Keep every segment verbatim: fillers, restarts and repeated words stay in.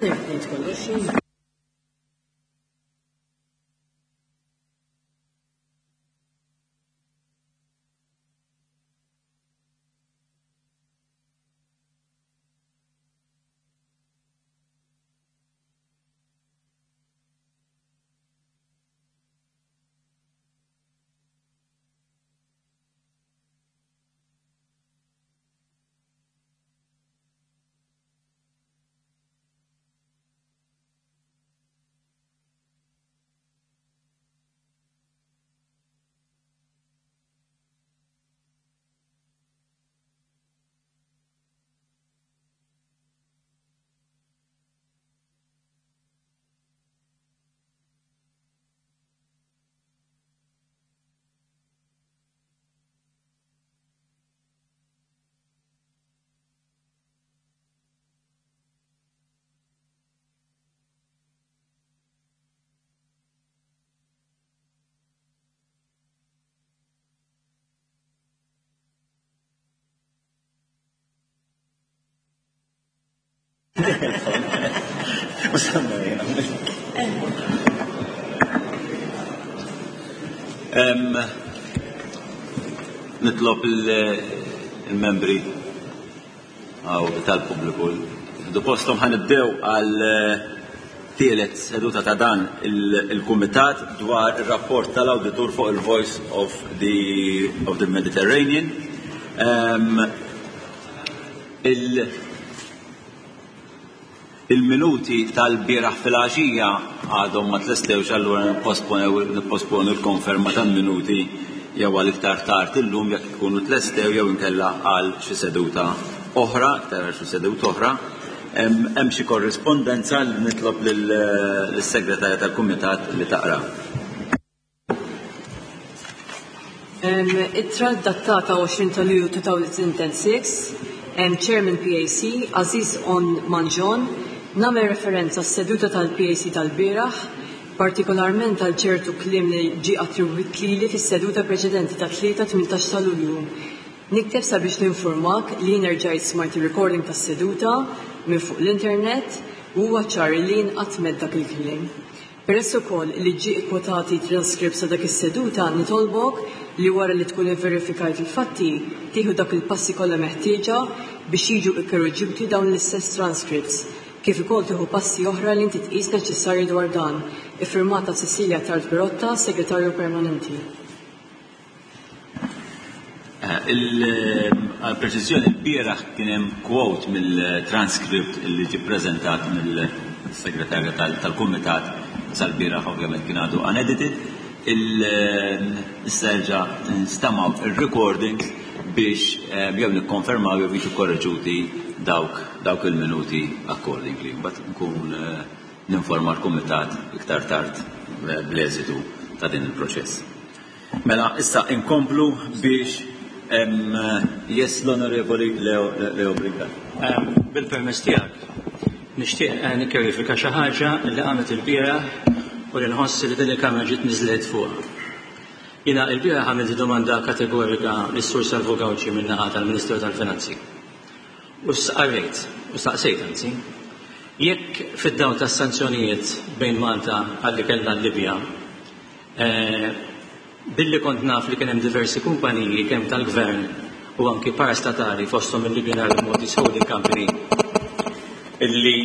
Ngħid kollox. Em, Nitlob il-membri għaw tal-pubbliku. Du postom ħa nibdew għal eh, tielet seduta ta' dan il-kumitat dwar il-rapport tal-auditur fuq il-Voice of the, of the Mediterranean. Em, il- Il-minuti tal-bieraħ fil-għaxija għadhom ma tlestewx, allura nipposponu l-konferma tal-minuti jew għal iktar tard illum jekk ikunu tlestew jew inkella għal xi seduta oħra, iktar għal xi seduta oħra. Hemm xi korrispondenza li nitlob lis-segretarja tal-kumitat li taqra. Ittra datata għoxrin ta' Lulju elfejn u sitta, Chairman P A C, Aziz On Manġon, nagħmel referenza s-seduta tal-P A C tal-bieraħ, partikolarment għal ċertu kliem li ġi attribwit lili fis-seduta preċedenti ta' tlieta tmintax ta' Lulju. Nikteb sabiex ninformak li jien erġajt smajt il-recording tas-seduta minn fuq l-internet u huwa ċar li jien qatt m'għedt dak il-kliem. Peress ukoll li ġie ikkwotati transcripts ta' dak is-seduta, nitolbok li wara li tkun verifikajt il-fatti tieħu dak il-passi kollha meħtieġa biex jiġu ikkorreġuti dawn l-istess transcripts, kif ukoll tieħu passi oħra li inti tqis neċessarji dwar dan. Iffirmata Cecilia Tard Pirotta, Segretarju Permanenti. Għal-preċiżjoni, il-bieraħ kien hemm quote mill-transcript li ġie preżentat mill-segretarja tal-kumitat sal-bieraħ, ovvjament kien għadu unedited. Issa erġa' nstamaw il-recordings biex jew nikkonfermaw jew jiġu korreġuti dawk dawk il-minuti accordingly. Mbagħad nkun ninforma l-kumitat iktar tard bl-eżitu ta' din il-proċess. Mela, issa inkomplu biex yes, l-Onorevoli Leo, Leo Brincat. Bil-permess tiegħek, nixtieq nikkjarifika xi ħaġa li qamet il-bieraħ u li nħoss li din il-kamra ġiet miżled fuqha. Jiena il-bieraħ għamilt domanda kategorika lis-Sur Salvu Gauci min-naħa tal-Ministeru tal-Finanzi. U staqsejt, u staqsejt anzi, jekk fid-dawl tas-sanzjonijiet bejn Malta għalli kellna l-Libja, billi kont naf li kien hemm diversi kumpaniji kemm tal-gvern u anki parastatali, fosthom il-Libyan Arab Maltese Holding Company, illi,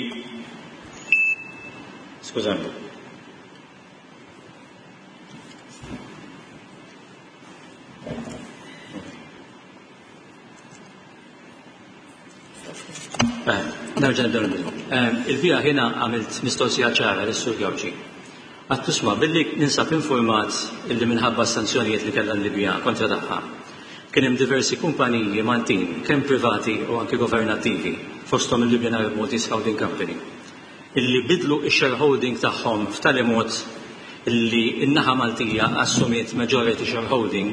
skużani, nerġa' nibdew nibdew. Il-bieraħ jiena għamilt mistoqsija ċara lis-Sur Gauci. Għedtlu, isma', billi ninsab informat illi minħabba sanzjonijiet li kellha l-Libja kontra tagħha, kien hemm diversi kumpaniji Maltin, kemm privati u anki governattivi, fosthom il-Libyan Arab Maltese Holding Company, illi bidlu x-shareholding tagħhom f'tali mod illi n-naħa Maltija assumiet majority shareholding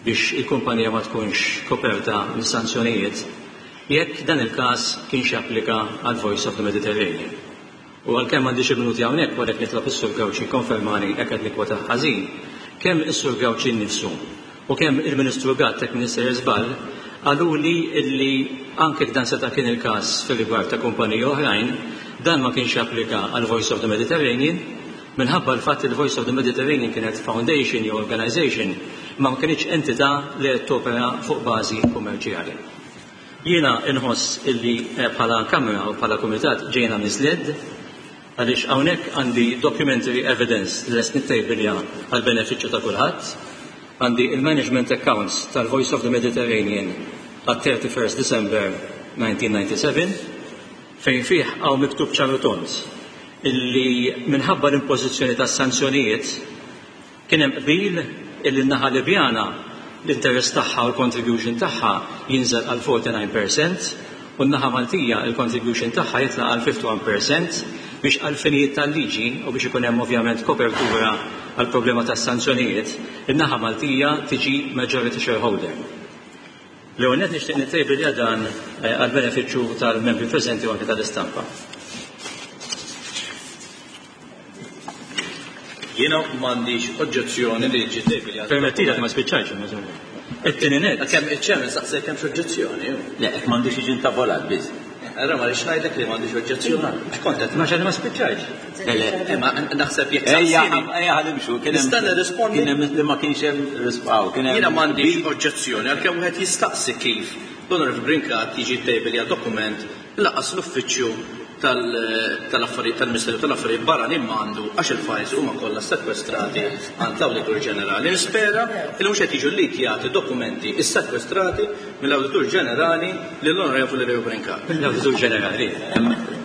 biex il-kumpanija ma tkunx koperta mis-sanzjonijiet, jekk dan il-każ kienx japplika għal Voice of the Mediterranean. U għalkemm m'għandix il-minuti hawnhekk, għalhekk nitlob is-Sur Gauci konfermani jekk qed nikkwota ħażin, kemm is-Sur Gauci nnifsu u kemm il-Ministru Gatt, jekk Minister żball, qaluli illi anke dan seta' kien il-każ fir-rigward ta' kumpaniji oħrajn, Dan ma kienx applika għal Voice of the Mediterranean minħabba l-fatt li Voice of the Mediterranean kienet foundation jew organization ma ma kienx entità li qed topera fuq bażi kummerċjali. Jiena inħoss illi bħala Kamra u bħala Kumitat ġejna misled għaliex hawnhekk għandi documentary evidence li lest nittejbilja għal benefiċċju ta' kulħadd. Għandi il-management accounts tal-Voice of the Mediterranean għat thirty-first December nineteen ninety-seven fejn fih hawn miktub ċar u tond illi minħabba l-impożizzjoni tas sanzjonijiet kien hemm qbil illi n-naħa Libjana l-interess tagħha u l-contribution tagħha jinżel għal forty-nine percent u n-naħa Maltija il-contribution tagħha jitla għal fifty-one percent biex għal finijiet tal-liġi u biex ikun hemm ovvjament kopertura għal problema tas sanzjonijiet, in-naħa Maltija tiġi majority shareholder. L-ewwel nett nixtieq nittejbilja dan għal benefiċċju tal-membri preżenti u anke tal-istampa. Jiena m'għandix oġġezzjoni li ġi tejbilja. Permettila ma spiċċajx. It-tieni nett. Kemm iċ-chairman saqsej kemm oġġezzjoni. Le, hekk m'għandux jiġi ntavolat biss. Allora ma rridx ngħidlek li m'għandix oġġezzjoni. X'kont qed Ma xejn ma spiċċajx. Le, le. Ma naħseb jekk Ejja, saqsini. ejja ħalimxu, kien hemm Nista' nirrispondi? Kien hemm li ma kienx hemm rispaw, kien hemm Jiena m'għandix oġġezzjoni għalkemm wieħed jistaqsi kif l-Onorevoli Brincat jiġi tejbilja dokument laqas l-uffiċċju tal-affarijiet tal-Ministeru tal-Affarijiet Barranin m'għandu għax il-files huma kollha sekwestrati għand l-Awditur Ġenerali. Nispera li mhux qed jiġu llikjati dokumenti ssekwestrati mill-Awditur Ġenerali lill-Onorevoli Leo Brincat. Mill-Awditur Ġenerali.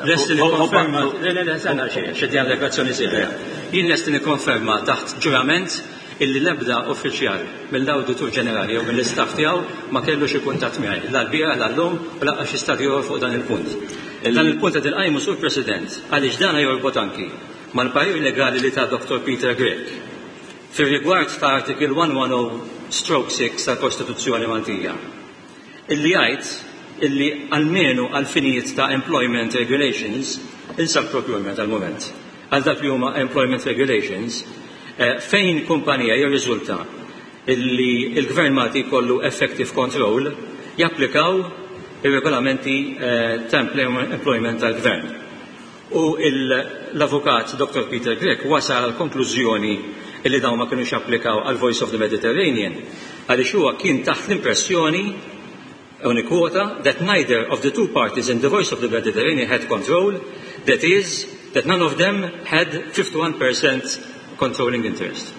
Lest li nikkonferma, le le le, sena xejn, xed jagħmel deklarazzjoni serja. Jien lest li nikkonferma taħt ġurament illi l-ebda uffiċjal mill-Awditur Ġenerali jew mill-istaff tiegħu ma kellu xi kuntatt miegħi, la l-bieraħ, la llum u lanqas xi stadju ieħor fuq dan il-punt. Dan il-punt qed inqajmu, Sur President, għaliex dan jorbot anki mal-parir legali li ta' Doctor Peter Grech fir-rigward ta' article one ten stroke six tal-Kostituzzjoni Maltija. Illi jgħid illi almenu għal finijiet ta' employment regulations, insa procurement għal-moment, għal dak li huma employment regulations, eh, fejn kumpanija jirriżulta illi il-Gvern Malti jkollu effective control, japplikaw ir-regolamenti eh, ta' employment tal-Gvern. U l-avukat Doctor Peter Grech wasal għal konklużjoni illi dawn ma kienux applikaw għal Voice of the Mediterranean għaliex huwa kien taħt l-impressjoni, u nikkwota, that neither of the two parties in the Voice of the Mediterranean had control, that is, that none of them had fifty-one percent controlling interest.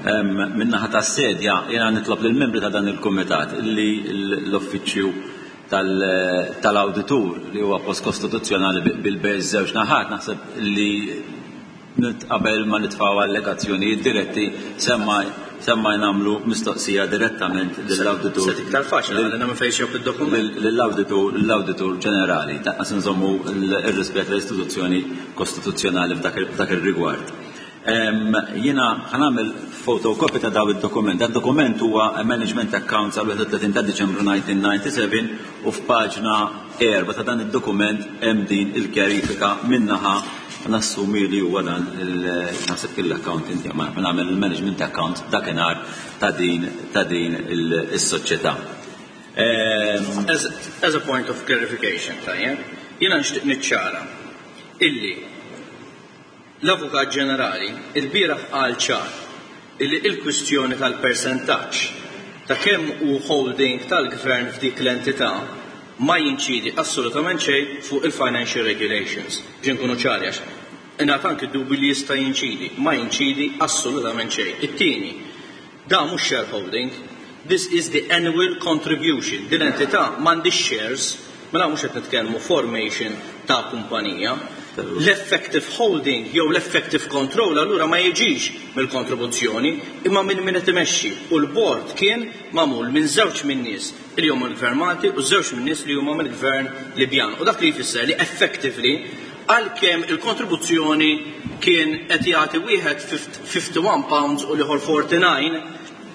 Min-naħa tas-sedja, jena nitlob lill-membri ta' dan il-kumitat li l-uffiċċju tal-awditur li huwa post kostituzzjonali bil-bejn żewġ naħat, naħseb li qabel ma nitfgħu allegazzjonijiet diretti semma semma nagħmlu mistoqsija direttament lill-awditur. Se iktar faċli għalina minn fejn xejn id-dokument. Lill-awditur lill-awditur ġenerali, tanqas nżommu r-rispett l-istituzzjoni kostituzzjonali f'dak ir-rigward. Jiena ħa nagħmel photocopy ta' daw id-dokument. Dan dokument huwa Management Accounts għal wieħed u tletin ta' Diċembru elf disa' mija u disgħa u sebgħin u f'paġna erba' ta' dan id-dokument hemm din il-kjarifika minnaħa nassumi li huwa dan naħseb kien l-accountant ma nagħmel il-management account dakinhar ta' din ta' din is-soċjetà. As, as a point of clarification, tajjeb, jiena nixtieq niċċara illi l-Avukat Ġenerali il-bieraħ qal ċar illi il-kwistjoni tal-persentaġġ ta' kemm hu holding tal-gvern f'dik l-entità ma jinċidi assolutament xejn fuq il-financial regulations. Biex nkunu ċari għax ingħata anke dubju li jista' jinċidi, ma jinċidi assolutament xejn. It-tieni, da mhux shareholding, this is the annual contribution. Din l-entità m'għandix shares, mela mhux qed nitkellmu formation ta' kumpanija. L-effective holding jew l-effective control allura ma jiġix mill-kontribuzzjoni imma minn min qed imexxi. U l-board kien magħmul minn żewġ minn nies li huma mill-Gvern Malti u żewġ minn nies li huma mill-Gvern Libjan. U dak li jfisser li effectively għalkemm il-kontribuzzjoni kien qed jagħti wieħed fifty-one pounds u l-ieħor forty-nine,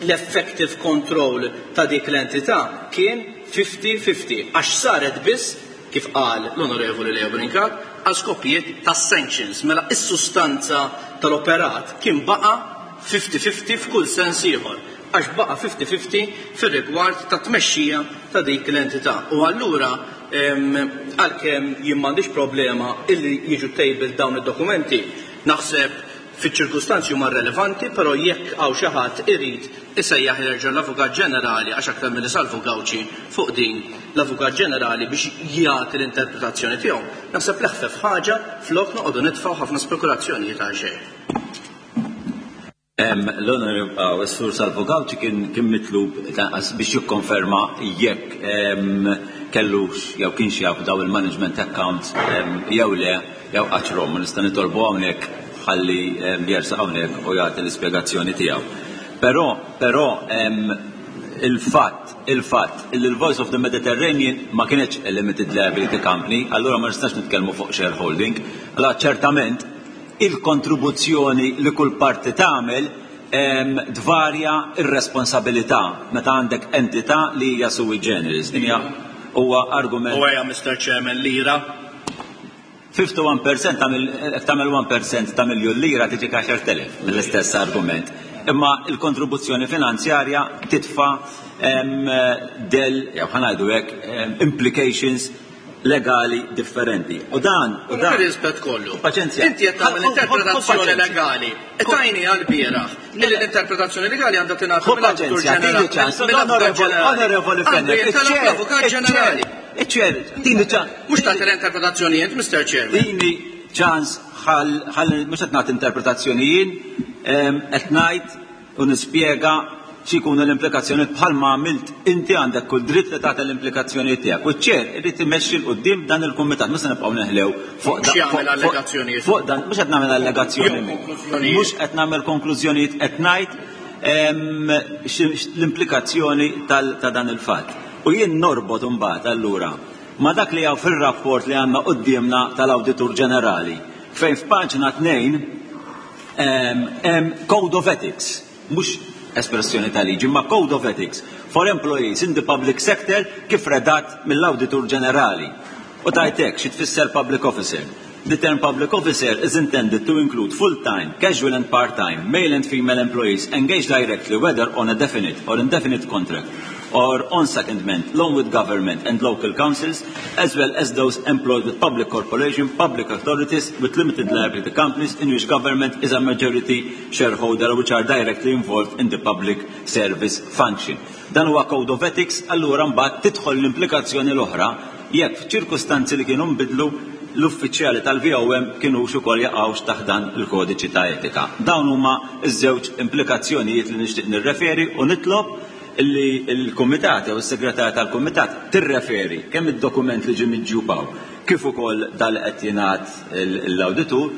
l-effective control ta' dik l-entità kien fifty fifty għax saret biss, kif qal l-Onorevoli Leo Brincat, għal skopijiet ta' sanctions. Mela is-sustanza tal-operat kien baqa fifty fifty f'kull sens ieħor. Għax baqa' fifty fifty fir-rigward ta' tmexxija ta' dik l-entità. U allura, għalkemm jien m'għandix problema illi jiġu tabled dawn id-dokumenti, naħseb fiċ-ċirkustanzi huma relevanti, però jekk hawn xi ħadd irid isejjaħ jerġa' l-Avukat Ġenerali, għax aktar milli Salvu Gauci fuq din, l-Avukat Ġenerali biex jagħti l-interpretazzjoni tiegħu, naħseb l-eħfef ħaġa flok noqogħdu nitfgħu ħafna spekulazzjonijiet għal xejn. L-Onorevole Sur Salvu Gauci kien kien mitlub biex jikkonferma jekk kellux jew kienx jaf daw il-management accounts jew le jew qaċrom. Nista' nitolbu hawnhekk ħalli jersaq hawnhekk u jagħti l-ispjegazzjoni tiegħu. Però però il-fatt il-fatt il Voice of the Mediterranean ma kienx a limited liability company, allura ma nistax nitkellmu fuq shareholding. Allora ċertament il-kontribuzzjoni li kull parti tagħmel tvarja ir-responsabilità meta għandek entità li hija sui generis. Din hija huwa argument. U għeja, Mister Chairman, lira. ħamsa u ħamsin fil-mija tagħmel tagħmel wieħed fil-mija ta' miljun lira tiġi għaxart elef mill-istess argument. Imma il-kontribuzzjoni finanzjarja titfa' del, jew ħa ngħidu hekk, implications legali differenti. U dan, u dan. Rispett kollu. Paċenzja. Inti qed tagħmel interpretazzjoni legali. E tajni għal-bieraħ li l-interpretazzjoni legali għandha tingħata mill-Awditur Ġenerali. Onorevoli Fenech, l-Avukat Ġenerali. Iċ-chair, tini ċans. Mhux tagħti l-interpretazzjonijiet, Mister Chairman. Tini ċans ħalli mhux qed nagħti interpretazzjonijiet, qed ngħid u nispjega x'ikunu l-implikazzjoni bħalma għamilt inti. Għandek kull dritt li tagħti l-implikazzjoni tiegħek. U ċ-chair irid imexxi 'l quddiem dan il-kumitat, mhux se nibqgħu neħlew fuq dan. Allegazzjonijiet. Fuq dan mhux qed nagħmel allegazzjoni. Mhux qed nagħmel konklużjonijiet, qed ngħid l-implikazzjoni ta' dan il-fatt. U jien norbot imbagħad allura ma dak li hawn fir-rapport li għandna quddiemna tal-Awditur Ġenerali, fejn f'paġna tnejn hemm Code of Ethics, mhux espressjoni ta' liġi, ma Code of Ethics for Employees in the Public Sector kif redat mill-Awditur Ġenerali. U tajtek xi tfisser public officer. The term public officer is intended to include full-time, casual and part-time, male and female employees engaged directly, whether on a definite or indefinite contract or on secondment, along with government and local councils, as well as those employed with public corporation, public authorities, with limited liability companies in which government is a majority shareholder, which are directly involved in the public service function. Dan huwa code of ethics, allura mbagħad tidħol l-implikazzjoni l-oħra jekk f'ċirkustanzi li kienu nbidlu l-uffiċjali tal-V O M kienu ukoll jaqgħux taħt dan il-kodiċi ta' etika. Dawn huma ż-żewġ implikazzjonijiet li nixtieq nirreferi u nitlob illi il-kumitat jew is-segretarja tal-kumitat tirreferi kemm id-dokument li ġie miġjub hawn kif ukoll dal qed jingħad l-awditur,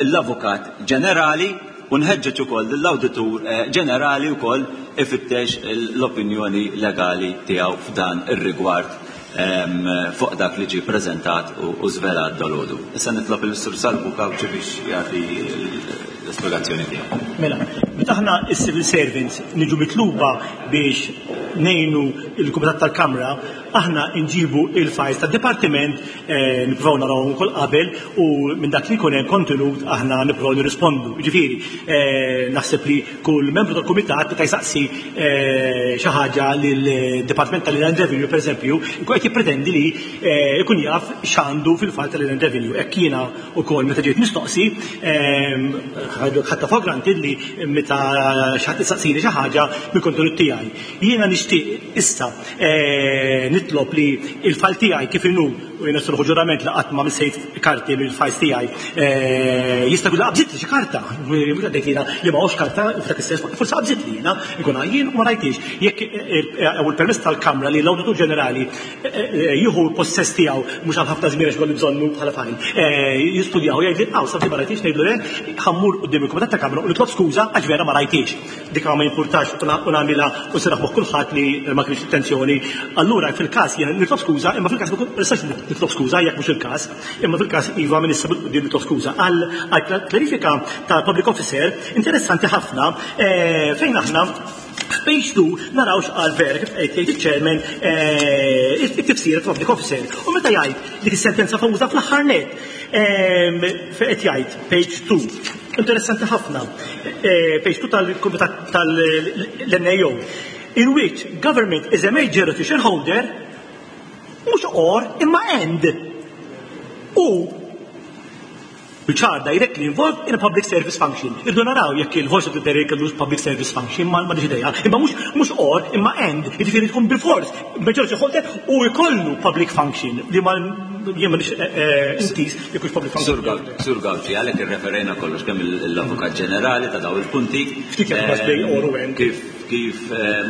l-Avukat Ġenerali, u nħeġġeġ ukoll l-Awditur eh, Ġenerali wkoll ifittex l-opinjoni legali tiegħu f'dan ir-rigward fuq dak li ġie preżentat u żvelat dalgħodu. Issa nitlob il-Sur Salvu Gauci biex jagħti l-espjegazzjoni tiegħu. Mela, meta aħna is-civil servants niġu mitluba biex ngħinu il-Kumitat tal-Kamra, aħna nġibu il-files tad-dipartiment, eh, nippruvaw naraw ukoll qabel u minn dak li jkun hemm kontenut aħna nippruvaw nirrispondu. Ġifieri, eh, naħseb li kull membru tal-kumitat meta jsaqsi eh, xi ħaġa lill-Dipartiment tal-Inland Revenue, pereżempju, jkun qed jippretendi li jkun jaf x'għandu fil-file tal-Inland Revenue. Hekk jiena wkoll meta ġejt mistoqsi, ħadtha for granted li meta xi ħadd isaqsini xi ħaġa mill-kontenut tiegħi. Jiena nixtieq issa nitlob li il-file tiegħi kif inhu, u jiena sruħu ġurament li qatt ma missejt karti mill-files tiegħi, jista' jkun qabżit li xi karta, mhux għaddejt jiena li ma karta f'dak is-sens, forsi qabżit li jiena ikun jien u ma rajtix. Jekk u l-permess tal-Kamra li l-Awditur Ġenerali jieħu possess tiegħu mhux għal ħafna żmien għax bżonnu bħala file, jistudjaw, jgħid li għaw sabti ma rajtix, ngħidlu le, ħa mmur quddiem il-Kumitat ta' Kamra u nitlob skuża għax vera ma rajtix. Dik ma jimpurtax u nagħmilha u seraħ moħħ kulħadd li ma kienx intenzjoni. Allura fil-każ jiena nitlob skuża, imma fil-każ ma nistax nitlob skuża jekk mhux il-każ, imma fil-każ iva minn issa bil-quddiem nitlob skuża. Għal klarifika ta' public officer interessanti ħafna, fejn aħna f'page two naraw x'qal vera kif qed jgħid il-chairman it-tifsir public officer. U meta jgħid dik is-sentenza famuża fl-aħħar net, qed jgħid page two. Interessanti ħafna. Page two tal-Kumitat tal-N A O. In which government is a majority shareholder, mhux or imma and. U which are directly involved in a public service function. Irdu naraw jekk il-Voice of the Mediterranean kellu public service function, ma ma idea. Imma mhux mhux or imma and, jiġifieri tkun bil-fors majority holder u jkollu public function li ma jien m'għandix intiż jekk hux public function. Sur Gauci, għalhekk irreferejna kollox kemm l-Avukat Ġenerali ta' daw il-punti. Ftit jekk bej or u and. Kif kif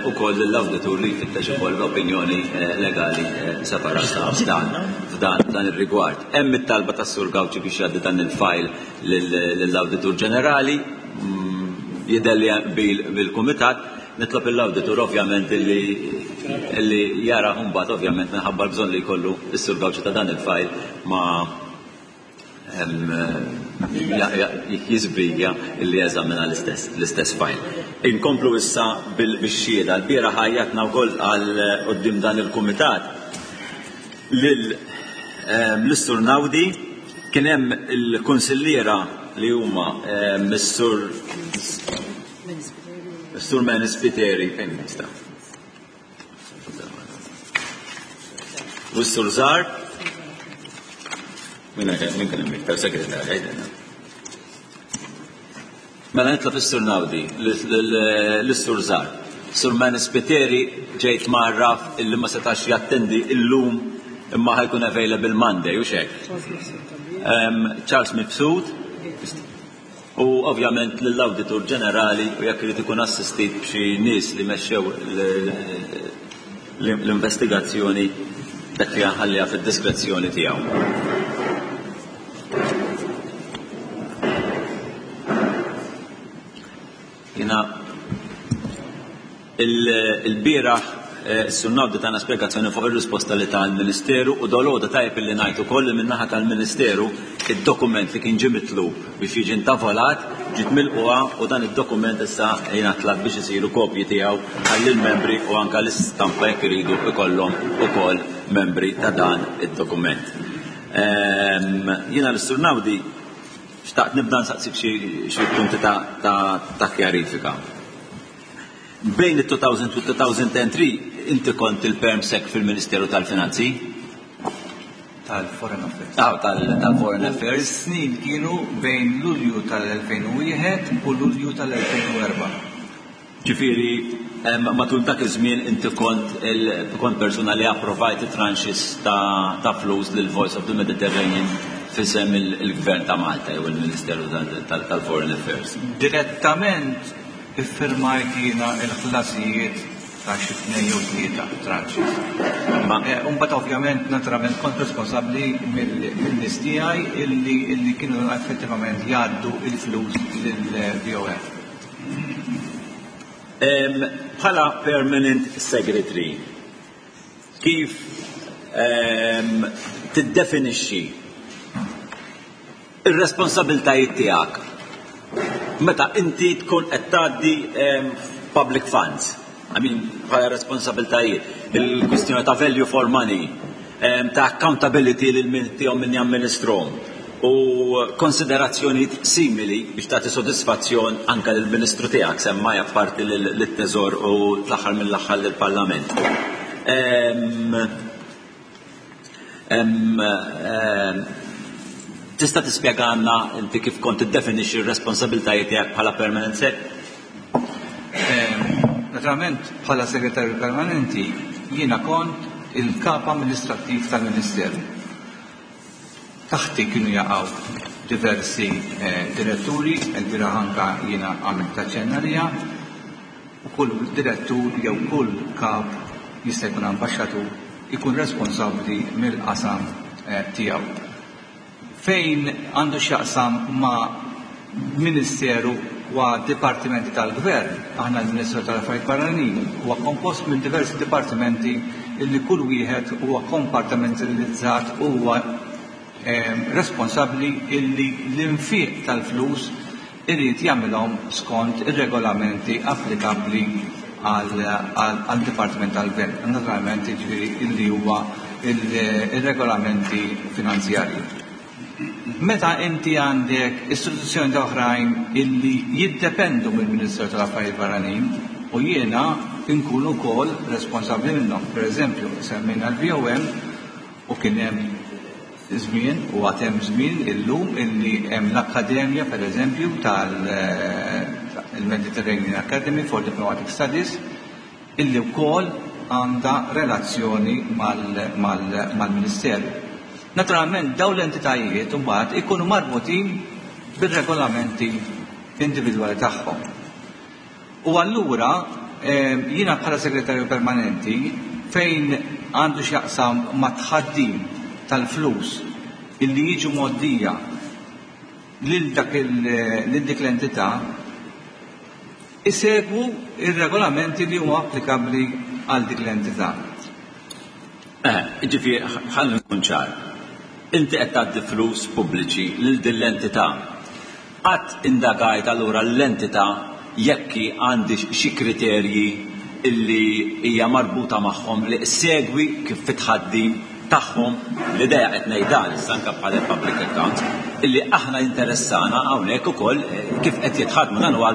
ukoll l-awditur li jfittex ukoll opinjoni legali separata f'dan f'dan dan ir-rigward. Hemm it-talba tas-Sur Gauci biex jgħaddi dan il-file lill-Awditur Ġenerali, jidher li bil-kumitat, nitlob l-awditur ovvjament li li jara mbagħad, ovvjament minħabba l-bżonn li jkollu s-Sur Gauci ta' dan il-file, ma jizbrigja li jeżamina l-istess l-istess file. Inkomplu issa bil-xhieda. L-bieraħ għajjatna wkoll għal quddiem dan il-kumitat lil l-Sur Naudi, kien hemm il-kunsilliera li huma Missur Sur Manny Spiteri, fejn nista'? U s-Sur Zar, min min kien hemm iktar segretarja jgħidilna. Mela nitlob is-Sur Naudi, l-Sur Zar. Sur Manny Spiteri ġejt marraf illi ma setax jattendi illum imma ħa jkun available Monday, u hekk. Charles Mifsud u ovvjament lill-Awditur Ġenerali, u jekk irid ikun assistit b'xi nies li mexxew l-investigazzjoni, dak li ħalliha fid-diskrezzjoni tiegħu. Jiena il-bieraħ s-Sur Naudi tana spiegazzjoni fuq il-risposta li tal-Ministeru u dalgħodu tajjeb illi ngħid ukoll li min-naħa tal-Ministeru id-dokument li kien ġie mitlub biex jiġi intavolat ġiet milquha u dan id-dokument issa jiena tlab biex isiru kopji tiegħu għall-membri u anke l-istampa jekk iridu ikollhom ukoll membri ta' dan id-dokument. Jiena l-Sur Naudi xtaqt nibda nsaqsik xi punti ta' kjarifika. Bejn it-two thousand u two thousand three inti kont il-Perm Sec fil-Ministeru tal-Finanzi? Tal-Foreign Affairs. Ah, tal-Foreign Affairs. Snin kienu bejn Lulju tal-elfejn u wieħed u Lulju tal-elfejn u erbgħa. Ġifieri, matul dak iż-żmien inti kont kont persuna li approvajt tranches ta', ta flus lil Voice of the Mediterranean f'isem il-Gvern ta' Malta jew il-Ministeru tal-Foreign Affairs. Direttament iffirmajt jiena il-ħlasijiet ta' xi tnejn jew tlieta tranches. Imbagħad ovvjament naturalment kont responsabbli mill-nies tiegħi illi illi kienu effettivament jgħaddu il-flus lill-V O M. Bħala permanent secretary, kif tiddefinixxi ir-responsabiltajiet tiegħek meta inti tkun qed tgħaddi public funds? I mean, bħala responsabiltajiet, il-kwistjoni ta' value for money, ta' accountability lil min tihom, min jamministrom u konsiderazzjonijiet simili biex tagħti sodisfazzjon anke lill-Ministru tiegħek, semmaj apparti lit-Teżor u l-aħħar mill-aħħar lill-Parlament. Em, em, em, Tista' tispjegana inti kif kont tiddefinixxi r-responsabiltajiet tiegħek bħala permanent sec? Naturalment bħala segretarju permanenti jiena kont il-kap amministrattiv tal-Ministeru. Taħti kienu jaqgħu diversi eh, diretturi, il-bieraħ anka jiena għamilt taċċenna liha, u kull direttur jew kull kap, jista' jkun ambaxxatur, ikun responsabbli mill-qasam eh, tiegħu. Fejn għandu x'jaqsam ma' ministeru u dipartimenti tal-gvern, aħna l-Ministeru tal-Affarijiet Barranin huwa kompost minn diversi dipartimenti illi kull wieħed huwa kompartimentalizzat u huwa eh, responsabbli illi l-infiq tal-flus irid jagħmilhom skont ir-regolamenti applikabbli għal dipartiment tal-gvern. Naturalment jiġifieri illi huwa il-regolamenti finanzjarji. Meta inti għandek istituzzjoni oħrajn illi jiddependu mill-Ministeru tal-Affarijiet Barranin u jiena nkun ukoll responsabbli minnhom. Per eżempju, semmejna l-V O M u kien hemm żmien u għad hemm żmien illum illi hemm l-Akkademja, per eżempju, tal-Mediterranean Academy for Diplomatic Studies, illi wkoll għandha relazzjoni mal-Ministeru. Naturalment, dawn l-entitajiet mbagħad ikunu marbutin bir-regolamenti individwali tagħhom. U allura jiena bħala segretarju permanenti, fejn għandu x'jaqsam ma' tħaddim tal-flus illi jiġu mgħoddija lil dak lil dik l-entità, isegwu ir-regolamenti li huma applikabbli għal dik l-entità. Eh, ġifieri, ħalli nkun ċar. Inti qed tgħaddi flus pubbliċi lil din l-entità. Qatt indagajt allura l-entità jekk għandi xi kriterji illi hija marbuta magħhom li segwi kif fit-tħaddim tagħhom? L-idea qed ngħidha issa anke bħala public account illi aħna interessana hawnhekk ukoll kif qed jitħadmu, dan huwa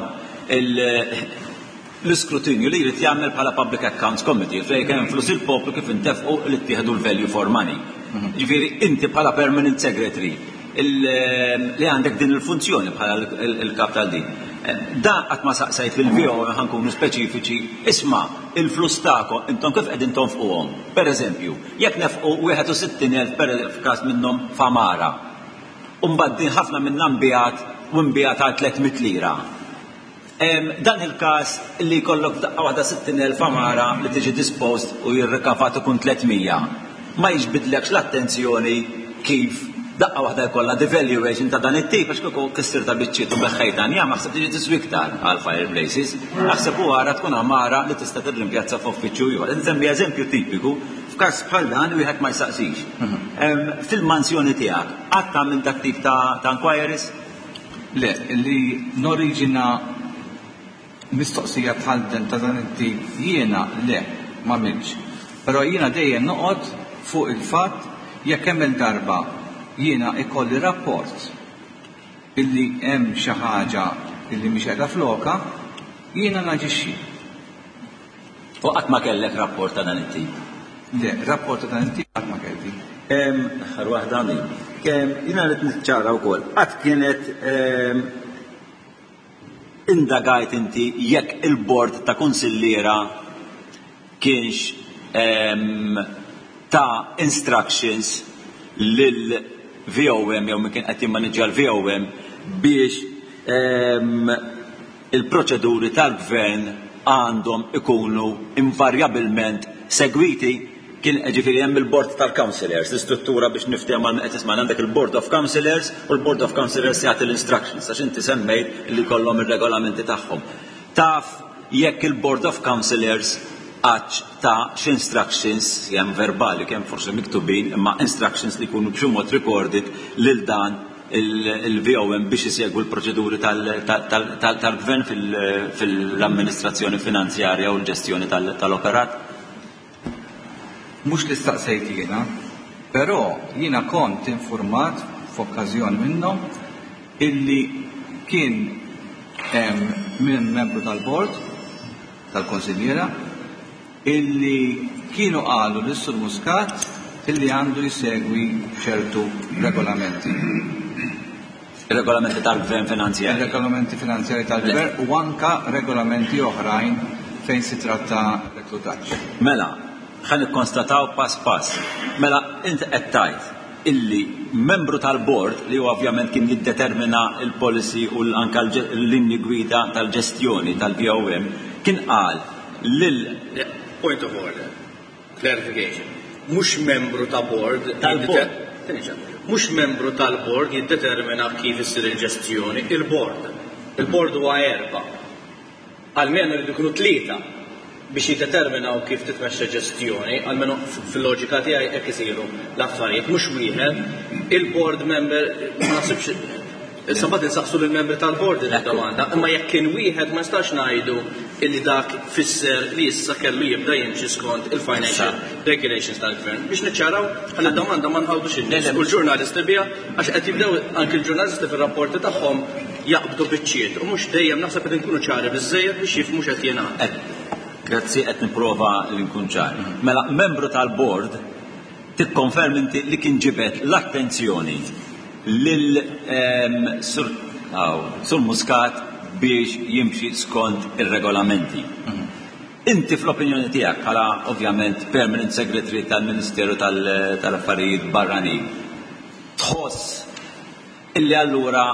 l-iskrutinju li jrid jagħmel bħala Public Accounts Committee fejn kemm flus il-poplu kif intefqu li ttieħdu l-value for money. Ġifieri inti bħala permanent secretary li għandek din il-funzjoni bħala il-kap tal-din. Da qatt ma saqsajt fil-V O, ħa nkunu speċifiċi, isma' il-flus tagħkom intom kif qegħdin tonfquhom? Per eżempju, jekk nefqu wieħed u sittin elf per f'każ minnhom f'għamara, u mbagħad din ħafna minnha nbiegħet u nbiegħet għal tliet mitt lira. Dan il-każ li jkollok f'daqqa waħda sittin elf għamara li tiġi disposed u jirrikavat ikun tliet mija, ma jiġbidlekx l-attenzjoni kif daqqa waħda jkollha devaluation ta' dan it-tip, għax kieku kissirtha biċċiet u beħħejta njam, naħseb tiġi tiswi iktar għal fireplaces, naħseb u għara tkun għamara li tista' tirrimpjazza f'uffiċċju ieħor. Nsemmi eżempju tipiku, f'każ bħal dan wieħed ma jsaqsix. Fil-mansjoni tiegħek, qatt tagħmel dak tip ta' inquiries? Le, li noriġina mistoqsija bħal dan ta' dan it-tip jiena le, ma minx. Però jiena dejjem noqgħod fuq il-fatt jekk hemm il-darba jiena ikolli rapport illi hemm xi ħaġa illi mhix qiegħda floka, jiena naġixxi. U qatt ma kellek rapport ta' dan it-tip? Le, rapport ta' dan it-tip qatt ma kelli. Aħħar waħda għandi. Jiena rrid niċċara wkoll. Qatt kienet indagajt inti jekk il-bord ta' konsilliera kienx ta' instructions lil V O M jew min kien qed jimmaniġġja l-V O M biex il-proċeduri tal-gvern għandhom ikunu invarjabilment segwiti? Kien ġifieri hemm il-board tal-councillors, l-istruttura biex niftehom għal qed tisma', għandek il-board of councillors u l-board of councillors jagħti l-instructions, għax inti semmejt li kollhom ir-regolamenti tagħhom. Taf jekk il-board of councillors għax ta' instructions, kemm verbali, kemm forsi miktubin, imma instructions li jkunu b'xi mod recorded lil dan il-V O M biex isegwu l-proċeduri tal-gvern fil-amministrazzjoni finanzjarja u l-ġestjoni tal-operat? Mhux li staqsejt jiena, però jiena kont informat f'okkażjoni minnhom illi kien hemm minn membru tal-bord tal-konsiljiera illi kienu qalu lis Sur Muscat illi għandu jsegwi ċertu regolamenti. Regolamenti tal-gvern finanzjari. Regolamenti finanzjari tal-gvern u anka regolamenti oħrajn fejn si tratta reklutaġġ. Mela, ħa nikkonstataw pass pass. Mela, inti qed tgħid illi membru tal-bord li ovvjament kien jiddetermina il-policy u anka l-linji gwida tal-ġestjoni tal-V O M kien qal lil Point of order. Clarification. Mhux membru ta' board Tal-board. Mhux membru tal-board jiddetermina kif issir il-ġestjoni, il-board. Il-board huwa erba'. Almenu jridu jkunu tlieta biex jiddeterminaw kif titmexxa ġestjoni, almenu fil-loġika tiegħi hekk isiru l-affarijiet, mhux wieħed. Il-board member ma nasibx Issa mbagħad insaqsu lill-membri tal-bord din id-domanda, imma jekk kien wieħed ma nistax ngħidu illi dak fisser li issa kellu jibda jimxi skont il-financial regulations tal-gvern. Biex niċċaraw ħalli d-domanda ma nħawdux in-nies u l-ġurnalisti biha, għax qed jibdew anke l-ġurnalisti fir-rapporti tagħhom jaqbdu biċċiet u mhux dejjem naħseb qed inkunu ċari biżżejjed biex jifhmu x'qed jingħad. Grazzi, qed nipprova li nkun ċar. Mela, membru tal-bord tikkonferm inti li kien ġibet l-attenzjoni lil Sur, Sur Muscat biex jimxi skont ir-regolamenti. Inti fl-opinjoni tiegħek bħala ovvjament Permanent Secretary tal-Ministeru tal-Affarijiet Barranin, tħoss illi allura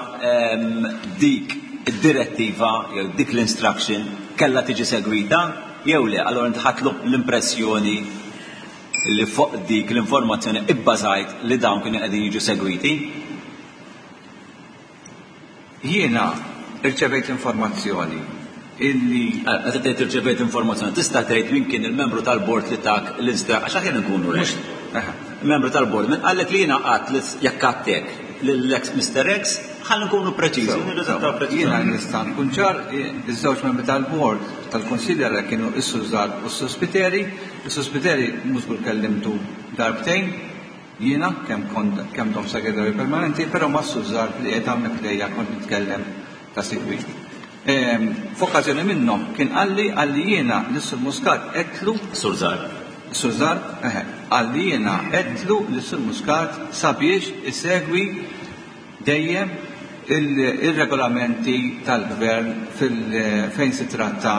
dik id-direttiva jew dik l-instruction kellha tiġi segwita jew le? Allura inti ħadt l-impressjoni li fuq dik l-informazzjoni ibbażajt li dawn kienu qegħdin jiġu segwiti? Jiena rċevejt informazzjoni illi Meta tgħid irċevejt informazzjoni, tista' tgħid min kien il-membru tal-bord li tak l-instruction, għax aħjar nkunu rek. Membru tal-bord, min qallek li jiena qatt jekk għattek lill-ex Mister X, ħalli nkunu preċiżi, nirriżultaw preċiżi. Jiena nista' nkun ċar, iż-żewġ membri tal-bord tal-Kunsilja kienu is-Sur Zarb u s-Sur Spiteri. Is-Sur Spiteri mhux żgur kellimtu darbtejn, jiena kemm kont kemm dom segretarju permanenti, però ma' Sur Zarb li qed hawnhekk lejja kont nitkellem ta' sikwit. F'okkażjoni minnhom kien qalli qalli jiena lis-Sur Muscat qedtlu Sur Zarb. Sur Zarb, eħe, qalli jiena qedtlu lis-Sur Muscat sabiex isegwi dejjem il-regolamenti tal-gvern fejn si tratta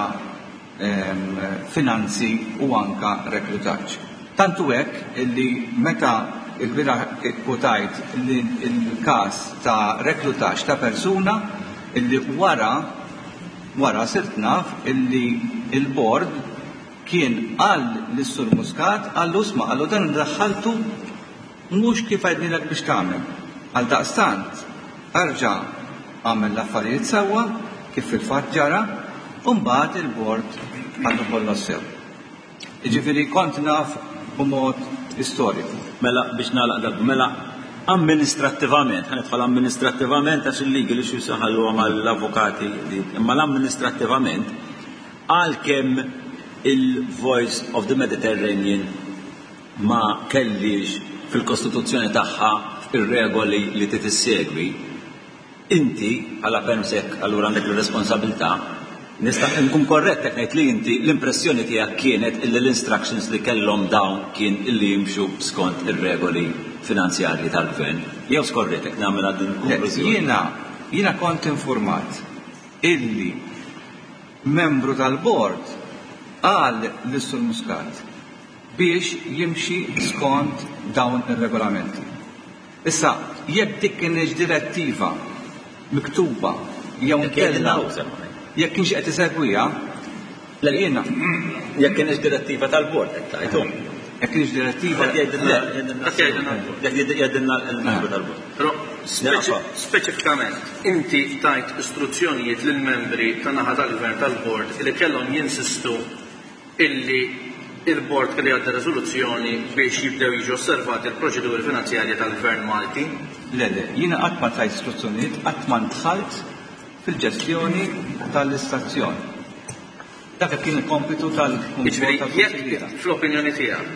finanzi u anka reklutaġġ. Tantu hekk illi meta il-bieraħ ikkwotajt il-każ ta' reklutaġġ ta' persuna illi wara wara sirt naf illi il-bord kien qal lis-Sur Muscat, qallu isma', qallu dan daħħaltu mhux kif għednilek biex tagħmel. Għal daqstant erġa' għamel l-affarijiet sewwa kif fil-fatt ġara, u mbagħad il-bord għandu kollox sew. Jiġifieri kont naf b'mod istoriku. Mela biex nagħlaq dak, mela amministrattivament, ħa nidħol amministrattivament għax il-liġi li xi saħalluha mal-avukati, imma l-amministrattivament għalkemm il-Voice of the Mediterranean ma kellix fil-Kostituzzjoni tagħha ir-regoli li titissegwi, inti bħala permsek allura għandek ir-responsabilità, nista' nkun korrett jekk ngħid li inti l-impressjoni tiegħek kienet illi l-instructions li kellhom dawn kien illi jimxu skont ir-regoli finanzjarji tal-gvern. Jew skorrett jekk nagħmel din il-konklużjoni? Jiena, jiena kont informat illi membru tal-bord qal lis-Sur Muscat biex jimxi skont dawn ir-regolamenti. Issa, jekk dik kienx direttiva miktuba jew inkella jekk kienx qed isegwiha, jiena jekk kienx direttiva tal-bord qed tgħidu. Jekk kienx direttiva jgħidilna l-membru tal-bord. Però speċifikament inti tajt istruzzjonijiet lill-membri tan-naħa tal-gvern tal-bord li kellhom jinsistu illi il-bord kellu jgħaddi riżoluzzjoni biex jibdew jiġu osservati l-proċeduri finanzjarji tal-gvern Malti? Le, le, jiena qatt ma tajt istruzzjonijiet, qatt ma ndħalt fil-ġestjoni tal-istazzjon. Dak kien il-kompitu tal-Kunsill. Jiġifieri, jekk fl-opinjoni tiegħek,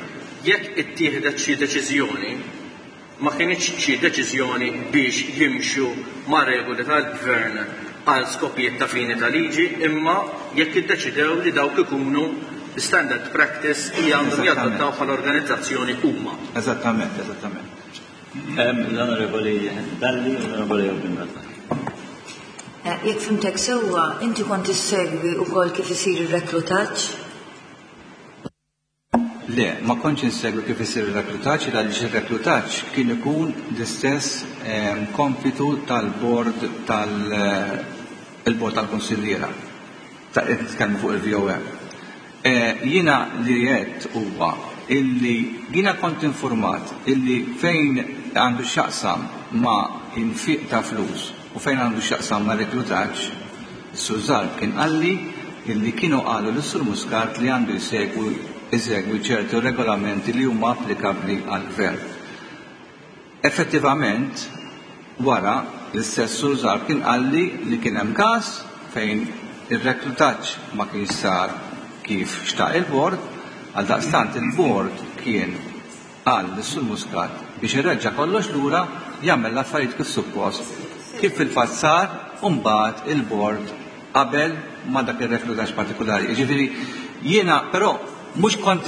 jekk ittieħdet xi deċiżjoni, ma kienx xi deċiżjoni biex jimxu ma' regoli tal-gvern għal skopijiet ta' fini ta' liġi, imma jekk iddeċidew li dawk ikunu standard practice li għandhom jadottaw bħala organizzazzjoni huma. Eżattament, eżattament. L-Onorevoli Dalli, l-Onorevoli Jorgen. Jekk fimtek sewwa, inti kont issegwi wkoll kif isir ir-reklutaġġ? Le, ma kontx insegwi kif isir ir-reklutaġġ, għaliex ir-reklutaġġ kien ikun l-istess kompitu tal-bord tal-bord tal-konsilliera. Ta' nitkellmu fuq il-V O M. Jiena li għedt huwa illi jiena kont informat illi fejn għandu x'jaqsam ma' infiq ta' flus u fejn għandu x'jaqsam ma' reklutaġġ, Sur Zarb kien qalli illi kienu qalu lis-Sur Muscat li għandu jsegwi, isegwi ċertu regolamenti li huma applikabbli għall-gvern. Effettivament, wara L-istess Sur Zarb kien qalli li kien hemm każ fejn ir-reklutaġġ ma kienx sar kif xtaq il-bord, għaldaqstant il-bord kien qal lis-Sur Muscat biex ireġġa' kollox lura, jagħmel l-affarijiet kif suppost, kif fil-fatt sar, u mbagħad il-bord qabel ma dak ir-reklutaġġ partikolari. Jiġifieri jiena però mhux kont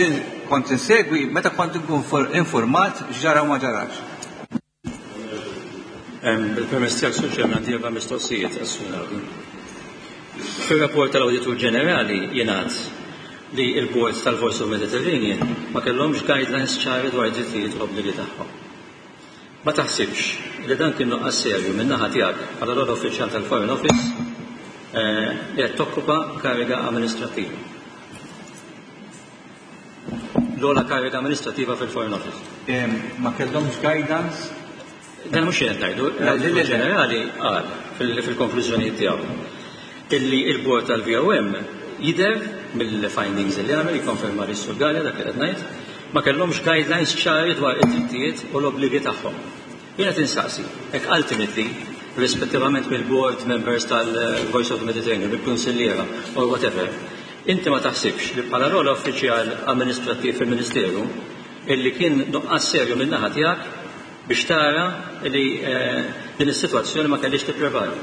kont insegwi meta kont inkun informat x'ġara u ma ġarax. Bil-permess tiegħek, Sur Chairman, għandi erba' mistoqsijiet għas-Sur Naudi. Fir-rapport tal-Awditur Ġenerali jingħad li l-Board tal-Voice of Mediterranean ma kellhomx guidelines ċari dwar id-drittijiet u l-obbligi tagħhom. Ma taħsibx li dan kien nuqqas serju min-naħa tiegħek bħala l-ogħla uffiċjal tal-Foreign Office li qed tokkupa kariga amministrattiva? L-ogħla kariga amministrattiva fil-Foreign Office. Ma kellhomx guidance? Dan mhux qed ngħidu, l-Awditur Ġenerali qal fil-konklużjonijiet tiegħu illi il-Board tal-V O M jidher mill-findings li għamel, jikkonferma li Sur Galea dak li qed ngħid, ma kellhomx guidelines ċari dwar id-drittijiet u l-obbligi tagħhom. Jiena tinsaqsi, hekk ultimately, rispettivament mill-board members tal-Voice of the Mediterranean, mill-kunsilliera or whatever, inti ma taħsibx li bħala l-ogħla uffiċjal amministrattiv fil-Ministeru illi kien nuqqas serju min-naħa tiegħek biex tara li din is-sitwazzjoni ma kellix tipprevali?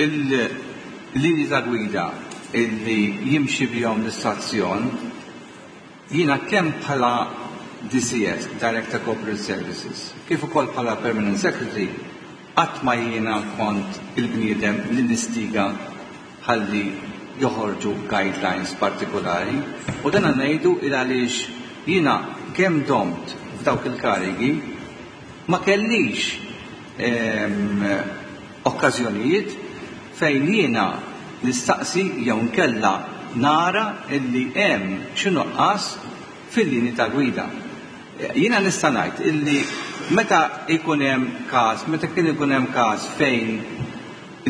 Il-linji ta' gwida illi jimxi bihom l-istazzjon, jiena kemm bħala D C S, Director Corporate Services, kif ukoll bħala Permanent Secretary, qatt ma jiena kont il-bniedem li nistiga ħalli joħorġu guidelines partikolari, u dan ngħidu il għaliex jiena kemm domt f'dawk il-karigi ma kellix okkażjonijiet fejn jiena nistaqsi jew nkella nara illi hemm xi nuqqas fil-linji ta' gwida. Jiena nista' ngħid illi meta jkun hemm każ, meta kien ikun hemm każ fejn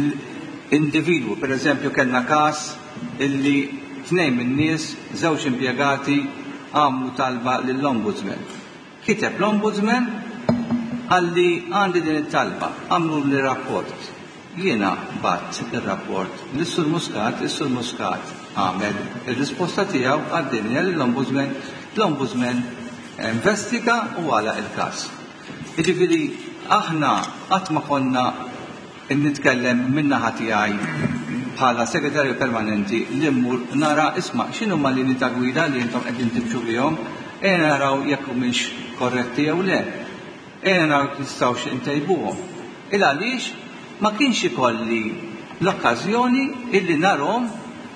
l-individwu, per eżempju kellna każ illi tnejn min-nies, żewġ impjegati, għamlu talba lill-Ombudsman. Kiteb l-Ombudsman għalli għandi din it-talba, għamlu li rapport. Jiena bgħatt ir-rapport lis-Sur Muscat, is-Sur Muscat għamel ir-risposta tiegħu, għaddinja lill-Ombudsman, l-Ombudsman investiga u għalaq il-każ. Jiġifieri aħna qatt ma konna nitkellem min-naħa tiegħi bħala segretarju permanenti li mmur nara, isma', x'inhuma linji ta' gwida li intom qegħdin timxu bihom, ejja naraw jekk humiex korretti jew le. Ejja naraw jekk nistgħux intejbuhom. Il għaliex ma kienx ikolli l-okkażjoni illi narhom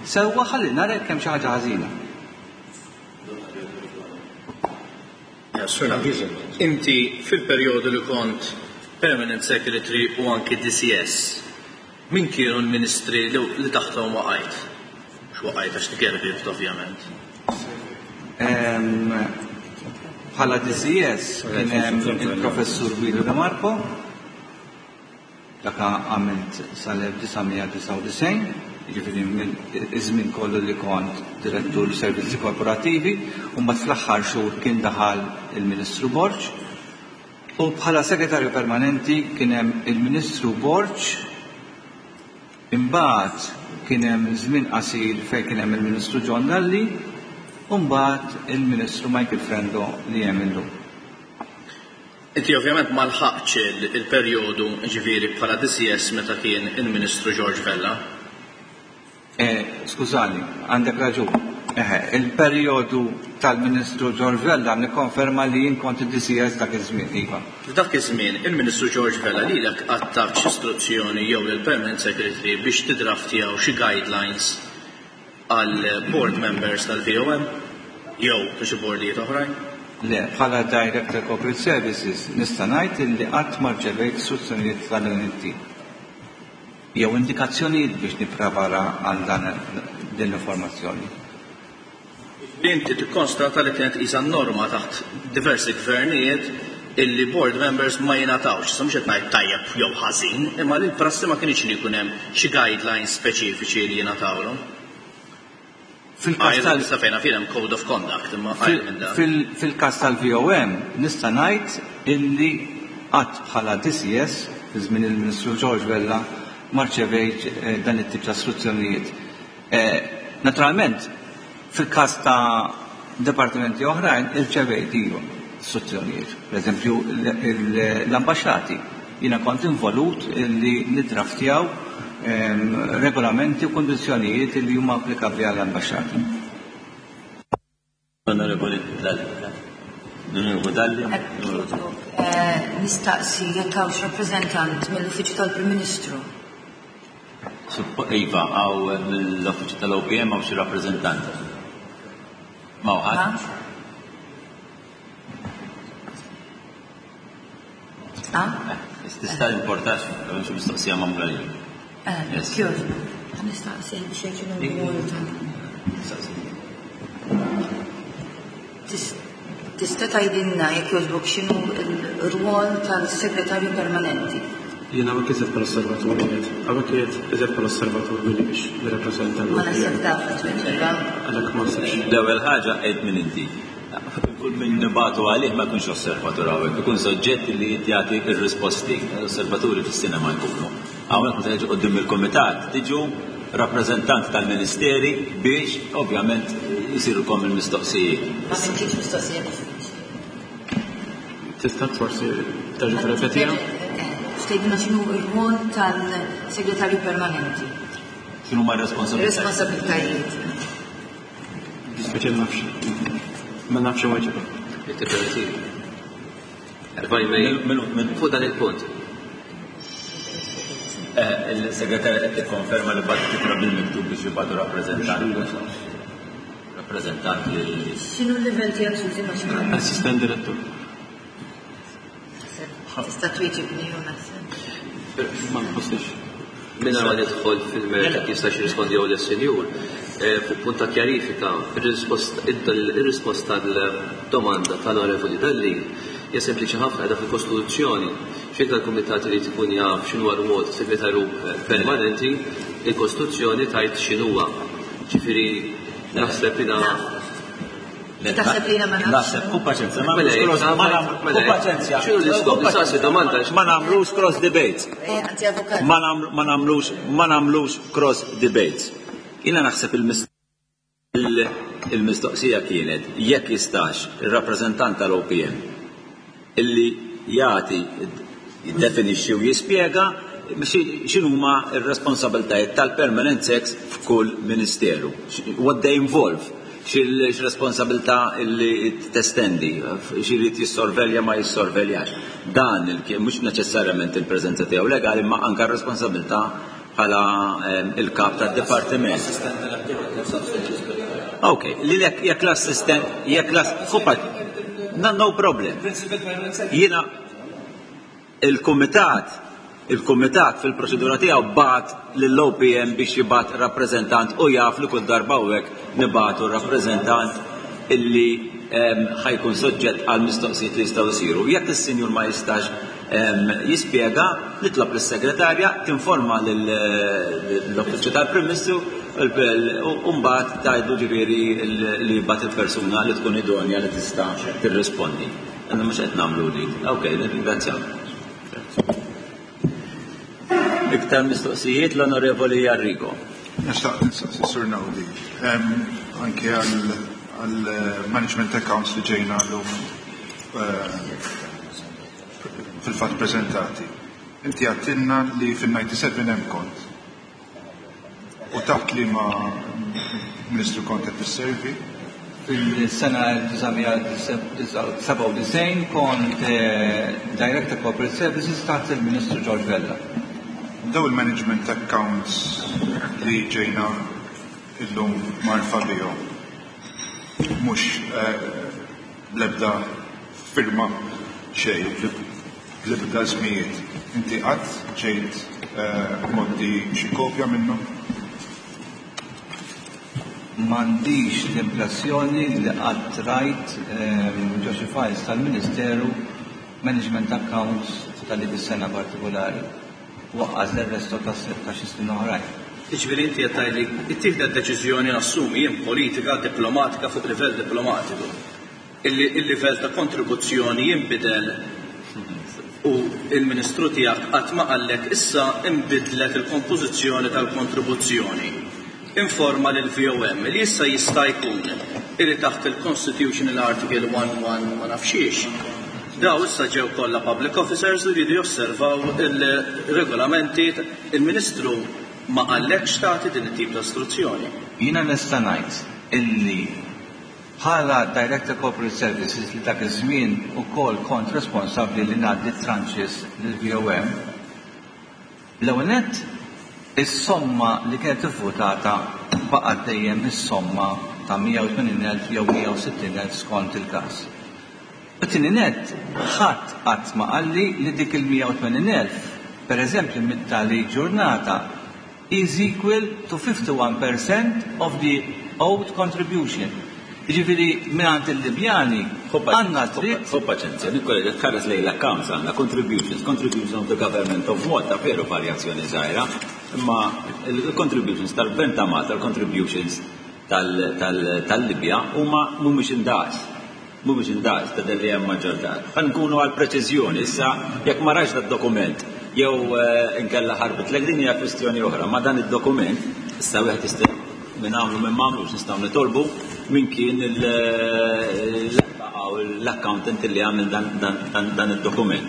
sewwa ħalli nara jekk hemm xi ħaġa ħażina. Inti fil-perjodu li kont Permanent Secretary u anki D C S, min kienu l-ministri li taħthom waqajt? Mhux waqajt għax tgerbibt, ovvjament. Bħala D C S kien hemm il-Professur Guido De Marco, dak għamilt sal-elf disa' mija disgħa u disgħin, jiġifieri iż-żmien kollu li kont direttur servizzi korporattivi, u mbagħad fl-aħħar xhur kien daħal il-Ministru Borg. U bħala segretarju permanenti kien hemm il-Ministru Borg, imbagħad kien hemm żmien qasir fejn kien hemm il-Ministru John Dalli, u mbagħad il-Ministru Michael Frendo li hemm illum. Inti ovvjament ma lħaqx il-perjodu, ġifieri, bħala D C S meta kien il-Ministru George Vella. Eh, skużani, għandek raġun. Eħe, il-perjodu tal-Ministru George Vella nikkonferma li jien kont id-D C S dak iż-żmien, iva. F'dak iż-żmien il-Ministru George Vella lilek qatt tak istruzzjoni jew lill-Permanent Secretary biex tidraftjaw xi guidelines għal board members tal-V O M jew xi boardijiet oħrajn? Le, bħala Director Corporate Services nista' ngħid illi qatt ma rċevejt istruzzjonijiet ta' dan it-tip jew indikazzjonijiet biex nipprepara għal dan din l-informazzjoni. Inti tikkonstata li kienet qisha norma taħt diversi gvernijiet illi board members ma jingħatawx, sa mhux qed ngħid tajjeb jew ħażin, imma li l-prassi ma kienx li jkun hemm xi guidelines speċifiċi li jingħatawlhom. Fil-każ tal Sa fejna fil hemm code of conduct, imma għajr minn dan. Fil-każ tal-V O M nista' ngħid illi qatt bħala D C S fi żmien il-Ministru George Vella ma rċevejt dan it-tip ta' istruzzjonijiet. Naturalment, fil-każ ta' departimenti oħrajn irċevejt iva istruzzjonijiet. Per eżempju, l-ambaxxati. Jiena kont involut li niddraftjaw regolamenti u kondizzjonijiet li huma applikabbli għall-ambaxxati. Onorevoli Dalli. Onorevoli Dalli. Nistaqsi jekk hawnx rappreżentant mill-Uffiċċju tal-Prim Ministru. Iva, hawn mill-Uffiċċju tal-O P M hawn xi rappreżentant. Ma hawn ħadd? Ah? Tista' importax, hawn xi mistoqsija magħmula lil. Kjoġ, nistaqsi biex jgħid x'inhu Tista' tgħidilna jekk jogħġbok x'inhu l-rwol tal-segretarju permanenti? Jiena hawnhekk iżjed bħala osservatur qiegħed. Hawnhekk qiegħed iżjed bħala osservatur milli biex nirrappreżenta Ma naħseb taf tweġiba. Għalhekk ma nsibx. L-ewwel ħaġa qed min inti. Kull min nibatu għalih ma jkunx osservatur hawnhekk, ikun soġġett li jagħti r-risposti. L-osservaturi fis-sinema jkunu. Hawnhekk meta jiġu quddiem il-kumitat tiġu rappreżentant tal-ministeri biex ovvjament jisirulkom il-mistoqsijiet. Ma sentix mistoqsija diffiċli. Tista' forsi terġa' tirrepetiha? Tgħidilna x'inhu r-rwol tal-segretarju permanenti. X'inhu ma r-responsabilitajiet? Responsabilitajiet. Dispiċi ma nafx. Ma nafx inweġibha. Fuq dan il-punt. Il-segretarja qed tikkonferma li bagħtu titra bil-miktub biex jibgħatu rappreżentant. Rappreżentant li X'inhu l-livell tiegħek sużi ma x'inhu? Assistent direttur. Tista' twieġibni jew naħseb. Ma nħossix. Mingħajr ma nidħol fil-mertu kif jistax jirrispondi jew lis-sinjur, fuq punt ta' kjarifika, ir-risposta għall-domanda tal-Onorevoli Dalli hija sempliċi ħafna qiegħda fil-Kostituzzjoni. Xejn tal-Kumitat irid ikun jaf x'inhu r-rwol tas-segretarju permanenti, il-Kostituzzjoni tgħid x'inhuwa. Ġifieri naħseb li Taħseb li ma nafx. Naħseb, ku paċenzja, ma Mela, nagħmlux cross, ma mela, nagħmlux, mela, ku paċenzja. X'inhu l-iskop? Nistaqsi domanda. Ma nagħmlux cross debates. Eh, anzi, avukat. Ma nagħmlu, ma nagħmlux, ma nagħmlux cross debates. Jiena naħseb il-mist-, il-mistoqsija kienet jekk jistax ir-rappreżentant tal-O P M illi jagħti jiddefinixxi u jispjega x'inhuma r-responsabiltajiet tal-permanent sex f'kull ministeru. What they involve, x'responsabilità li testendi, x'irid jissorvelja ma jissorveljax. Dan il-, mhux neċessarjament il-preżenza tiegħu legali, ma anke r-responsabilità bħala, ehm, il-kap tad-dipartiment. Ok, li jekk, jekk l-assistent, jekk l-ass-, fuqat, no, no problem. Jiena il-kumitat, il-kumitat fil-proċedura tiegħu bagħat lill-O P M biex jibgħat rappreżentant u jaf li kull darba hawnhekk nibgħatu rappreżentant illi, ehm, ħajkun soġġett għal mistoqsijiet li jistgħu jsiru. Jekk is-sinjur ma jistax, ehm, jispjega, nitlob lis-segretarja tinforma lill-Uffiċċju tal-Prim Ministru u mbagħad tgħidu ġifieri li jibgħat il-persuna li tkun idonja li tista' tirrispondi. Għandna mhux qed nagħmlu dik. Ok, nirringrazzjaw. Iktar mistoqsijiet l-Onorevoli Arrigo. Nixtaq nistaqsi Sur Naudi, ehm, anke għal management accounts li ġejna llum, eh, fil-fatt preżentati. Inti għattilna li fin-ninety-seven hemm kont. U taħt li ma Ministru kont qed tisservi? Fil-sena sebgħa u disgħin kont, eh, Director Corporate Services taħt il-Ministru George Vella. Daw il-management accounts li ġejna illum marfa bihom, mhux, eh, bl-ebda firma xejn, bl-ebda żmijiet. Inti qatt ġejt, eh, moddi xi kopja minnhom? M'għandix l-impressjoni li qatt rajt, ehm, ġo xi files tal-Ministeru management accounts ta' dik is-sena partikolari. Waqqas l-resto ta' ta' xi snin oħrajn. Jiġifieri inti qed tgħidli ittieħdet deċiżjoni nassumi jien politika diplomatika fuq livell diplomatiku. Illi il-livell ta' kontribuzzjoni jinbidel u U il-Ministru tiegħek qatt ma qallek issa imbidlet il-kompożizzjoni tal-kontribuzzjoni. Informa lil V O M li issa jista' jkun illi taħt il-Constitutional Article eleven ma nafxiex. Daw issa ġew kollha public officers u jridu josservaw il-regolamenti. Il-Ministru ma qallekx tagħti din it-tip ta' istruzzjoni. Jiena nista' ngħid illi bħala Director Corporate Services, li dak iż-żmien ukoll kont responsabbli li ngħaddi tranches lill-V O M, l-ewwel nett is-somma li kienet ivvutata baqgħet dejjem is-somma ta' mija u tmenin elf jew mija u sittin elf skont il-każ. U tieni nett, ħadd qatt ma qalli li dik il-mija u tmenin elf, per eżempju, mit-tali ġurnata, is equal to fifty-one percent of the owed contribution. Ġifieri, mingħand il-Libjani għandna dritt. Ħu paċenzja, Nikola, tħares lejn l-accounts, għandna contributions, contributions of the government of Malta, veru varjazzjoni żgħira, imma il-contributions tal-Gvern ta' Malta, il-contributions tal-Libja huma mhumiex indaqs. Mhumiex indaqs ta' li hemm maġġortat. Ħa nkunu għal preċiżjoni, issa jekk ma rax dokument jew eh, inkella ħarbitlek, din hija kwistjoni oħra, ma dan id-dokument issa wieħed jista' minn għamlu minn m'għamlux, nistgħu nitolbu min kien l-accountant li għamil dan id-dokument.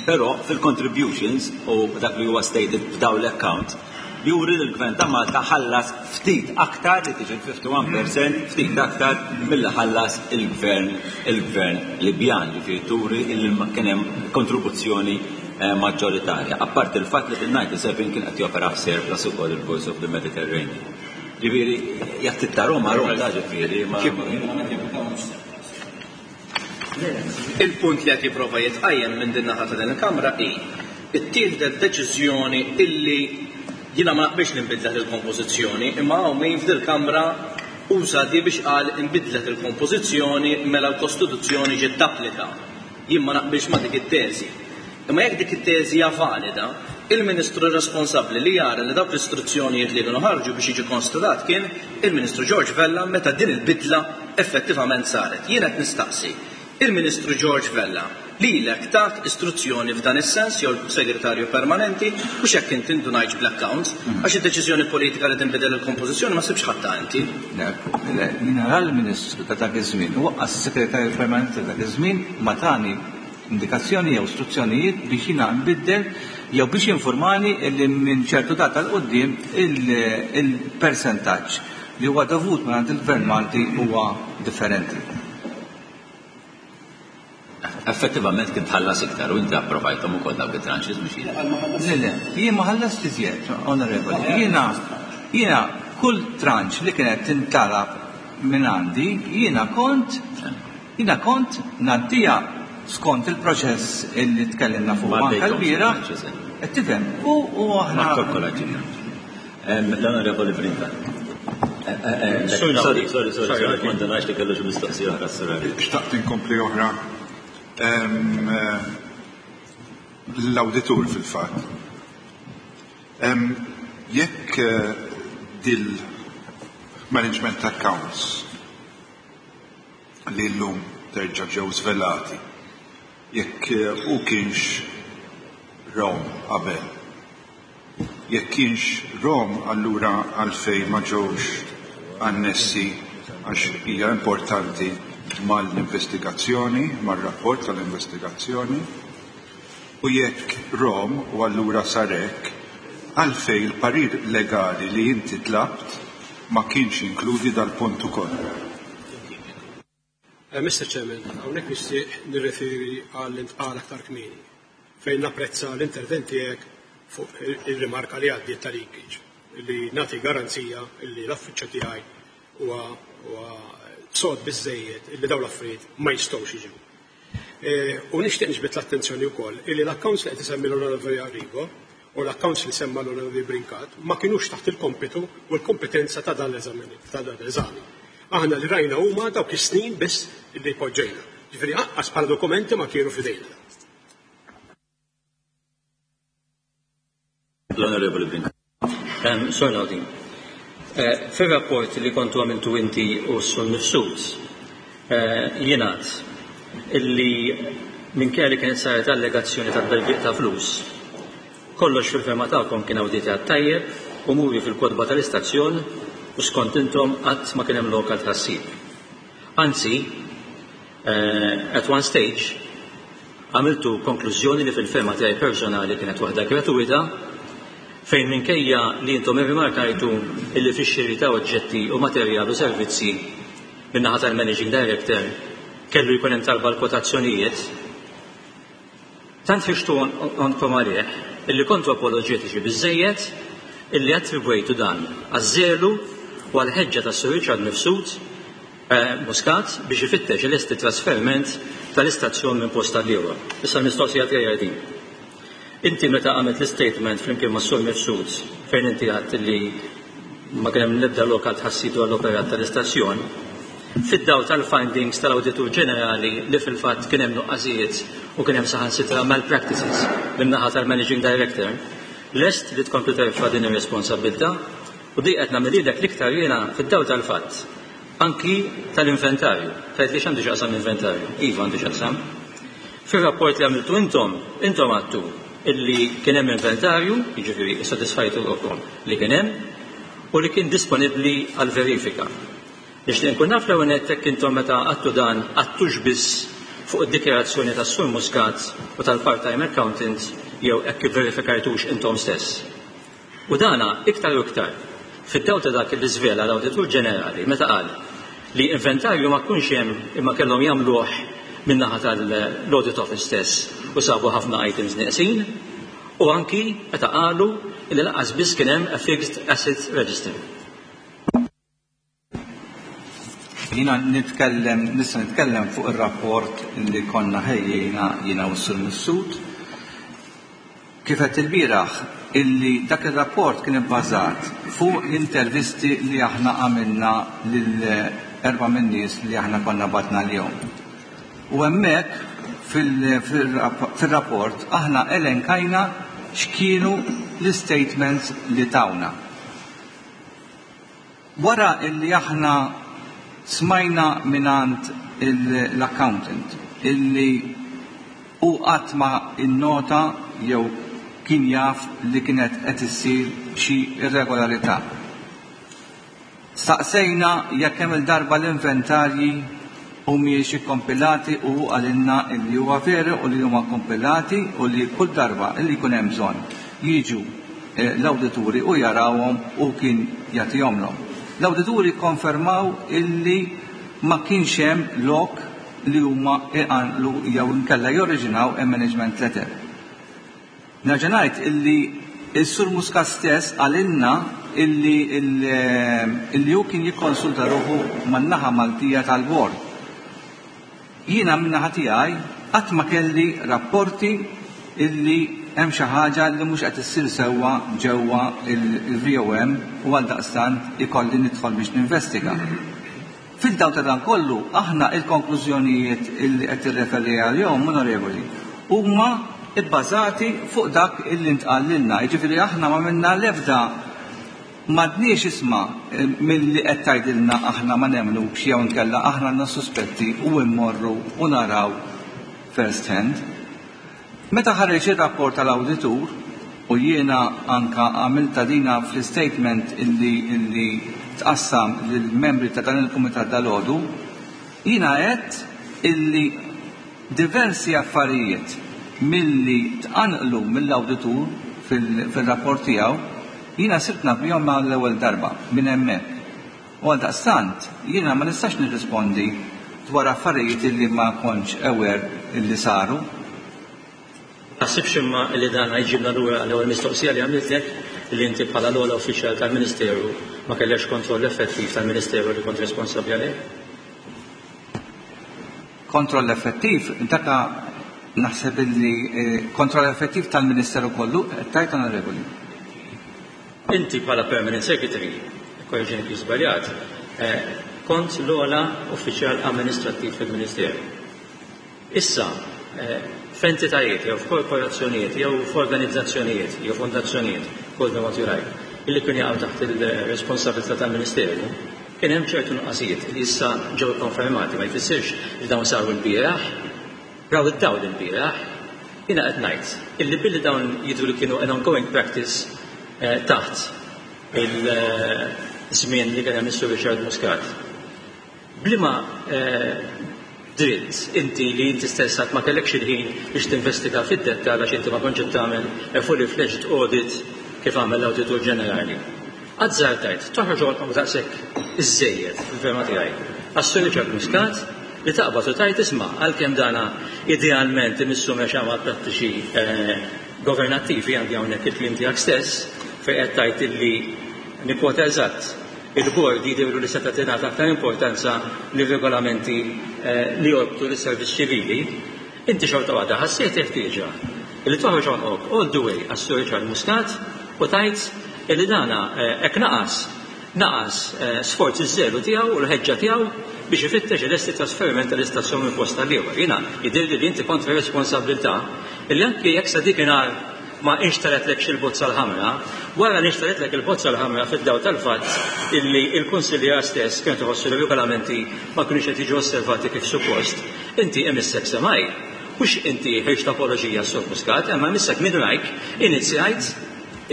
Però fil-contributions u dak li huwa stated f'daw l-account juri li l-Gvern ta' Malta ħallas ftit aktar, li tiġi fifty-one percent, ftit aktar mill ħallas il-Gvern il-Gvern Libjan, ġifieri turi li kien hemm kontribuzzjoni eh, maġġoritarja. Apparti il-fatt li fil-disgħa u sebgħin kien qed jopera f'surplus ukoll il-Voice of the Mediterranean. Ġifieri, jekk ta' Roma, Roma ta' ġifieri. ma- Il-punt li qed jipprova jitqajjem minn din naħa ta' din il-Kamra hi ittieħdet deċiżjoni illi jiena ma naqbilx li nbidlet il-kompożizzjoni, imma hawn min f'dil kamra uża di biex qal inbidlet il-kompożizzjoni, mela l-Kostituzzjoni ġiet tapplika. Jien ma naqbilx ma dik it-teżi. Imma jekk dik it-teżi hija valida, il-Ministru responsabbli li jara li dawk l-istruzzjonijiet li kienu ħarġu biex jiġi konstatat kien il-Ministru George Vella meta din il-bidla effettivament saret. Jien qed nistaqsi, il-Ministru George Vella lilek tak istruzzjoni f'dan is-sens jew segretarju permanenti, u x'hekk inti indunajt bl-accounts, għax id-deċiżjoni politika li tinbidel il-kompożizzjoni ma sibx ħadd inti. Le, le, jiena ra l-Ministru ta' dak iż-żmien u lanqas is-Segretarju Permanenti ta' dak iż-żmien ma tani indikazzjoni jew istruzzjonijiet biex jiena nbiddel jew biex informani li minn ċertu data 'l quddiem il-percentaġġ li huwa dovut minn il-Gvern Malti huwa differenti. Effettivament kien tħallas iktar u inti approvajthom ukoll dawk it-tranches biex jien. Le, le, jien ma ħallast iżjed, onorevoli. Jiena, jiena kull tranche li kienet tintalab minn għandi, jiena kont, jiena kont ngħaddiha skont il-proċess illi tkellimna fuq Ma anke għaddejthom l-bieraħ. tranches, eh. Qed tifhem, u u Ma aħna kalkolaġi. L-Onorevoli Brincat. Eh, eh, eh, Sorry, Sorry, sorry, sorry, sorry, sorry, ma ndunax li kellu xi mistoqsija oħra s-sorari. Xtaqt inkompli oħra. Em, eh, L-awditur fil-fatt. Em, Jekk eh, dil management accounts li l-lum terġa' ġew svelati, jekk eh, u kienx rahom qabel, jekk kienx rahom, allura għalfej ma ġewx annessi, għax hija importanti mal-investigazzjoni, mal-rapport tal-investigazzjoni, u jekk rahom u allura sarek, għalfej il-parir legali li inti tlabt ma kienx inkludi dal-punt ukoll? Eh, Mister Chairman, hawnhekk nixtieq nirreferi għal intqal aktar kmieni fejn napprezza l-intervent tiegħek fuq il-rimarka li għaddiet ta' leakage, li nagħti garanzija li l-affiċċju tiegħi huwa huwa sod biżejjed illi dawn l-affarijiet ma jistgħux jiġu. Eh, U nixtieq niġbed l-attenzjoni wkoll illi l-accounts li qed isemmi l-Onorevoli Arrigo u l-accounts li semma l-Onorevoli Brincat ma kinux taħt il-kompitu u l-kompetenza ta' dan l-eżami. Ta' dan l-eżami. Aħna li rajna huma dawk is-snin biss li poġġejna. Ġifieri anqas bħala dokumenti ma kienu f'idejna. L-Onorevoli Brincat. Um, Sur Naudi, eh, fil-rapport li kontu għamiltu inti u Sur Mifsud, eh, jingħad illi minkejja li kienet saret allegazzjoni ta' tberbiq ta' flus, kollox fil-fehma tagħkom kien awditjat tajjeb u muri fil-kotba tal-istazzjon u skont intom qatt ma kien hemm lok għal tħassib. Anzi, eh, at one stage, għamiltu konklużjoni li fil-fehma tiegħi personali kienet waħda gratuita, fejn minkejja li intom irrimarkajtu illi fix-xiri ta' oġġetti u materjal u servizzi min-naħa tal-Managing Director kellu jkun hemm talba l-kwotazzjonijiet, tant fixtu għonqkom għalih illi kontu apoloġetiċi biżejjed illi attribwejtu dan għaż-żelu u għal-ħeġġa ta' Sir Richard Mifsud eh, Muscat biex ifittex il-esti trasferiment tal-istazzjon minn post għal ieħor. Issa l-mistoqsija tiegħi din. Inti meta għamilt l-statement flimkien ma' Sur Mifsud fejn inti għedt li ma kien hemm l-ebda lok għal tħassib dwar l-operat tal-istazzjon, fid-dawl tal-findings tal-Awditur Ġenerali li fil-fatt kien hemm nuqqasijiet u kien hemm saħansitra malpractices min-naħa tal-Managing Director, lest li tkompli terfa' din ir-responsabbiltà? U di qed nagħmel l-iktar jiena fid-dawl tal-fatt anki tal-inventarju. Tgħid li x'għandu x'jaqsam inventarju? Iva, għandu x'jaqsam. Fir-rapport li għamiltu intom, intom għedtu illi kien hemm inventarju, jiġifieri issodisfajtu ruħkom li kien hemm u li kien disponibbli għal verifika. Nixtieq nkun naf l-ewwel nett jekk intom meta għedtu dan għedtux biss fuq id-dikjarazzjoni tas-Sur Muscat u tal-part-time accountant jew hekk verifikajtux intom stess. U dana iktar u iktar fid-dawl ta' dak li żvela l-Awditur Ġenerali meta qal li inventarju ma kunx hemm imma kellhom jagħmluh min-naħa tal-Audit Office stess u sabu ħafna items neqsin, u anki meta qalu li lanqas biss kien hemm a fixed asset register. Jiena nitkellem, nista' nitkellem fuq ir-rapport li konna ħejjejna jiena u s-Sur Mifsud. Kif qed il-bieraħ illi dak ir-rapport kien ibbażat fuq l-intervisti li aħna għamilna lil erba' min-nies li aħna konna batna l-jum. U hemmhekk fil-rapport aħna elenkajna x'kienu l-statements li tawna. Wara illi aħna smajna minant l-accountant illi u qatt ma innota jew kien jaf li kienet qed issir xi irregolarità. Staqsejna jekk hemm il-darba l-inventarji humiex ikkompilati u qalilna illi huwa veru u li huma kompilati u li kull darba illi jkun hemm bżonn jiġu l-awdituri u jarawhom u kien jagħtihomlhom. L-awdituri konfermaw illi ma kienx hemm lok li huma iqanqlu jew inkella jorriġinaw a management letter. Nerġa' ngħid illi s-Sur Muscat stess qalilna illi illi hu kien jikkonsulta ruħu man-naħa Maltija tal-bord. Jiena min-naħa tiegħi qatt ma kelli rapporti illi hemm xi ħaġa li mhux qed issir sewwa ġewwa il-V O M u għaldaqstant ikolli nidħol biex ninvestiga. Fil-dawl ta' dan kollu, aħna il-konklużjonijiet illi qed tirreferi għalihom, onorevoli, huma ibbażati fuq dak illi ntqal lilna. Jiġifieri aħna ma minna l-ebda m'għadniex, isma', milli qed tgħidilna aħna ma nemmnux jew inkella aħna għandna suspetti u mmorru u naraw first hand. Meta ħareġ ir-rapport tal-awditur u jiena anka għamilta dina fl-statement illi, illi tqassam lill-membri ta' dan il-kumitat dal-għodu, jiena għedt illi diversi affarijiet milli tqanqlu mill-awditur fil-rapport tiegħu jiena sirt naf bihom mal-ewwel darba minn hemmhekk. U għaldaqstant jiena ma nistax nirrispondi dwar affarijiet illi ma kontx aware illi saru. Taħsibx imma li dan jġibna lura l-ewwel mistoqsija li għamiltlek, li inti bħala l-ogħla uffiċjal tal-Ministeru ma kellekx kontroll effettiv tal-Ministeru li kont responsabbli għalih? Kontroll effettiv, daka naħseb illi eh, kontroll effettiv tal-Ministeru kollu, tajt, onorevoli. Inti bħala Permanent Secretary, korreġini kif żbaljat, eh, kont l-ogħla uffiċjal amministrattiv fil-Ministeru. Issa, eh, f'entitajiet jew f'korporazzjonijiet jew f'organizzazzjonijiet jew fondazzjonijiet, call them what you like, illi kien jaqgħu taħt il-responsabilità tal-Ministeru, kien hemm ċertu nuqqasijiet li issa ġew konfermati, ma jfissirx li dawn saru l-bieraħ, Raw id-dawl il-bieraħ, jiena qed ngħid illi billi dawn jidhru li kienu an ongoing practice eh, taħt il-żmien li kien hemm is-Sur Richard Muscat. B'liema eh, dritt inti li inti stess ma kellekx il-ħin biex tinvestiga fid-dettall għax inti ma kontx qed tagħmel a fully fledged audit kif għamel l-Awditur Ġenerali. Azzardajt, toħroġ għonqok daqshekk iżżejjed fil-fehma tiegħi. Għas-Sur Richard Muscat li taqbad u tgħid isma' għalkemm dana idealment imissu mexa ma' prattiċi eh, governattivi għandi hawnhekk il-kliem tiegħek stess fejn qed tgħid illi nikkwota eżatt il-bord jidhirlu li seta' tingħata aktar importanza lir-regolamenti eh, li jorbtu lis-servizz ċivili, inti xorta waħda ħassejt ħtieġa li toħroġ għonqok all the way għas-Sur Richard Muscat u tgħid illi dana eh, hekk naqas naqas eh, sforz iż-żelu tiegħu u l-ħeġġa tiegħu biex ifittex il-esti trasferiment tal-istazzjon minn post għal ieħor. Jiena jidhirli li inti kontra responsabilità illi anke jekk sa dakinhar ma inxtaratlekx il-bozza l-ħamra, wara li inxtaratlek il-bozza l-ħamra fid-daw tal-fatt illi il-kunsilliera stess kienu tħossu li regolamenti ma kienux qed jiġu osservati kif suppost, inti emissek semaj, mhux inti ħriġt apoloġija Sur Muscat, imma emissek minn rajk inizjajt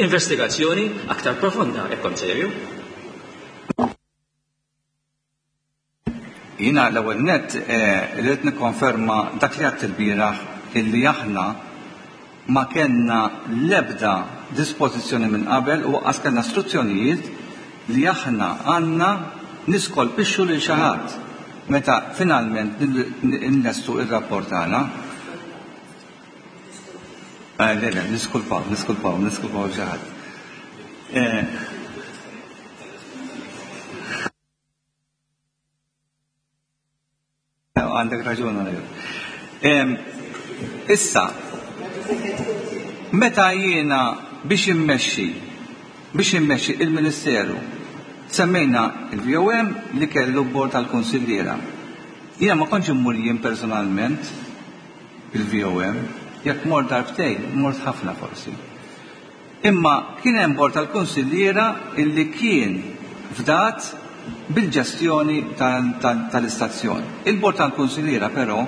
investigazzjoni aktar profonda, jekk kont serju. Jiena l-ewwel nett eh, rrid nikkonferma dak li għedt il-bieraħ illi aħna ma kellna l-ebda dispożizzjoni minn qabel u lanqas kellna istruzzjonijiet li aħna għandna niskolpixxu lil xi ħadd meta finalment nlestu ir-rapport tagħna. Eh, le, le, niskulpaw, niskulpaw, niskulpaw xi ħadd. Eh, Għandek raġun għalek. Issa, meta jiena biex immexxi, biex immexxi il-Ministeru, semmejna il-V O M li kellu bord tal-konsilliera. Jiena ma kontx immur jien personalment il-V O M, jekk mort darbtejn, mort ħafna forsi. Imma kien hemm bord tal-konsilliera illi kien fdat bil-ġestjoni tal-istazzjon. Il-bord tal-konsilliera però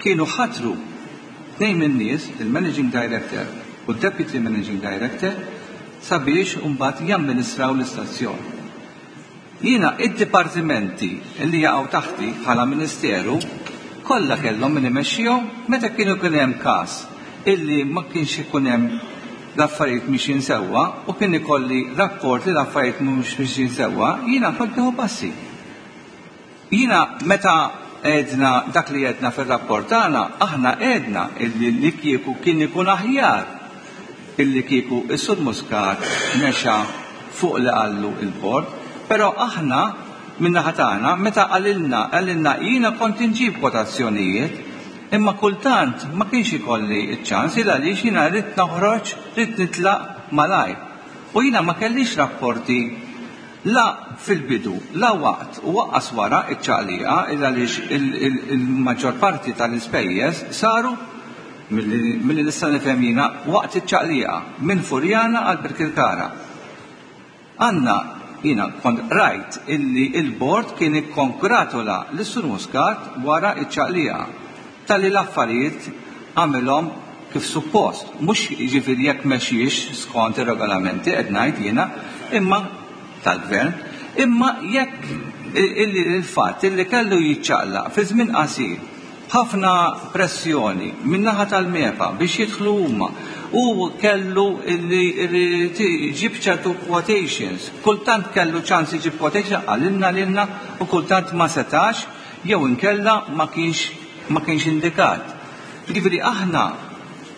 kienu ħatru tnejn minn nies, il-Managing Director u Deputy Managing Director, sabiex mbagħad jamministraw l-istazzjon. Jiena id-dipartimenti li jaqgħu taħti bħala Ministeru kollha kellhom min imexxihom. Meta kienu kien hemm każ illi ma kienx ikun hemm l-affarijiet mixjin sewwa u kien ikolli rapport li l-affarijiet mhux mixjin sewwa, jiena kont nieħu passi. Jiena meta għedna dak li għedna fir-rapport tagħna, aħna għedna illi li kieku kien ikun aħjar illi kieku is-Sur Muscat mexa fuq li qallu il-bord, però aħna min-naħa tagħna meta qalilna qalilna jiena kont inġib kwotazzjonijiet, imma kultant ma kienx ikolli ċ-ċans il għaliex jiena rrid noħroġ, rrid nitlaq malajr. U jiena ma kellix rapporti la fil-bidu, la waqt u lanqas wara iċ-ċaqliqa, il għaliex il-maġġor parti tal-ispejjeż saru milli nista' nifhem jiena waqt iċ-ċaqliqa minn Furjana għal Birkirkara. Għanna jiena kont rajt illi il-bord kien ikkonkratula lis-Sur Muscat wara iċ-ċaqliqa tal-li l-affarijiet għamilhom kif suppost. Mhux jiġifieri jekk mexjiex skont ir-regolamenti qed ngħid jiena, imma tal-gvern, imma jekk il-fatt illi kellu jiċċaqlaq fi żmien qasir, ħafna pressjoni min-naħa tal-MEPA biex jidħlu huma u kellu li jġib ċertu quotations. Kultant kellu ċans iġib quotation, qalilna lilna, u kultant ma setax jew inkella ma kienx ma kienx indikat. Ġifieri aħna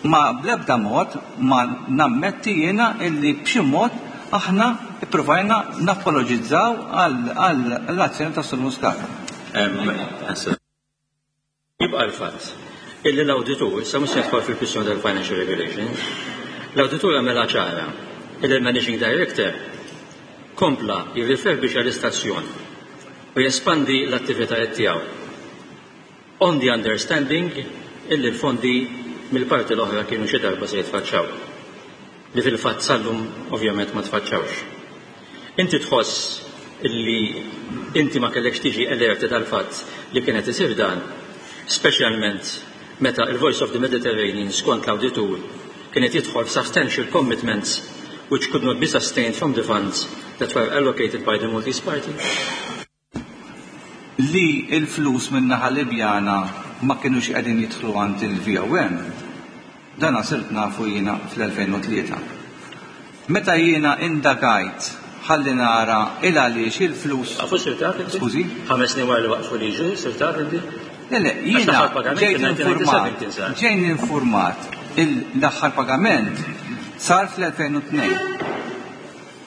ma bl-ebda mod ma nammetti jiena illi b'xi mod aħna ippruvajna napologizzaw għall-azzjoni ta' Sur Muscat. Jibqa' l-fatt illi l-awditur, sa mhux nidħol fil-kwistjoni tal-financial regulations, l-awditur għamela ċara illi l-Managing Director kompla jirriferbix għall-istazzjon u jespandi l-attivitajiet tiegħu on the understanding illi l-fondi mill-parti l-oħra kienu xi darba se jitfaċċaw. Li fil-fatt sallum ovvjament ma tfaċċawx. Inti tħoss illi inti ma kellekx tiġi alerti tal-fatt li kienet isir dan, speċjalment meta il-Voice of the Mediterranean skont l-awditur kienet jidħol substantial commitments which could not be sustained from the funds that were allocated by the Maltese Party? Li il-flus min-naħa Libjana ma kienux qegħdin jidħlu għand il-V O M, dana sirt nafu jiena fl-elfejn u tlieta. Meta jiena indagajt ħalli nara il għaliex il-flus. Għafu sirt taf inti? Skużi? Ħames snin wara li waqfu liġu, sirt taf inti? Le, le, jiena ġejt informat, ġejt informat l-aħħar pagament sar fl-elfejn u tnejn.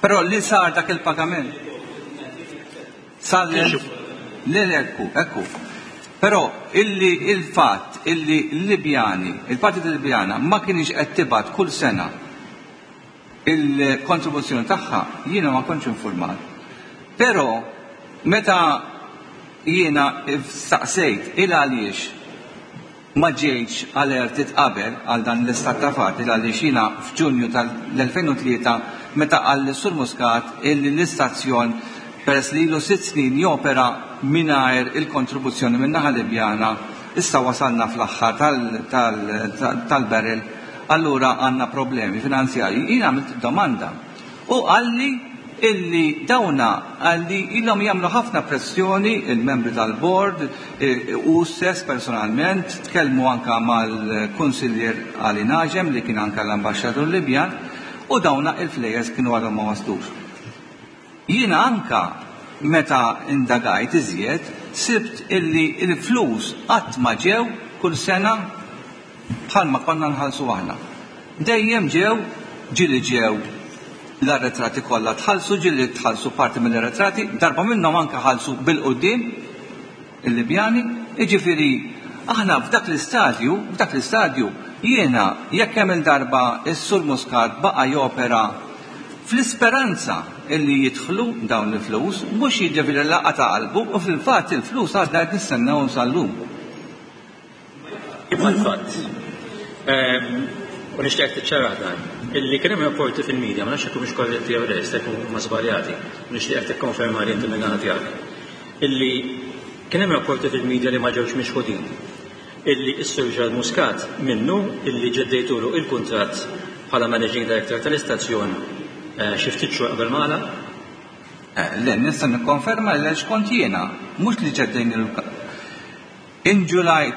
Però li sar dak il-pagament sar le, ekku, ekku. Però illi il-fatt illi l-Libjani, il-Partit Libjana ma kienx qed tibgħat kull sena il-kontribuzzjoni tagħha, jiena ma kontx informat. Però meta jiena staqsejt il għaliex ma ġejtx alerted qabel għal dan l-istat ta' fatt, il għaliex jiena f'Ġunju tal-elfejn u tlieta meta qal Sur Muscat illi l-istazzjon peress li ilu sitt snin jopera mingħajr il-kontribuzzjoni minn naħa Libjana, issa wasalna fl-aħħar tal-barrel, allura għandna problemi finanzjarji. Jiena għamilt domanda u qalli illi dawna għalli ilhom jagħmlu ħafna pressjoni il-membri tal-board e, u stess personalment tkellmu anka mal-kunsillier Ali Naġem li kien anka l-ambaxxatur Libjan u dawna il-flejjes kienu għadhom ma waslux. Jiena anka meta indagajt iżjed sibt illi il-flus qatt ma ġew kull sena bħalma konna nħallsu aħna. Dejjem ġew, ġieli ġew l-arretrati kollha tħallsu, ġieli tħallsu parti mill-arretrati, darba minnhom anke ħallsu bil-quddiem il-Libjani, jiġifieri aħna f'dak l-istadju, f'dak l-istadju jiena jekk hemm il-darba is-Sur Muscat baqa' jopera fl-isperanza illi jidħlu dawn il-flus, mhux jiġifieri laqa ta' qalbu, u fil-fatt il-flus għadna qed nistennewhom sal-lum. Jibqa' l-fatt. U nixtieq tiċċarah dan, illi kien hemm rapporti fil-medja, ma nafx jekk mhux korretti jew le, jista' jkun ma żbaljati, u nixtieq tikkonferma li inti minn tiegħek. Illi kien hemm rapporti fil-medja li ma ġewx mixħudin. Illi s-Sur Charles Muscat minnu illi ġeddejtulu il-kuntratt bħala Managing Director tal-istazzjon eh, xi ftit xhur qabel ma għalaq. Eh, le, nista' nikkonferma li kont jiena, mhux li ġeddejn il In July,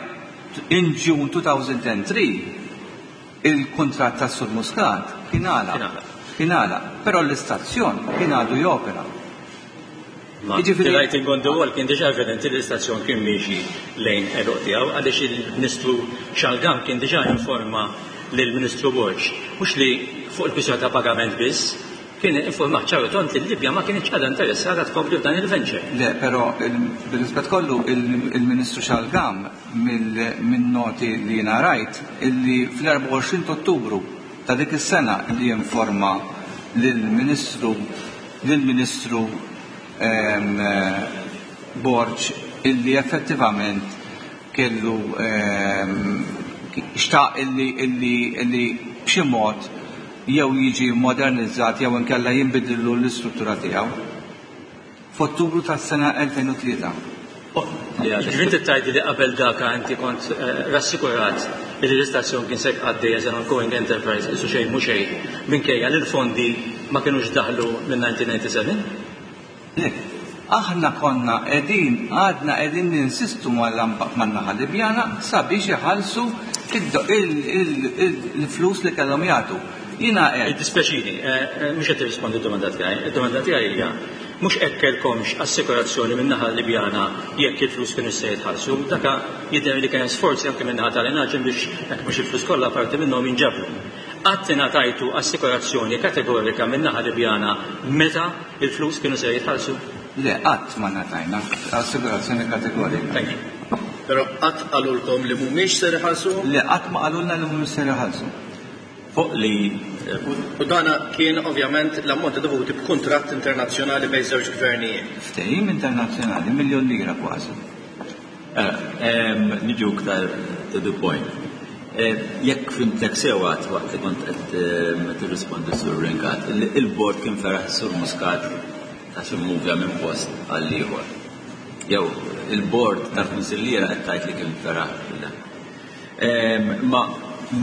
in June two thousand and three, il-kuntratt ta' Sur Muscat kien għalaq. Kien għalaq. Kien għalaq, però l-istazzjon kien għadu jopera. Ma Jiġifieri- the writing on the wall kien diġà evidenti li l-istazzjon kien miexi lejn għeluq tiegħu, għaliex il-Ministru Xalgam kien diġà informa lill-Ministru Borg, mhux li fuq il-kwistjoni ta' pagament biss, kien informa ċar u tond li l-Libja ma kienx għadha interessata tkompli f'dan il-venture. Le, però il- bil-rispett kollu il- il-Ministru Xalgam minn noti li jiena rajt illi fl-erbgħa u għoxrin ta' Ottubru ta' dik is-sena li informa lill-Ministru lill-Ministru ehm, eh, Borg illi effettivament kellu ehm, xtaq illi illi illi b'xi mod jew jiġi modernizzat jew inkella jinbidillu l-istruttura tiegħu. F'Ottubru tas-sena elfejn u tlieta. Ġifieri inti tgħid li qabel daka inti kont eh, rassikurat li l-istazzjon kien se għaddej as an ongoing enterprise isu xejn mhu xejn minkejja li l-fondi ma kinux daħlu minn elf disa' mija u disgħa u sebgħin? Le, aħna konna qegħdin, għadna qegħdin ninsistu man-naħa Libjana sabiex iħallsu il-flus li kellhom jagħtu. Jiena qed Dispjaċini, eh, eh, mhux qed tirrispondi d-domanda tiegħi. Id-domanda tiegħi hija mhux hekk kellkomx assikurazzjoni min-naħa Libjana jekk il-flus kienu se jitħallsu. Daka jidher li kien sforzi anke min-naħa tal-Enaġen biex jekk mhux il-flus kollha, parti minnhom jinġabru. Qatt ingħatajtu assikurazzjoni kategorika min-naħa Libjana meta il-flus kienu se jitħallsu? Le, qatt ma ngħatajna assigurazzjoni kategorika. Thank you. Però qatt qalulkom li mhumiex ser iħallsu? Le, qatt ma qalulna li mhumiex ser iħallsu. Fuq li U dana kien ovvjament l-ammonti dovuti b'kuntratt internazzjonali bejn żewġ gvernijiet. Ftehim internazzjonali, miljon lira kważi. Niġu iktar to the point. Eh, Jekk fhimtek sew waqt li kont qed tirrispondi sur Ringat, il-bord kien feraħ Sur Muscat għax immuvja minn post għal ieħor. Jew il-bord tal-kunsilliera qed tgħid li kien feraħ. Ma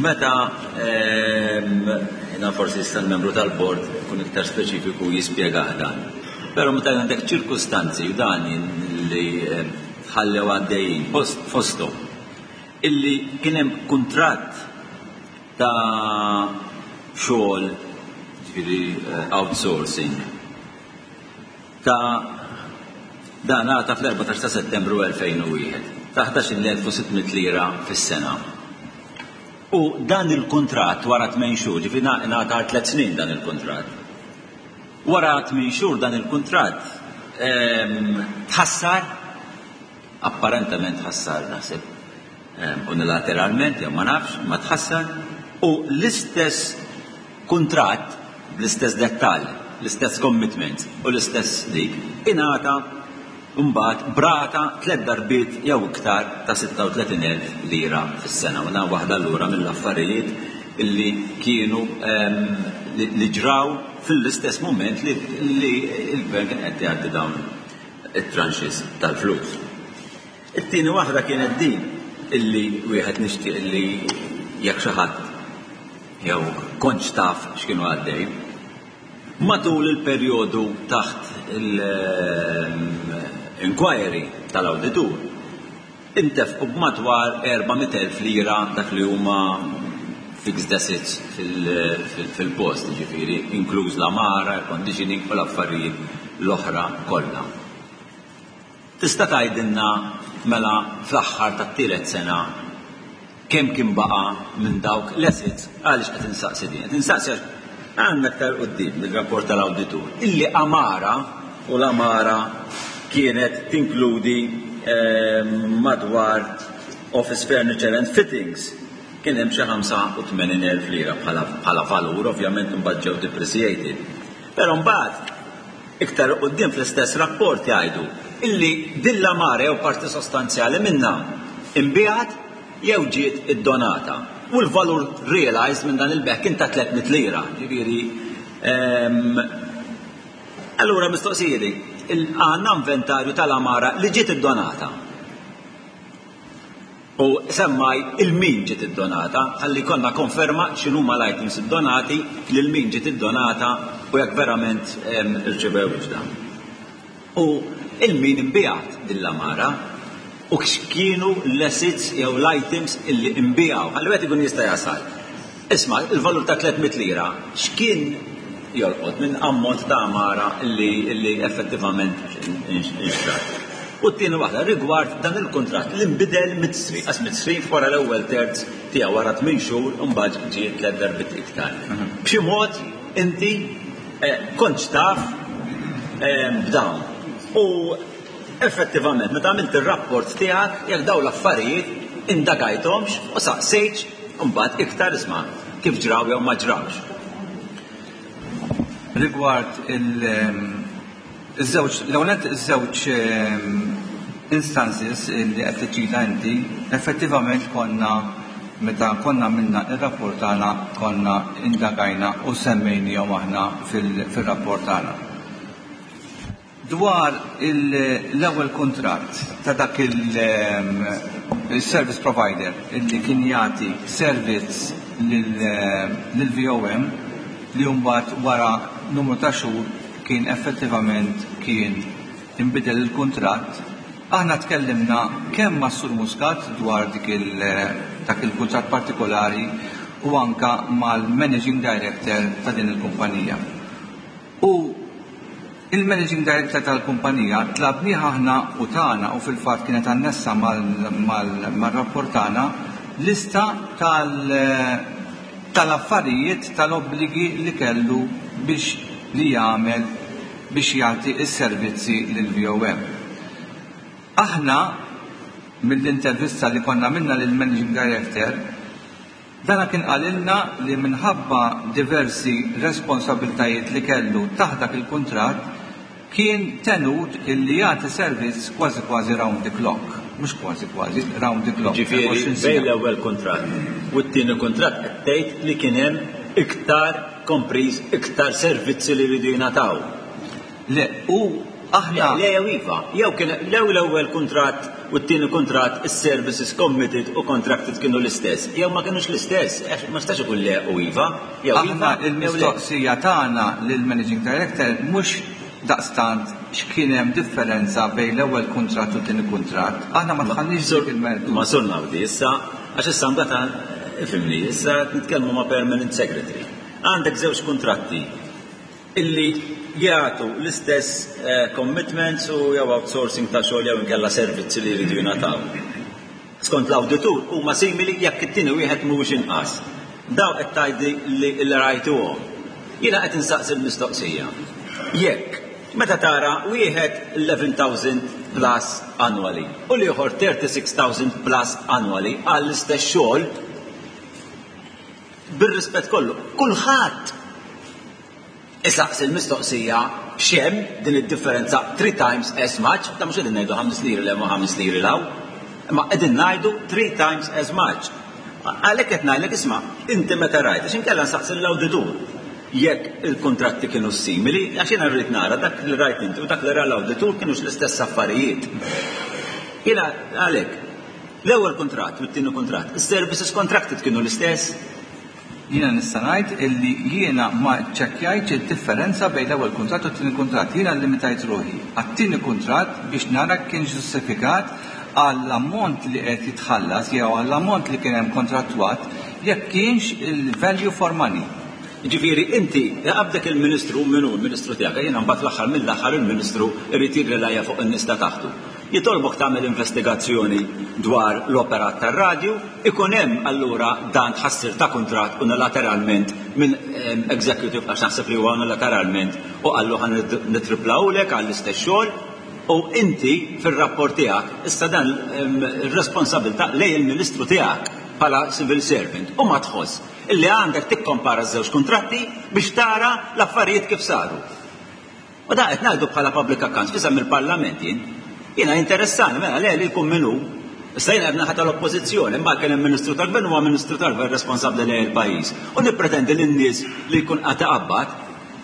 meta jiena forsi issa l-membru tal-bord kun iktar speċifiku jispjega dan. Però meta għandek ċirkustanzi u dan li tħallew għaddejjin fosthom illi kien hemm kuntratt ta' xogħol, ġifieri outsourcing, ta' dan għata fl-erbatax ta' Settembru elfejn u wieħed ta' ħdax-il elf u sitt mitt lira fis-sena. U dan il-kuntratt wara tmien xhur, ġifieri ngħata għal tliet snin dan il-kuntratt. Wara tmien xhur dan il-kuntratt tħassar, apparentement tħassar naħseb unilateralment, jew ma nafx, ma tħassar, u l-istess kuntratt bl-istess dettall, l-istess commitment u l-istess dik, ingħata mbagħad brata tliet darbiet jew iktar ta' sitta u tletin elf lira fis-sena. U dan waħda allura mill-affarijiet illi kienu li ġraw fil-istess moment li l-gvern kien qed jgħaddi dawn it-tranches tal-flus. It-tieni waħda kienet din illi wieħed nixtieq li jekk xi ħadd jew kontx taf x'kienu għaddej. Matul il-perjodu taħt il-inquiry tal-awditur intefqu b'madwar erba' mitt elf lira dak li huma fixed assets fil-post, ġifieri, inkluż l-amara, air conditioning u l-affarijiet l-oħra kollha. Tista' tgħidilna mela fl-aħħar tat-tielet sena kemm kien baqa' minn dawk l-assets? Għaliex qed insaqsi din? Qed insaqsi għax għandna aktar quddiem il-rapport tal-awditur illi amara, u l-amara kienet tinkludi madwar office furniture and fittings, kien hemm xi ħamsa u tmenin elf lira bħala valur, ovvjament imbagħad ġew depreciated. Però mbagħad iktar quddiem fl-istess rapport jgħidu illi din l-amara jew parti sostanzjali minnha inbiegħet jew ġiet iddonata. U l-valur realized minn dan il-beħ kien ta' tliet mitt lira, ġifieri, allura mistoqsija di, għandna inventarju tal-amara li ġiet iddonata. U semmaj il-min ġiet iddonata, ħalli konna konferma x'inhuma l-items iddonati, lil min ġiet iddonata u jekk verament irċevew dan. U il-min imbiegħat din l-amara u x'kienu l-assets jew l-items illi imbiegħu. Ħalli wieħed ikun jista' jasal. Isma', il-valur ta' tliet mitt lira x'kien jolqot minn ammont ta' amara illi, illi effettivament inxtrat. U t-tieni waħda rigward dan il-kuntratt li nbidel midstream, għax midstream wara l-ewwel terz tiegħu wara tmien xhur u mbagħad ġie tliet darbiet iktar. B'xi mod inti, eh, kontx taf, eh, b'dawn. U effettivament meta għamilt ir-rapport tiegħek jekk dawn l-affarijiet indagajthomx u saqsejtx mbagħad iktar isma' kif ġraw jew ma ġrawx. Rigward il-, iż-żewġ, l-ewwel nett iż-żewġ, ehm, instances li qed tiċċita inti, effettivament konna meta konna minna ir-rapport tagħna konna indagajna u semmejnihom aħna fil-, fir-rapport tagħna. Dwar il-, l-ewwel kuntratt ta' dak il-, ehm, il-service provider illi kien jagħti servizz lil-V O M li mbagħad wara numru ta' xhur kien effettivament kien inbidel il-kuntratt, aħna tkellimna kemm ma' Sur Muscat dwar dik il-, dak il-kuntratt partikolari u anka mal-Managing Director ta' din il-kumpanija. U il-Managing Director tal-kumpanija tlabnieh aħna u tagħna u fil-fatt kienet annessa mal-, mal-, mar-rapport tagħna lista tal-, tal-affarijiet tal-obbligi li kellu biex li jagħmel biex jagħti s-servizzi lil V O M. Aħna mill-intervista li konna minna lil Managing Director, dana kien qalilna li minħabba diversi responsabiltajiet li kellu taħt dak il-kuntratt kien tenut illi jagħti servizz kważi kważi round the clock. Mhux kważi kważi, round the clock. Ġifieri, Għoxrin bejn sena. l-ewwel kuntratt u t-tieni kuntratt qed tgħid li kien hemm iktar kompriż iktar servizzi li jridu jingħataw. Le, u Aħna Le, jew iva, jew kien lew l-ewwel kuntratt u t-tieni kuntratt is-services committed u contracted kienu l-istess, jew ma kienux l-istess, għax ma stax ikun le u iva, jew Aħna iva, jew le. Il-mistoqsija tagħna lill-Managing Director mhux daqstant x'kien hemm differenza bejn l-ewwel kuntratt u t-tieni kuntratt. Aħna ma dħalniex dik il-mertu. Ma Sur Naudi, issa, għax issa mbagħad ifhimni, issa nitkellmu ma' permanent secretary. Għandek żewġ kuntratti illi jagħtu l-istess eh, commitments u jew outsourcing ta' xogħol jew inkella servizzi li jridu jingħataw. Skont l-awditur huma simili jekk it-tieni wieħed mhuwiex inqas. Daw qed tgħidli li li rajtuhom. Jiena qed insaqsi l-mistoqsija. Jekk meta tara wieħed eleven thousand plus annually u l-ieħor thirty-six thousand plus annually għall-istess xogħol, bir-rispett kollu, kulħadd isaqsi l-mistoqsija x'hemm din id-differenza three times as much, ta' mhux qegħdin ngħidu ħames liri 'l hemm u ħames liri 'l hawn, imma qegħdin ngħidu three times as much. Għalhekk qed ngħidlek, isma', inti meta rajt, għax inkella nsaqsi l-awditur jekk il-kontratti kienu simili, għax jiena rrid nara dak li rajt inti u dak li ra l-awditur kienux l-istess affarijiet. Jiena għalhekk, l-ewwel kuntratt u t-tieni kuntratt, is-services contracted kienu l-istess? Jiena nista' ngħid illi jiena ma ċċekkjajtx id-differenza bejn l-ewwel kuntratt u t-tieni kuntratt. Jiena limitajt ruħi għat-tieni kuntratt biex nara kien ġustifikat għall-ammont li qed jitħallas jew għall-ammont li kien hemm kontrattwat, jekk kienx il-value for money. Ġifieri, inti, qabdek il-ministru, minnu il-ministru tiegħek, jiena mbagħad l-aħħar mill-aħħar il-ministru irid jirrelaja fuq in-nies ta' taħtu. Jitolbok tagħmel investigazzjoni dwar l-operat tar-radju, ikun hemm allura dan tħassir ta' kuntratt unilateralment minn em, executive, għax naħseb li huwa unilateralment, u qallu ħa nitriplawlek għall-istess xogħol, u inti fir-rapport tiegħek issa dan em, ir-responsabilità lejn il-ministru tiegħek bħala civil servant u ma tħoss illi għandek tikkompara ż-żewġ kuntratti biex tara l-affarijiet kif saru. U da qed ngħidu bħala public accounts fisem il-Parlament jien. Jiena interessani, mela le li jkun minnu. Issa jiena qed naħa tal-Oppożizzjoni, imma kien hemm ministru tal-Gvern, huwa ministru tal-Gvern responsabbli lejn il-pajjiż. U nippretendi lin-nies li jkun qed iqabbad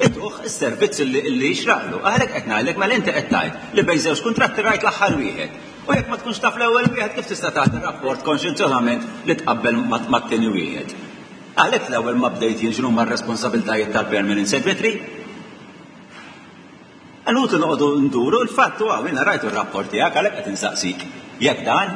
ituh is-servizz li li jixraqlu. Għalhekk qed ngħidlek, mela inti qed tgħid li bejn żewġ kuntratti rajt l-aħħar wieħed. U jekk ma tkunx taf l-ewwel wieħed, kif tista' tagħti rapport konxjenzjonament li tqabbel mat-tieni wieħed? Għalhekk l-ewwel ma bdejt jien x'inhuma r-responsabiltajiet tal-permanent secretary. Għalutu noqogħdu nduru, il-fatt huwa jiena rajtu r-rapport tiegħek, għalhekk qed insaqsik. Jekk dan,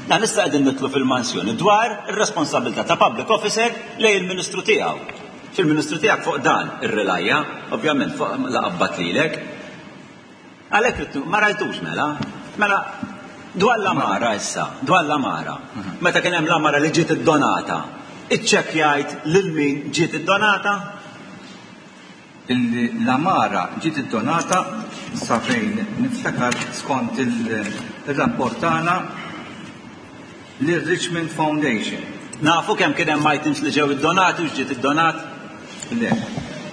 dan issa qegħdin nidħlu fil-mansjoni dwar ir-responsabilità ta' public officer lejn il-ministru tiegħu. Fil-ministru tiegħek fuq dan ir-relajja, ovvjament fuq la qabbat lilek. Għalhekk rittu- ma rajtux mela. Mela dwar l-għamara issa, dwar l-għamara. Meta kien hemm l-għamara li ġiet iddonata, iċċekkjajt lil min ġiet iddonata? Illi l-għamara ġiet iddonata, sa fejn niftakar, skont il-rapport tagħna, lir-Richmond Foundation. Nafu kemm kien hemm items li ġew iddonati u ġiet iddonat? Le.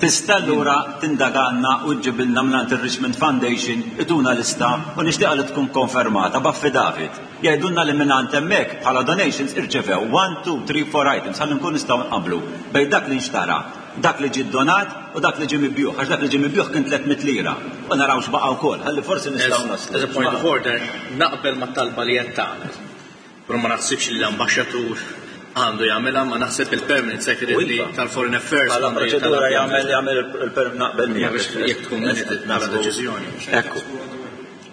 Tista' allura tindaganna u ġġibilna mingħand ir-Richmond Foundation, ituna lista u nixtieqa li tkun konfermata b'affidavit. Jgħidulna li mingħand hemmhekk bħala donations irċevew one, two, three, four items, ħalli nkun nistgħu nqablu bejn dak li nxtara, dak li ġie donat u dak li ġie mibjugħ, għax dak li ġie mibjugħ kien tliet mitt lira. U naraw x'baqa' wkoll, ħalli forsi nistgħu naslu. As a point of order, naqbel ma talba li qed tagħmel. Però ma naħsibx li l-ambaxxatur għandu jagħmilha, ma naħseb il-permanent secretary Iva. tal-Foreign Affairs Bħala għandu proċedura jagħmel. Jagħmel jagħmel il-per naqbel miegħek. Biex jekk tkun minuted bħala deċiżjoni. Ekku.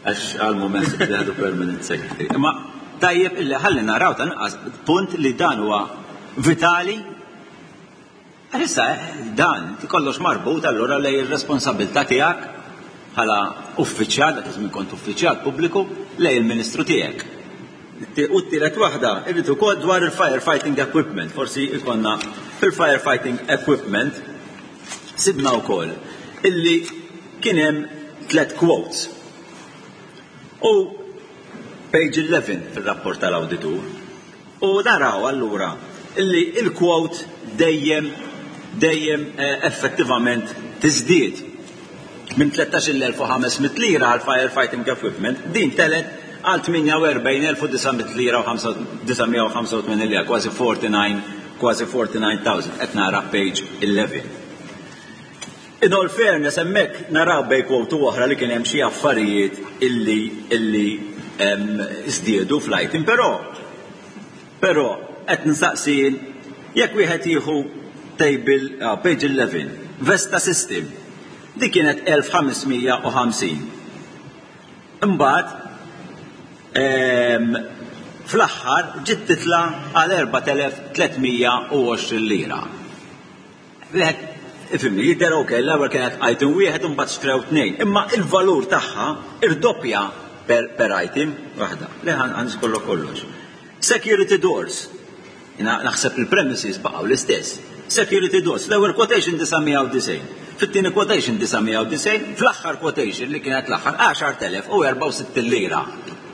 Għax għal-moment li għadu permanent secretary. Imma tajjeb illi ħalli naraw tanqas punt li dan huwa vitali. Għalissa dan kollox marbut allura lej ir-responsabilità tiegħek bħala uffiċjal, dak iż-żmien kont uffiċjal pubbliku, lej il-ministru tiegħek. U t-tielet waħda, irrid ukoll dwar il-firefighting equipment, forsi ikonna fil-firefighting equipment sibna wkoll illi kien hemm tliet quotes. U page eleven fil-rapport tal-awditur. U naraw allura illi il-quote dejjem dejjem eh, effettivament tiżdied minn tlettax-il elf u ħames mitt lira għal firefighting equipment, din telgħet għal tmienja u erbgħin elf u disa' mitt lira u disa' mija u ħamsa u tmenin lira, kważi erbgħa u erbgħin, kważi erbgħa u erbgħin elf, qed nara page eleven. In all fairness, hemmhekk naraw bej kwotu oħra li kien hemm xi affarijiet illi illi żdiedu fl-item, però però qed nsaqsin jekk wieħed jieħu table uh, page eleven, Vesta System, dik kienet elf ħames mija u ħamsin. Imbagħad fl-aħħar ġiet titla' għal erbat elef tliet mija u għoxrin lira. Wieħed ifhimni, jidher ok, l-ewwel kienet item wieħed u mbagħad xtrew tnejn, imma il-valur tagħha irdoppja per, per item waħda. Le ħan kollu kollox. Security doors. Jiena naħseb il-premises baqgħu l-istess. Security doors, l-ewwel quotation disa' mija u disgħin, fit-tieni quotation disa' mija u disgħin, fl-aħħar quotation li kienet l-aħħar għaxar telef u erbgħa u sittin lira.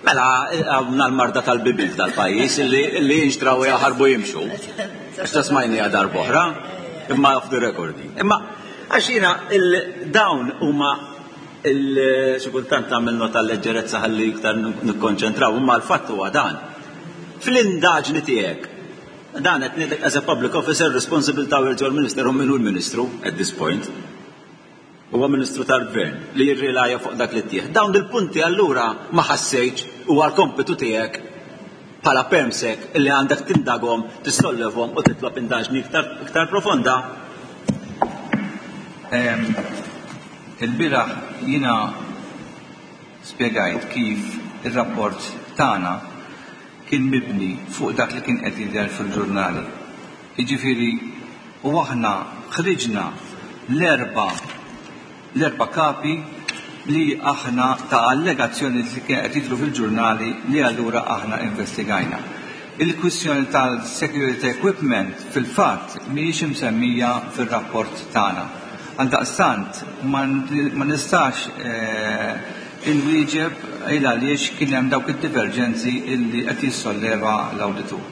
Mela għandna l-marda tal-bibien tal-pajjiż illi, illi jinxtraw jaħarbu jimxu. Għax ta' smajnija darb'oħra, imma off the recording. Imma għax jiena dawn huma xi kultant tagħmel nota leġġerezza ħalli iktar nikkonċentraw, imma l-fatt huwa dan. Fl-indaġni tiegħek, dan qed ngħidlek as a public officer responsible towards your minister u min hu l-ministru at this point. Huwa ministru tal-gvern li jirrilaja fuq dak li ttieħ. Dawn il-punti allura ma ħassejtx huwa l-kompitu tiegħek bħala permsec illi għandek tindaghom, tissollevhom u titlob indaġni iktar, iktar profonda. Il-bieraħ jiena spjegajt kif ir-rapport tagħna kien mibni fuq dak li kien qed jidher fil-ġurnali. Jiġifieri u aħna ħriġna l-erba' l-erba' kapi li aħna ta' allegazzjoni li kien qed jidhru fil-ġurnali li allura aħna investigajna. Il-kwistjoni tal-security equipment fil-fatt mhijiex imsemmija fir-rapport tagħna. Għaldaqstant ma nistax inwieġeb il għaliex kien hemm dawk id-diverġenzi illi qed jissolleva l-awditur.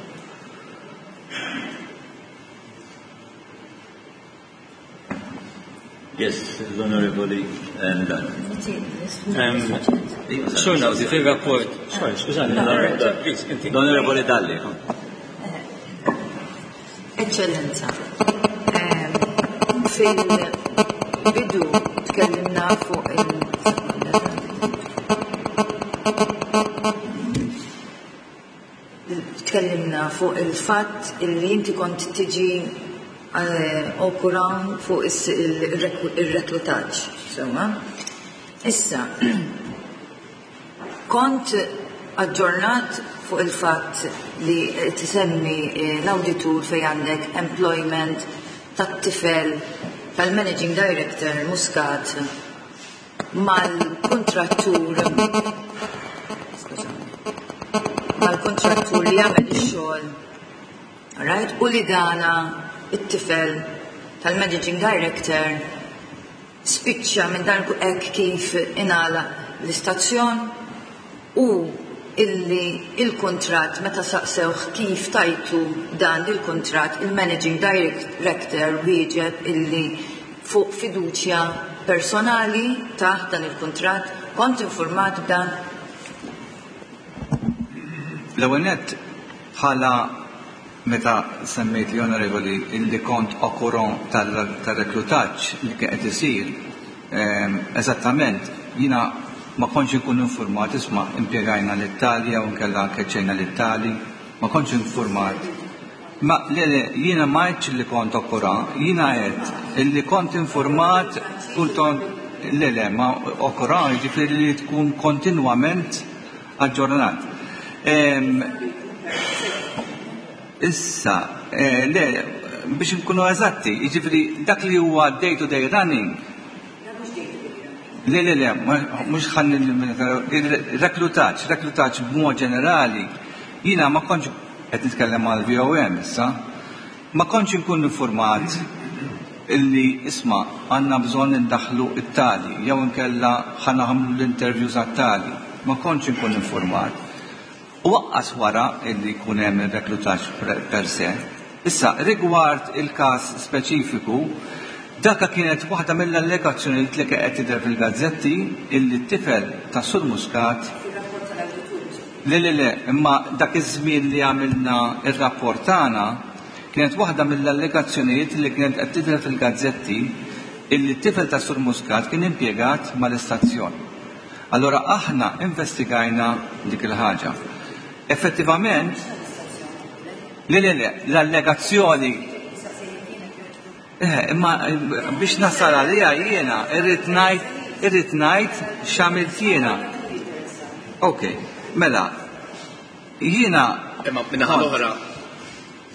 Yes, l-Onorevoli Dalli. Sur Naudi, fil-rapport, sorry, skużani, please, inti. L-Onorevoli Dalli. Eccellenza, fil-bidu tkellimna fuq il- tkellimna fuq il-fatt illi inti kont tiġi okura fuq il-reklutaġġ, insomma. Issa, kont aġġornat fuq il-fatt li tisemmi l-awditur fejn għandek employment tat-tifel tal-Managing Director Muscat mal-kontrattur mal-kontrattur li jagħmel ix-xogħol, right? U li dana it-tifel tal-Managing Director spiċċa minn dan hekk kif ingħalaq l-istazzjon u illi il-kuntratt meta saqsewh kif tajtu dan il-kuntratt il-Managing Director wieġeb illi fuq fiduċja personali taħt dan il-kuntratt. Kont informat b'dan? L-ewwel nett bħala meta semmejt li onorevoli illi kont au courant tal-reklutaġġ li kien qed isir, eżattament jiena ma kontx inkun informat, isma' impjegajna l-Italja u nkella keċċejna l-Itali, ma kontx informat. Ma le le, jiena ma għedtx li kont au courant, jiena għedt illi kont informat kultant le le, ma au courant jiġifieri li tkun kontinwament aġġornat. Issa, le, biex nkunu eżatti, jiġifieri dak li huwa day to day running. Le, le, le, mhux ħalli reklutaġġ, reklutaġġ b'mod ġenerali, jiena ma kontx qed nitkellem għal V O M issa, ma kontx inkun informat illi isma' għandna bżonn indaħħlu it-tali, jew inkella ħa nagħmlu l-interviews għat-tali, ma kontx inkun informat. U waqqas wara illi jkun hemm ir-reklutaġġ per se. Issa, rigward il-każ speċifiku, daka kienet waħda mill-allegazzjonijiet li qed tidher fil-gazzetti illi t-tifel ta' Sur Muscat. Le, le, le, imma dak iż-żmien li għamilna ir-rapport tagħna kienet waħda mill-allegazzjonijiet li kienet qed tidher fil-gazzetti Illi t-tifel ta' Sur Muscat kien impjegat mal-istazzjon. Allora aħna investigajna dik il-ħaġa. Effettivament, le le le, l-allegazzjoni Eh, imma biex nasal għalija jiena, irrid ngħid, irrid ngħid x'għamilt jiena. Ok, mela, jiena. Imma min-naħa l-oħra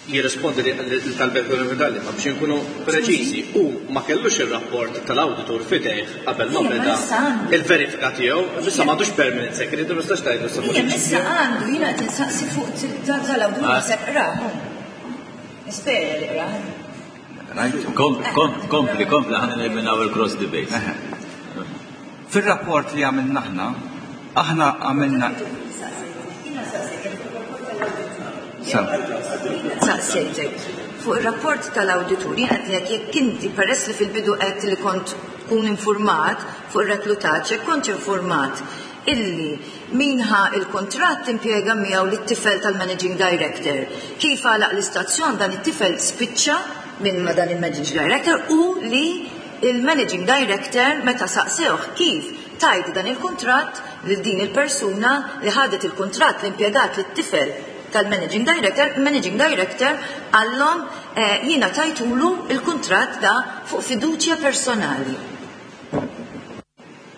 jirrispondi li talbet l-medalli, ma biex nkunu preċiżi, u ma kellux ir-rapport tal-awditur f'idejh qabel ma beda il-verifika tiegħu, issa m'għandux permanent secretary, ma tistax tgħidu sa Ija, issa għandu, jiena qed insaqsi fuq tal-awditur naħseb qrah. Nispera li qrah. Kompli, kompli, ħa neliminaw il-cross debate. Fil-rapport li għamilna aħna, aħna għamilna. Saqsejtek, fuq il-rapport tal-awditur, jiena qed jekk inti peress li fil-bidu qed li kont tkun informat fuq ir-reklutaġġ, jekk kont informat illi min ħa il-kontratt impjega miegħu lit-tifel tal-managing director. Kif għalaq l-istazzjon dan it-tifel spiċċa minn ma dan il-managing director u li il-managing director meta saqsewh kif tajt dan il-kontratt lil din il-persuna li ħadet il-kontratt l-impjegat lit-tifel tal-managing director, managing director għallhom eh, jiena tajtulu il-kontratt da fuq fiduċja personali.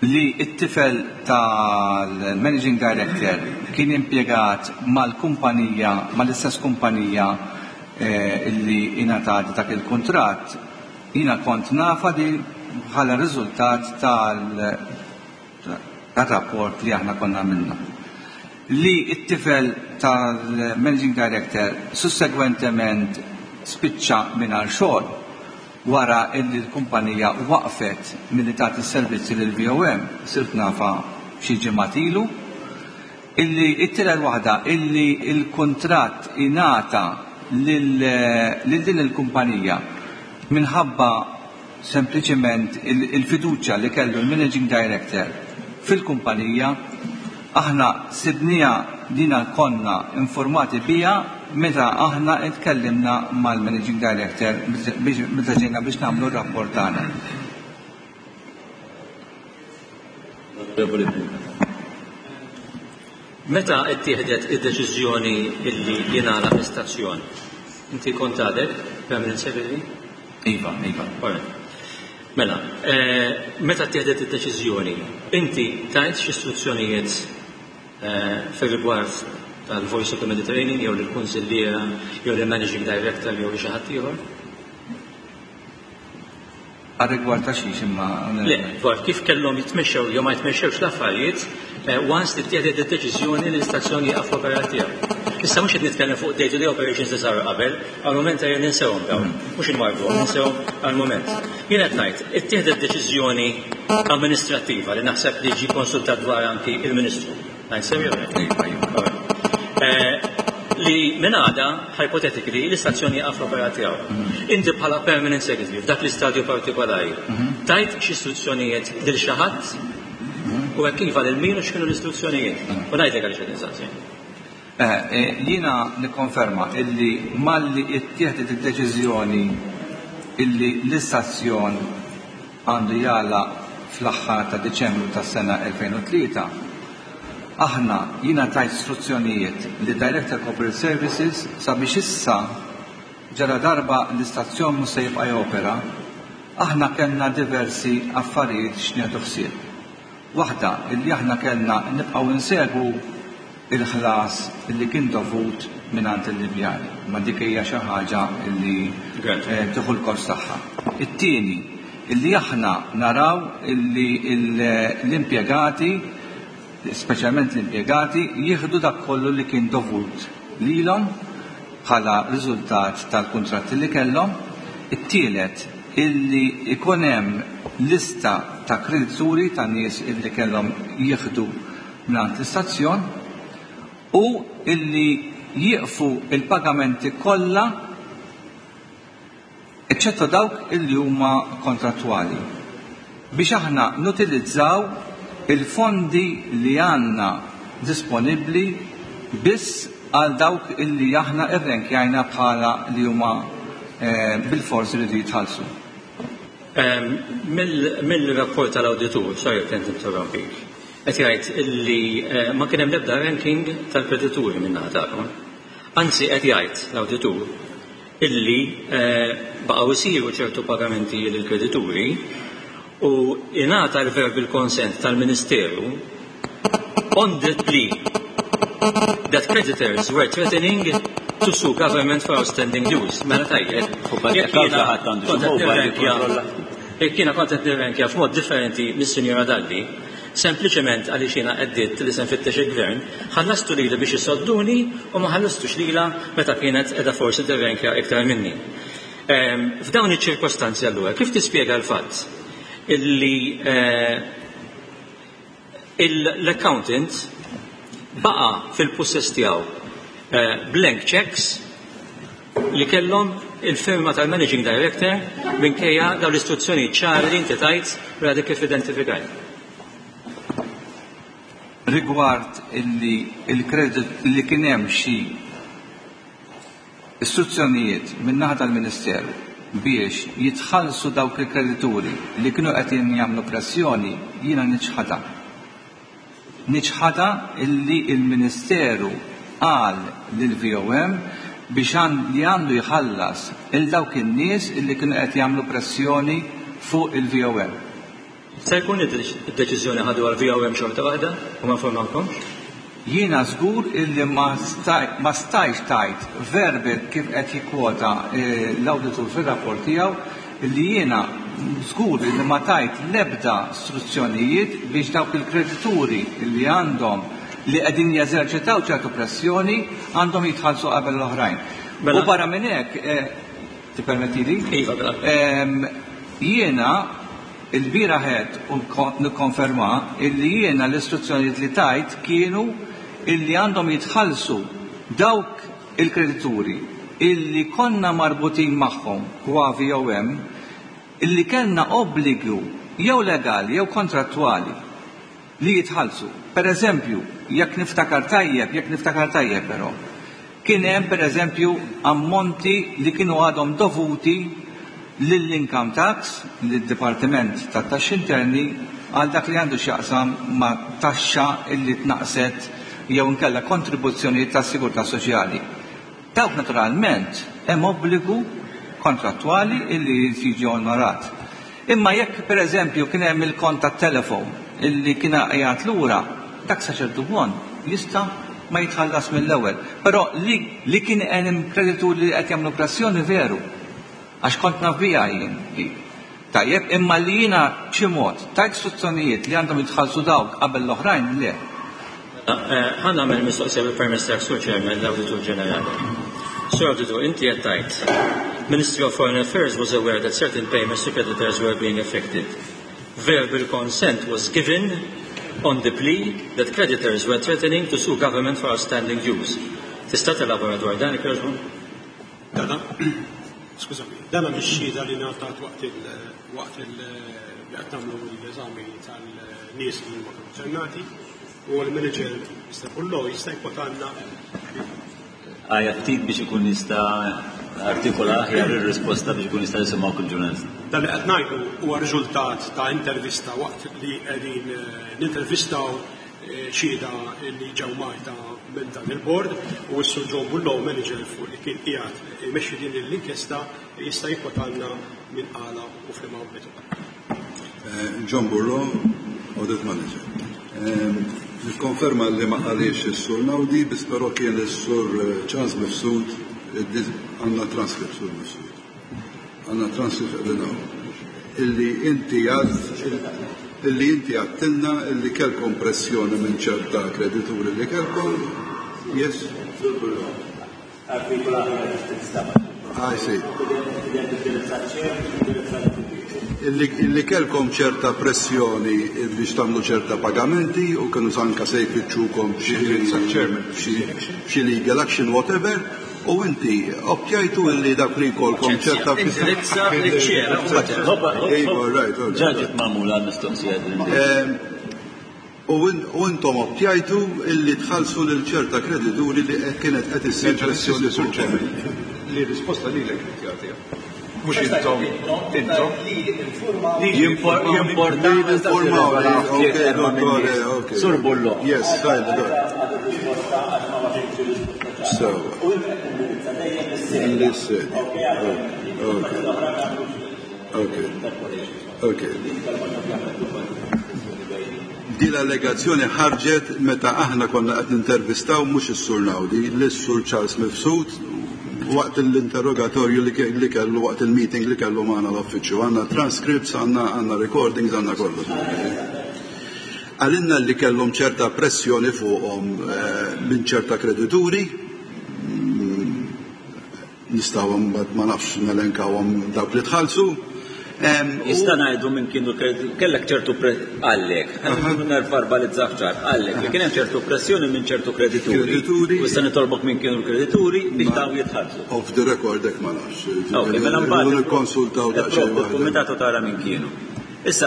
Li it-tifel tal-managing director kien impjegat mal-kumpanija, mal-istess kumpanija eh, li ingħatat dak il-kuntratt, jiena kont nafa di bħala riżultat tal-rapport li aħna konna għamilna. Li it-tifel tal-managing director sussegwentement spiċċa mingħajr xogħol wara illi l-kumpanija waqfet milli tagħti s-servizzi lil V O M, sirt nafa xi ġimgħat ilu, illi it-tielet waħda illi l-kuntratt ingħata lil din il-kumpanija minħabba sempliċement il-fiduċja li kellu l-managing director fil-kumpanija, aħna sibnija dina konna informati bija meta aħna tkellimna mal-managing director meta ġejna biex nagħmlu r-rapport tagħna. Meta ttieħdet id-deċiżjoni illi jingħalaq l-istazzjon, inti kont għadek permanent secretary? Iva, iva. Mela, meta ttieħdet id-deċiżjoni, inti tajt xi istruzzjonijiet fir-rigward tal-Voice of the Mediterranean jew lill-kunsilliera jew lill-Managing Director jew xi ħadd ieħor? Għar-rigward ta' xiex imma? Le, dwar kif kellhom jitmexxew jew ma jitmexxewx l-affarijiet once li ttieħdet id-deċiżjoni li l-istazzjon jieqaf l-operat tiegħu. Issa mhux qed nitkellem fuq day-to-day operations li saru qabel, għal-mument ejja ninsewhom dawn, mhux inwarbuhom, ninsewhom għal-mument. Jien qed ngħid, ittieħdet deċiżjoni amministrattiva li naħseb li ġie konsultat dwar anki il-Ministru. Ngħid sew jew le? Li minn għada, hypothetically, l-istazzjon jieqaf l-operat tiegħu. Inti bħala permanent secretary f'dak l-istadju partikolari, tajt xi istruzzjonijiet lil xi ħadd u hekk iva lil min u x'kienu l-istruzzjonijiet. U ngħidlek għaliex qed insaqsi. Jiena nikkonferma illi malli ttieħdet id-deċiżjoni illi l-istazzjon għandu jagħlaq fl-aħħar ta' Diċembru tas-sena elfejn u tlieta, aħna jiena tajt istruzzjonijiet li Director Corporate Services sabiex issa ġara darba l-istazzjon mhux se jibqa' jopera, aħna kellna diversi affarijiet x'nieħdu ħsieb. Waħda illi aħna kellna nibqgħu insegwu il-ħlas illi kien dovut mingħand il-Libjani, ma dik hija xi ħaġa illi tieħu l-kost tagħha. It-tieni illi aħna naraw illi l-impjegati, speċjalment l-impjegati, jieħdu dak kollu li kien dovut lilhom bħala riżultat tal-kuntratti li kellhom. It-tielet illi ikun hemm lista ta' kredituri ta' nies illi kellhom jieħdu mingħand l-istazzjon u illi jieqfu il-pagamenti kollha eċċetto dawk illi huma kontrattwali biex aħna nutilizzaw il-fondi li għandna disponibbli biss għal dawk illi aħna irrenkjajna bħala li huma bil-forsi li jitħallsu. Mill-rapport tal-awditur, sorry kont interrompik, qed jgħid illi ma kien hemm l-ebda ranking tal-kredituri minn naħa tagħkom. Anzi qed jgħid l-awditur illi baqgħu isiru ċertu pagamenti lill-kredituri u ingħata l-verbal consent tal-Ministeru on the plea that creditors were threatening to sue government for outstanding dues. Mela tajjeb. Jekk jiena kont qed nirrenkja f'mod differenti mis-Sinjora Dalli, sempliċement għaliex jiena għeddiet li se nfittex il-gvern, ħallastu lili biex isodduni u ma ħallastux lilha meta kienet qiegħda forsi tirrenkja iktar minni. F'dawn iċ-ċirkostanzi allura, kif tispjega l-fatt illi l-accountant baqa' fil-possess tiegħu blank checks li kellhom il-firma tal-managing director minkejja dawn l-istruzzjoni ċari li inti tajt u għadek kif identifikajt? Rigward illi il-kredit li kien hemm xi istruzzjonijiet min-naħa tal-Ministeru biex jitħallsu dawk il-kredituri li kienu qed jagħmlu pressjoni, jiena niċħadha. Niċħadha illi il-Ministeru qal lill-V O M biex li għandu jħallas il dawk in-nies illi kienu qed jagħmlu pressjoni fuq il-V O M. Se jkun id-deċiżjoni ħadu għal V O M xorta waħda u ma informawkomx? Jiena żgur illi ma stajx tajt verbal kif qed jikkwota l-awditur fir-rapport tiegħu, illi jiena żgur illi ma tajt l-ebda istruzzjonijiet biex dawk il-kredituri illi għandhom li qegħdin jeżerċitaw ċertu pressjoni għandhom jitħallsu qabel l-oħrajn. U barra minn hekk, tippermettili? Iva, jiena il-bieraħ u nikkonferma illi jiena l-istruzzjonijiet li tajt kienu illi għandhom jitħallsu dawk il-kredituri illi konna marbutin magħhom kwa V O M, illi kellna obbligu jew legali jew kontrattwali li jitħallsu. Per eżempju, jekk niftakar tajjeb, jekk niftakar tajjeb però, kien hemm per eżempju ammonti li kienu għadhom dovuti lill-income tax, lid-Dipartiment tat-Taxxi Interni, għal dak li għandu x'jaqsam ma' taxxa illi tnaqset jew inkella kontribuzzjonijiet tas-sigurtà soċjali. Dawk naturalment hemm obbligu kontrattwali illi jiġi onorat. Imma jekk per eżempju kien hemm il-kont tat-telefon illi kien qiegħed lura, dak sa ċertu punt jista' ma jitħallas mill-ewwel. Però li, li kien hemm kreditur li qed jagħmlu pressjoni, veru. Għax kont naf biha jien. Tajjeb, imma li jiena b'xi mod tajt istruzzjonijiet li għandhom jitħallsu dawk qabel l-oħrajn, le. Ħa nagħmel mistoqsija bil-permess tiegħek, Sur Chairman, l-Awditur Ġenerali. Sur Awditur, inti qed tgħid Ministry of Foreign Affairs was aware that certain payments to creditors were being affected. Verbal consent was given on the plea that creditors were threatening to sue government for outstanding dues. Tista' telabora dwar dan, ikkerġbu? Dana, skużami, dana mix-xhieda li ngħatat waqt il waqt il li qed nagħmlu l-eżami tal-nies li huma konċernati u l-manager Mister Pullo jista' jkwotalna. Għajja ftit biex ikun jista' artikola aħjar ir-risposta biex ikun jista' jisimgħu kull ġurnalist. Dan li qed ngħidu huwa riżultat ta' intervista waqt li qegħdin nintervistaw xhieda li ġew Malta minn dan il-bord u s-Sur John Bullo, manager fuq li kien qiegħed imexxi din l-inkjesta, jista' jikkwotalna minn qala u f'liema ambitu. John Burro, Audit Manager. Nikkonferma li ma qalix is-Sur Naudi, biss però kien is-Sur Charles Mifsud, għandna transcript, Sur Mifsud. Għandna transcript qegħdin hawn. Illi inti għad illi inti għedtilna illi kellkom pressjoni minn ċerta kredituri li kellkom. Yes? I see. Illi, illi kellkom ċerta pressjoni biex tagħmlu ċerta pagamenti u kienu anka se jfittxukom b'xi legal action, whatever, u inti optjajtu illi dak li jkollkom ċerta Indirizza liċ-chair. Iva, right, right. Ġaġet magħmula mistoqsija din. Em, U in- u intom optjajtu illi tħallsu lil ċerta kredituri li kienet qed issir pressjoni Sur fuqkom. Chairman, li risposta lilek qed jagħtiha. Mhux intom, intom. Jimporta. Informaw. Sur Bullo. Yes, fine, good. So. Listen. Okay. Okay. Okay. Din l-allegazzjoni ħarġet meta aħna konna qed nintervistaw mhux is-Sur Naudi, lis-Sur Charles Mifsud waqt l-interrogatorju li kellu waqt il-meeting li kellu magħna l-uffiċċju. Għandna transcripts, għandna għandna recordings, għandna kollox. Għalinna li kellhom ċerta pressjoni fuqhom minn ċerta kredituri, nistgħu mbagħad ma nafx nelenkawhom dawk li tħallsu. Jista' ngħidu minn kienu kellek ċertu għallek, verbalizzah ċar, għallek li kien hemm ċertu pressjoni minn ċertu kredituri. Kredituri. U issa nitolbok minn kienu l-kredituri biex dawn jitħallsu. Off the record hekk ma nafx. Ok, mela mbagħad nikkonsultaw daqsxejn waħda. Il-kumitatu tara minn kienu. Issa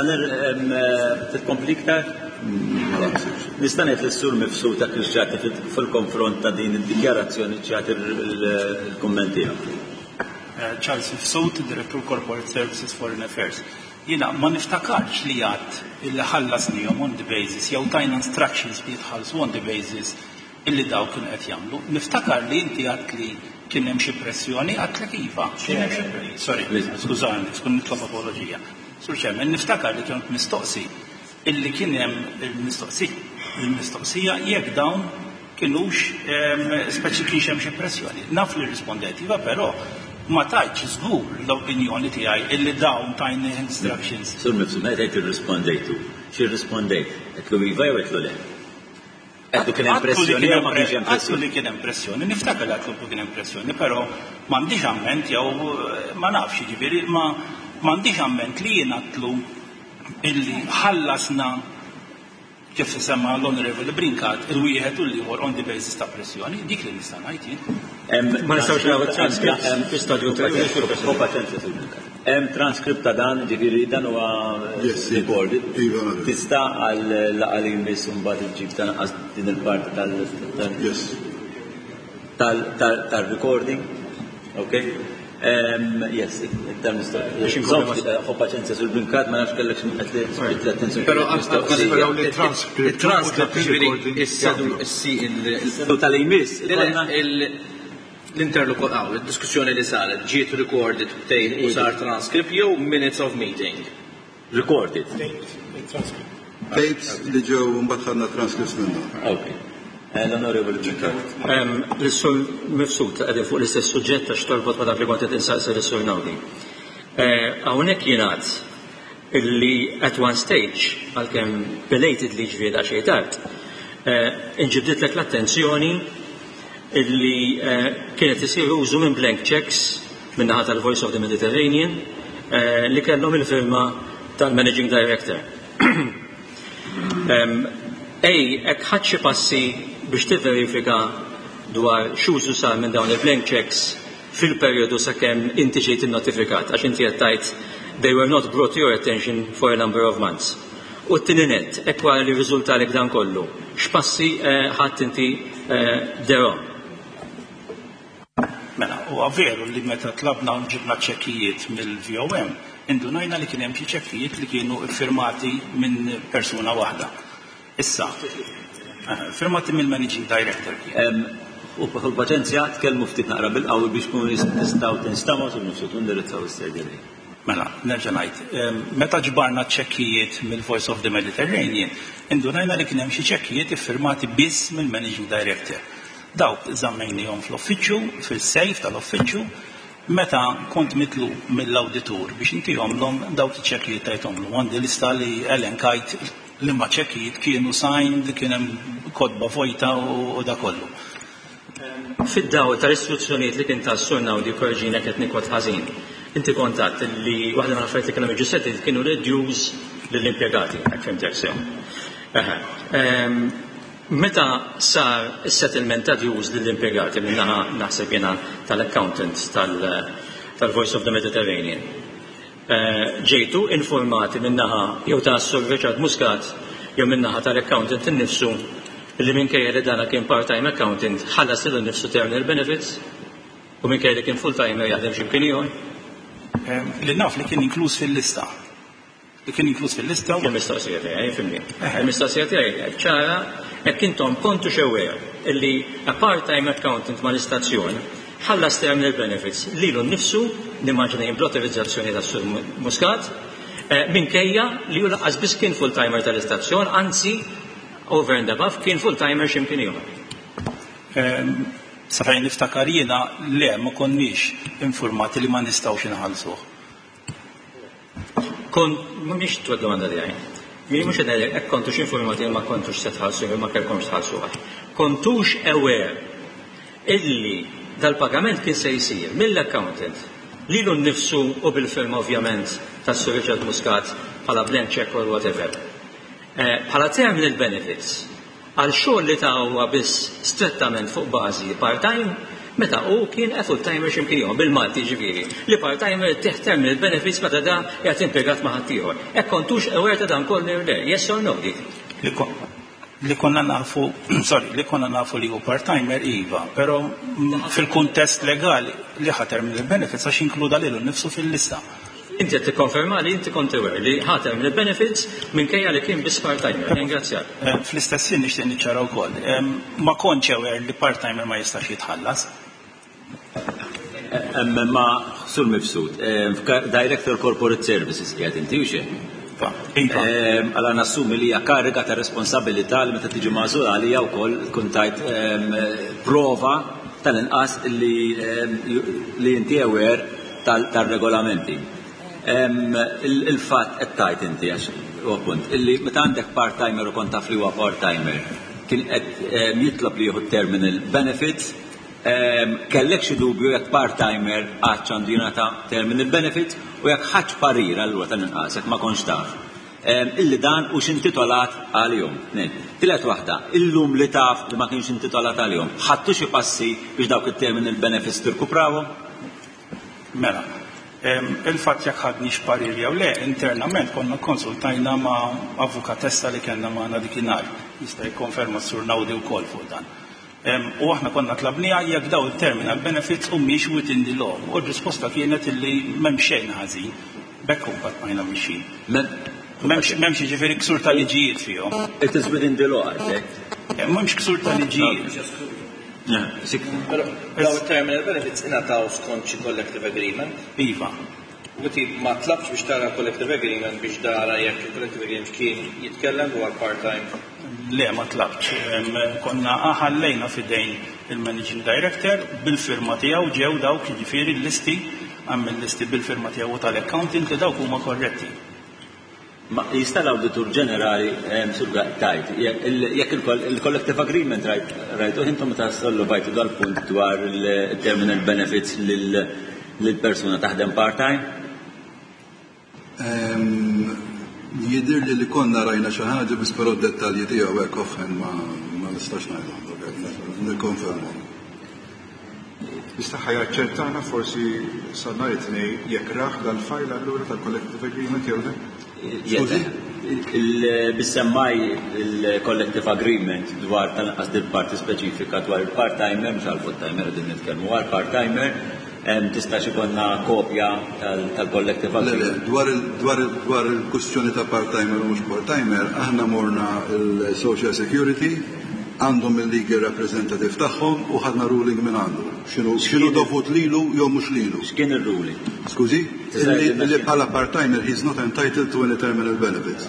titkompli iktar? Nista' ngħid lis-Sur Mifsud ta' kif ġati fil-konfront ta' din id-dikjarazzjoni ġati il-kumment tiegħek. Charles Mifsud, Direttur Corporate Services Foreign Affairs. Jiena ma niftakarx li għad illi ħallasnihom on the basis jew tajna instructions li jitħallsu on the basis illi daw kienu qed jagħmlu. Niftakar li inti għad li kien hemm xi pressjoni, għadtlek iva. Kien hemm xi pressjoni. Sorry, skużani, skun nitlob apoloġija. Sur Chairman, niftakar li kien mistoqsi illi kien hemm il-mistoqsija jekk dawn kienux speċi kienx hemm xi pressjoni. Naf li rispondejt iva, però ma tajtx żgur l-opinjoni tiegħi illi dawn tajni instructions. Sur Mifsud, meta tgħid irrispondejtu, xi rrispondejt? Għedtlu iva jew għedtlu le? Għedtlu kien hemm pressjoni jew ma kienx hemm pressjoni? Għedtlu li kien hemm pressjoni, niftakar li għedtlu kien hemm pressjoni, però m'għandix amment jew ma nafx jiġifieri ma m'għandix amment li jien għedtlu illi ħallasna kif semma l-Honorable Brincat, il-wieħed u l-ieħor on the basis ta' pressjoni, dik li nista' ngħid jien. Ma nistgħux nagħmlu transcript fi stadju Hemm transcript ta' dan, ġifieri dan huwa recorded. Tista' għal laqgħa li jmiss mbagħad iġġib tanqas din il-parti tal tal-recording. Okay? Yes, iktar mistoqsija. Ħu paċenzja sul Brincat, ma nafx kellek xi qed l-attenzjoni. Però nisperaw li transcript il-transcript ġifieri is-sedu tal-imiss. L-interlokutor, il-diskussjoni li saret ġiet recorded b'tejn u sar transcript jew minutes of meeting? Recorded. Tapes li ġew mbagħad ħadna transcripts minnhom. Okay. L-Onorevoli Brincat. L-Sur Mifsud qegħdin fuq l-istess suġġett għax torbot ma dak li kont qed insaqsi lis-Sur Naudi. Hawnhekk jingħad illi at one stage, għalkemm belatedly ġifieri daqsxejn tard, inġibditlek l-attenzjoni illi kienet isir użu minn blank checks min-naħa tal-Voice of the Mediterranean li kellhom il-firma tal-Managing Director. Ej, hekk ħadd xi passi biex tivverifika dwar x'użu sar minn dawn il-blank checks fil-perjodu sakemm inti ġejt innotifikat, għax inti qed tgħid they were not brought to your attention for a number of months. U t-tieni nett, hekk wara li rriżultalek dan kollu, x'passi ħadd inti dero? Mela, huwa veru li meta tlabna u ġibna ċekkijiet mill-V O M, indunajna li kien hemm xi ċekkijiet li kienu iffirmati minn persuna waħda. Issa, firmati mill-Managing Director. U paċenzja, tkellmu ftit naqra bil-qawwi biex kunu nistgħu tinstamaw sul nifsu tindirizzaw is-serġa. Mela, nerġa' ngħid, meta ġbarna ċekkijiet mill-Voice of the Mediterranean, indunajna li kien hemm xi ċekkijiet iffirmati biss mill-Managing Director. Dawk żammejnihom fl-uffiċċju, fil-sejf tal-uffiċċju, meta kont mitlu mill-awditur biex intihomlhom dawk iċ-ċekkijiet tajthomlhom. Għandi lista li elenkajt li ma ċekkijiet kienu signed, kien hemm kotba vojta u da kollu. Fid-dawl tal-istruzzjonijiet li kien ta' Sur Naudi korġina qed nikwot ħażin, inti kontatt li waħda mill-affarijiet li kienu jiġu settled kienu l-dues lill-impjegati, hekk fhimtek sew. Meta sar is-settlement ta' dues lill-impjegati min-naħa naħseb jiena tal-accountant tal-Voice of the Mediterranean, ġejtu informati min-naħa jew ta' Sur Richard Muscat jew min-naħa tal-accountant innifsu li minkejja li dana kien part-time accountant ħallas lilu nnifsu terminal benefits u minkejja li kien full-timer jaħdem x'imkien ieħor? Li naf li kien inkluż fil-lista. Li kien inkluż fil-lista. Kien mistoqsija tiegħi, fimni. Il-mistoqsija tiegħi ċara hekk intom kontu aware illi a part-time accountant mal-istazzjon ħallas terminal benefits lilu nnifsu, nimmaġina jien bl-autorizzazzjoni tas-Sur Muscat, minkejja li hu lanqas biss kien full-timer tal-istazzjon, anzi over and above kien full-timer x'imkien ieħor. Sa fejn niftakar jiena le ma konniex informati li ma nistgħux inħallsuh. Kont mhix tua domanda tiegħi. Jien mhux qed ngħidlek hekk kontux informati li ma kontux se tħallsu jew ma kellkomx tħallsuh. Kontux aware illi dal-pagament kien se jsir mill-accountant lilu nnifsu u bil-firma ovvjament tas-Sur Richard Muscat bħala blank check or whatever. Bħala terminal benefits għal xogħol li ta' huwa biss strettament fuq bażi part-time meta hu kien a full-timer x'imkien ieħor bil-Malti ġifieri li part-timer tih terminal benefits meta da qiegħed impjegat ma' ħaddieħor. Hekk kontux aware ta' dan kollu le, yes or no dik? Li konna nafu, sorry, li konna nafu li hu part-timer iva, però fil-kuntest legali li ħa terminal benefits għax inkluda lilu nnifsu fil-lista. Inti qed tikkonferma li inti kont aware li ħa terminal benefits minkejja li kien biss part-timer. Ringrazzjak. Fl-istess ħin nixtieq niċċara wkoll. Ma kontx aware li part-timer ma jistax jitħallas. Ma Sur Mifsud, Director Corporate Services qiegħed inti u xejn? Għala nassumi li hija kariga ta' responsabilità li meta tiġi magħżul għalija wkoll tkun tajt prova tal-inqas li inti aware tal-regolamenti. Il-fatt qed tajt inti għax huwa punt illi meta għandek part-timer u kont taf li huwa part-timer kien qed jitlob li jieħu terminal benefits, kellek xi dubju jekk part-timer għadx għandu jingħata terminal benefits u jekk ħadx parir allura tal-inqas jekk ma kontx taf illi dan hux intitolat għalihom. Tielet waħda, illum li taf li ma kienx intitolat għalihom, ħadtu xi passi biex dawk it-terminal benefits tirkuprawhom? Mela, il-fatt jekk ħadniex parir jew le, internament konna konsultajna ma' avukatessa li kellna magħna dikinhar. Jista' jikkonferma s-Sur Naudi wkoll fuq dan. U aħna konna tlabniha jekk daw il-terminal benefits u mhix within the law. U r-risposta kienet illi m'hemm xejn ħażin. Bekk imbagħad bqajna mixjin. M'hemmx jiġifieri ksur ta' liġijiet fihom. It is within the law, għalhekk. M'hemmx ksur ta' liġijiet. Daw il-terminal benefits ingħataw skont xi collective agreement? Iva. U ti ma tlabx biex tara collective agreement biex tara jekk il-collective agreement kien jitkellem dwar part-time? Le, ma tlabx. Konna ħallejna fidejn il-managing director bil-firma tiegħu ġew dawk jiġifieri l-listi, għamel listi bil-firma tiegħu tal-accountant li dawk huma korretti. Ma jista' l-Awditur Ġenerali Sur tajt, jekk il-collective agreement rajtu intom meta solvajtu dal-punt dwar il-terminal benefits lil persuna taħdem part-time? Jidir li li konna rajna xi ħaġa biss però d-dettalji tiegħu hekk offhand ma ma nistax ngħidhom, nikkonferma. Jista' jaċċertana forsi sa nhar it-Tnejn jekk rah dal-file allura tal-collective agreement jew le? Skużi? Bissemmaj il-collective agreement dwar tal-inqas dil parti speċifika dwar il-part-timer, mhux għal-full-timer qegħdin nitkellmu għal part-timer, tista' ikollna kopja tal-collective agreement. Dwar dwar il-kwestjoni ta' part-timer u mhux part-timer, aħna morna il-Social Security, għandhom il-legal representative tagħhom u ħadna ruling minn għandu. X'inhu dovut lilu jew mhux lilu. X'kien ir-ruling? Skużi? Li bħala part-timer he's not entitled to any terminal benefits.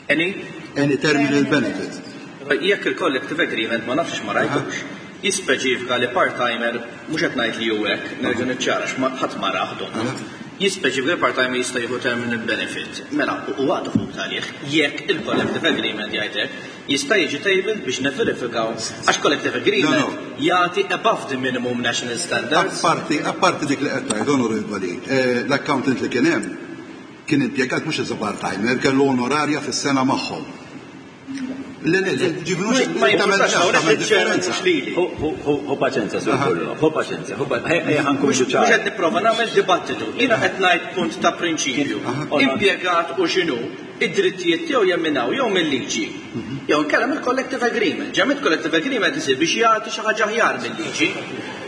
Any? Any terminal benefits. Jekk il-collective agreement ma nafx ma rajtux, jispeċifika li part-timer, mhux qed ngħid li hu hekk, nerġa' niċċara ħadd ma rah donnu. Jispeċifika li part-timer jista' jieħu terminal benefit. Mela, u għadu fuq għalih, jekk il-collective agreement jgħidlek, jista' jiġi tabled biex neverifikaw għax collective agreement jagħti above the minimum national standards. Apparti, apparti dik li qed tgħid, onorevoli, l-accountant li kien hemm kien impjegat mhux as a part-timer, kellu onorarja fis-sena magħhom. Le, le, le, ġibnu Ma jimpurtax hawnhekk il-chairman mhux lili. Ħu paċenzja, Sur Burro, ħu paċenzja, ħu ejja ħa nkunu Mhux ċari. qed nipprova nagħmel dibattitu. Jiena qed ngħid punt ta' prinċipju. Impjegat u x'inhu, id-drittijiet tiegħu jemminaw jew mill-liġi. Jew inkella mill-collective agreement. Ġamit collective agreement isir biex jagħti xi ħaġa aħjar mill-liġi.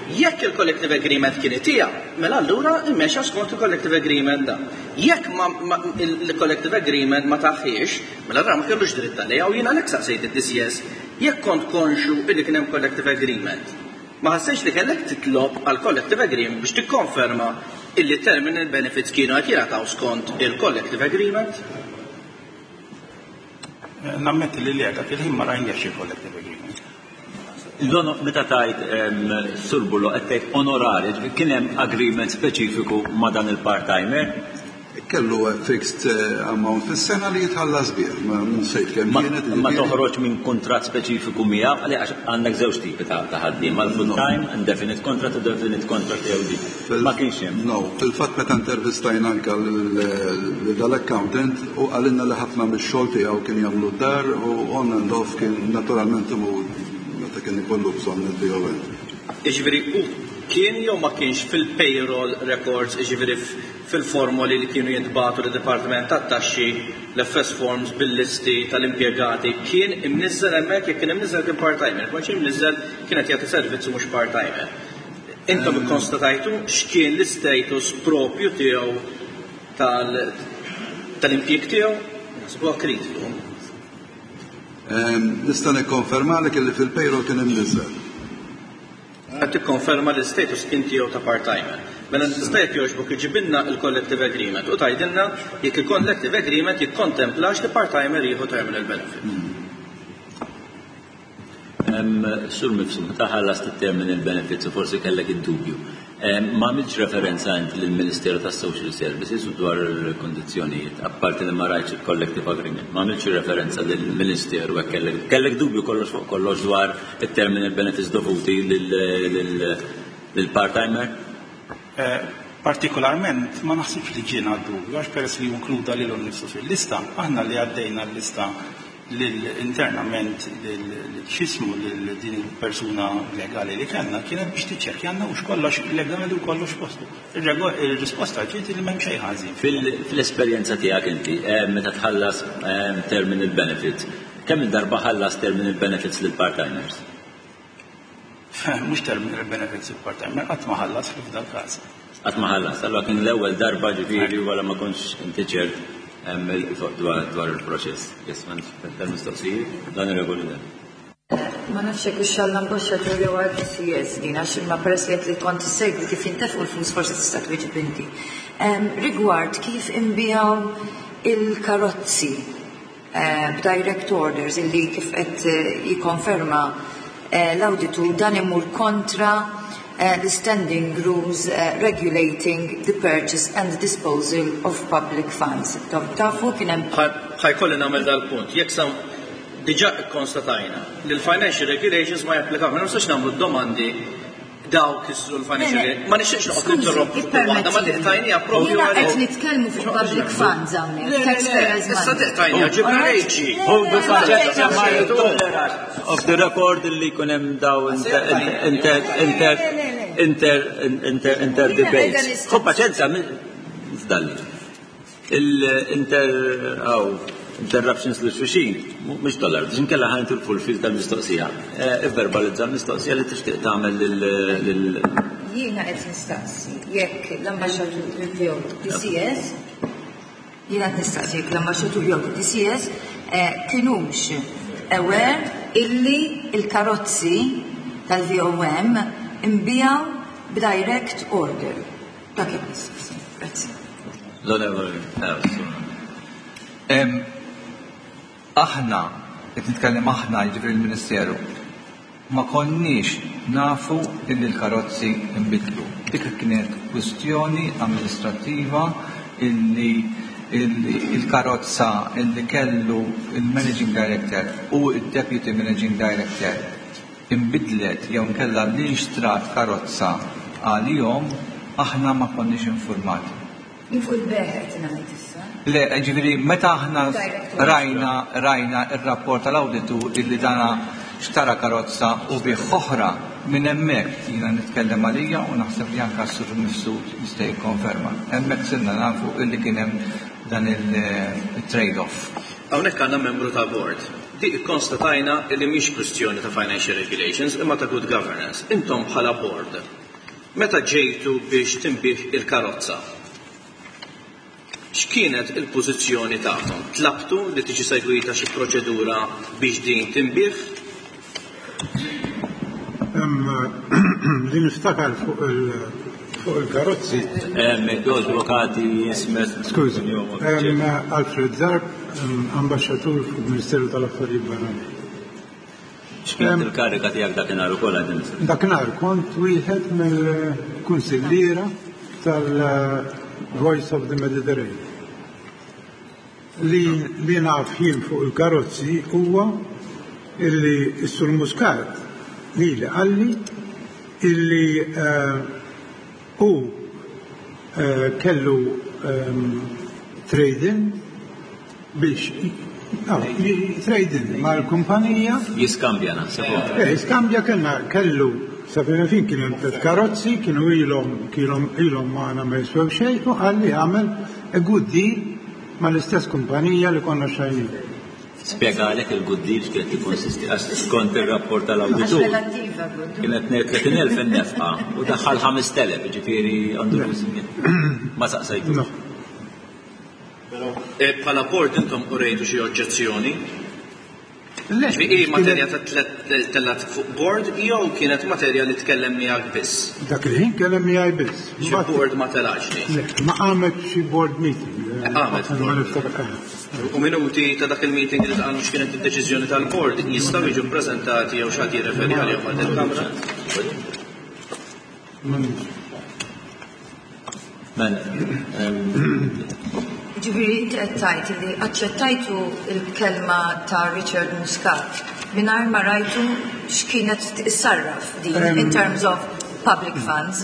Jekk il-collective agreement kien itiha, mela allura immexa skont il-collective agreement da. Jekk ma, ma il-collective agreement ma taħħiex, mela allura ma kellux dritt għaliha u jiena għalhekk saqsejt id-D C S. Jekk kont konxu illi kien hemm collective agreement, ma ħassejx li kellek titlob għal collective agreement biex tikkonferma illi terminal benefits kienu qed jingħataw skont il-collective agreement? Nammetti li li dak il-ħin ma rajniex il-collective agreement. L-ono, meta tajt Sur Burlo, qed tgħid onorari, ġifieri kien hemm agreement speċifiku ma' dan il-part-timer? Kellu fixed eh, amount fis-sena li jitħallas bih, ma nsejt kemm Ma kienet. Ma toħroġ minn kuntratt speċifiku miegħu, għaliex għandek żewġ tipi ta' ta' ħaddiema, l-full time, indefinite contract u definite contract jew di. Ma kienx hemm. No, fil-fatt meta intervistajna anka lil dal-accountant u qalilna li ħafna mix-xogħol tiegħu kien jagħmlu d-dar u on and off kien naturalment imur meta kien ikollu bżonn il-V O M. Iġifieri, u kien jew ma kienx fil-payroll records, iġifieri fil-formoli li kienu jintbagħtu l-Dipartiment tat-Taxxi, l-F S forms bil-listi tal-impjegati, kien imniżżel hemmhekk? Jekk kien imniżżel, kien part-timer, ma kienx imniżżel, kienet jagħti servizzu mhux part-timer. Intom ikkonstatajtu x'kien l-istatus propju tiegħu tal- tal-impjieg tiegħu? Naħseb huwa kritiku. Ehm, Nista' nikkonfermalek li fil-payroll kien imniżżel. Qed tikkonferma li l-status kien tiegħu ta' part-timer. Mela tista' jekk jogħġbok iġibilna il-collective agreement u tgħidilna jekk il-collective agreement jikkontemplax li part-timer jieħu terminal benefit. Em, Sur Mifsud, meta ħallast it-terminal benefits u forsi kellek id-dubju, em, ma għamilx referenza int lill-Ministeru tas Social Services u dwar il-kondizzjonijiet, apparti li ma rajtx il-collective agreement, ma għamilx referenza lill-Ministeru hekk kellek kellek dubju kollox fuq kollox dwar it-terminal benefits dovuti lil- lil-part-timer? Eh, Partikolarment ma naħsibx li ġiena dubju, għax peress li inkluda lilu nnifsu fil-lista, aħna li għaddejna l-lista lil internament lil x'jismu lil din il-persuna legali li kellna kienet biex tiċċekkjanna u x'kollox legali u kollox postu. Ir-rego- Il-risposta ġiet li m'hemm xejn ħażin. Fil- Fil-esperjenza tiegħek inti, eh, meta tħallas eh, terminal benefits, kemm il-darba ħallas terminal benefits lil part-timers? Mhux terminal benefits il-part-timer, qatt ma ħallas f'dal każ. Qatt ma ħallas, allora kien l-ewwel darba, ġifieri, wara ma kontx inti ċert em, il- dwar dwar il-proċess. Yes, ma mistoqsijiet, dan ir-regoli dan. Ma nafx jekk hux għall-ambaxxatur jew għal D C S din, għax imma peress li qed li kont issegwi kif jintefqu l-flus, forsi tista' twieġeb inti. Em, Rigward kif inbiegħu il-karozzi eh, b'direct orders illi kif qed eh, jikkonferma eh, l-awditur dan imur kontra eh, the standing rules eh, regulating the purchase and disposal of public funds. Tafu kien hemm Ħa jkolli nagħmel dal-punt. Jekk sam diġà ikkonstatajna li l-financial regulations ma japplikaw, ma nistax nagħmlu domandi daw kisru l-financial regulations. Ma nixtieqx noqgħod ninterrompu fuq waħda, ma tiqtajnija propju Jiena qed għalhekk. nitkellmu fuq public funds hawnhekk, Le, le, le, taxpayers' issa money. tiqtajnija, ġibna reġi. Off the record li jkun hemm daw inter inter inter inter inter inter debates. Ħu paċenza, fdalli. Il-inter aw interruptions li xulxin, mhux dollar, biex inkella ħa nitilfu l-fil tal-mistoqsija. Ivverbalizza l-mistoqsija li tixtieq tagħmel lil Jiena qed nistaqsi jekk l-ambaxxatur jew D C S, jiena qed nistaqsi jekk l-ambaxxatur jew D C S eh, kinux aware illi il-karozzi tal-V O M inbiegħu b'direct order. Dak qed nistaqsi. Grazzi. L-onorevoli. Em, Aħna, qed nitkellem aħna, jiġifieri l-Ministeru, ma konniex nafu illi l-karozzi nbidlu. Dik kienet kwistjoni amministrattiva illi il-karozza illi kellu il-Managing Director u il-Deputy Managing Director imbidlet jew nkella li nxtrat karozza għalihom, aħna ma konniex informati. Jien fuq il-bejgħ qed ngħid issa. Le, ġifieri, meta aħna rajna rajna il-rapport tal-awditu illi dana xtara karozza u biegħ oħra, minn hemmhekk, jiena nitkellem għalija u naħseb li anka s-sur Mifsud jista' jikkonferma. Hemmhekk sirna nafu illi kien hemm dan il-trade-off. Hawnhekk għandna membru ta' board. Di ikkonstatajna li mhix kwistjoni ta' financial regulations imma ta' good governance. Intom bħala board, meta ġejtu biex tinbiegħ il-karozza, x'kienet il-pożizzjoni tagħkom? Tlabtu li tiġi segwita xi proċedura biex din tinbiegħ? Li niftakar fuq il-karozzi. Avukati jismet. Skużi, Alfred Zarb, ambasċatur fil-Ministeru tal-Affarijiet Barranin. X'kienet il-karika tiegħek dakinhar ukoll għadin? Dakinhar kont wieħed mill-kunsilliera tal-Voice of the Mediterranean. Li naf jien fuq il-karozzi huwa illi s-Sur Muscat li li qalli illi hu kellu trade-in biex trade-in mal-kumpanija. Jiskambja naħseb. Eh, jiskambja kellna kellu sa fejn fin kien hemm tliet karozzi, kienu ilhom kienu ilhom magħna ma jiswew xejn u qalli għamel a good deal mal-istess kumpanija li konna xajnin. Spjegalek il-good deal x'kienet tikkonsisti għax skont ir-rapport tal-awditur. Kienet tletin elf in-nefqa u daħħal ħamest elef, jiġifieri għandu ma saqsajtu. Bħala board intom urejtu xi oġġezzjoni? Ġifieri hi materja ta' tellat fuq board jew kienet materja li tkellem miegħek biss? Dak il-ħin kellem miegħi biss. Xi board ma telax li? Le, ma qamet xi board meeting. Qamet. U minuti ta' dak il-meeting li tqalu x'kienet id-deċiżjoni tal-board jistgħu jiġu ppreżentati jew xi ħadd jirreferi għalihom għal il-Kamra? Mela. Ġifieri inti qed tgħid li aċċettajtu l-kelma ta' Richard Muscat mingħajr ma rajtu x'kienet issarraf din in terms of public funds.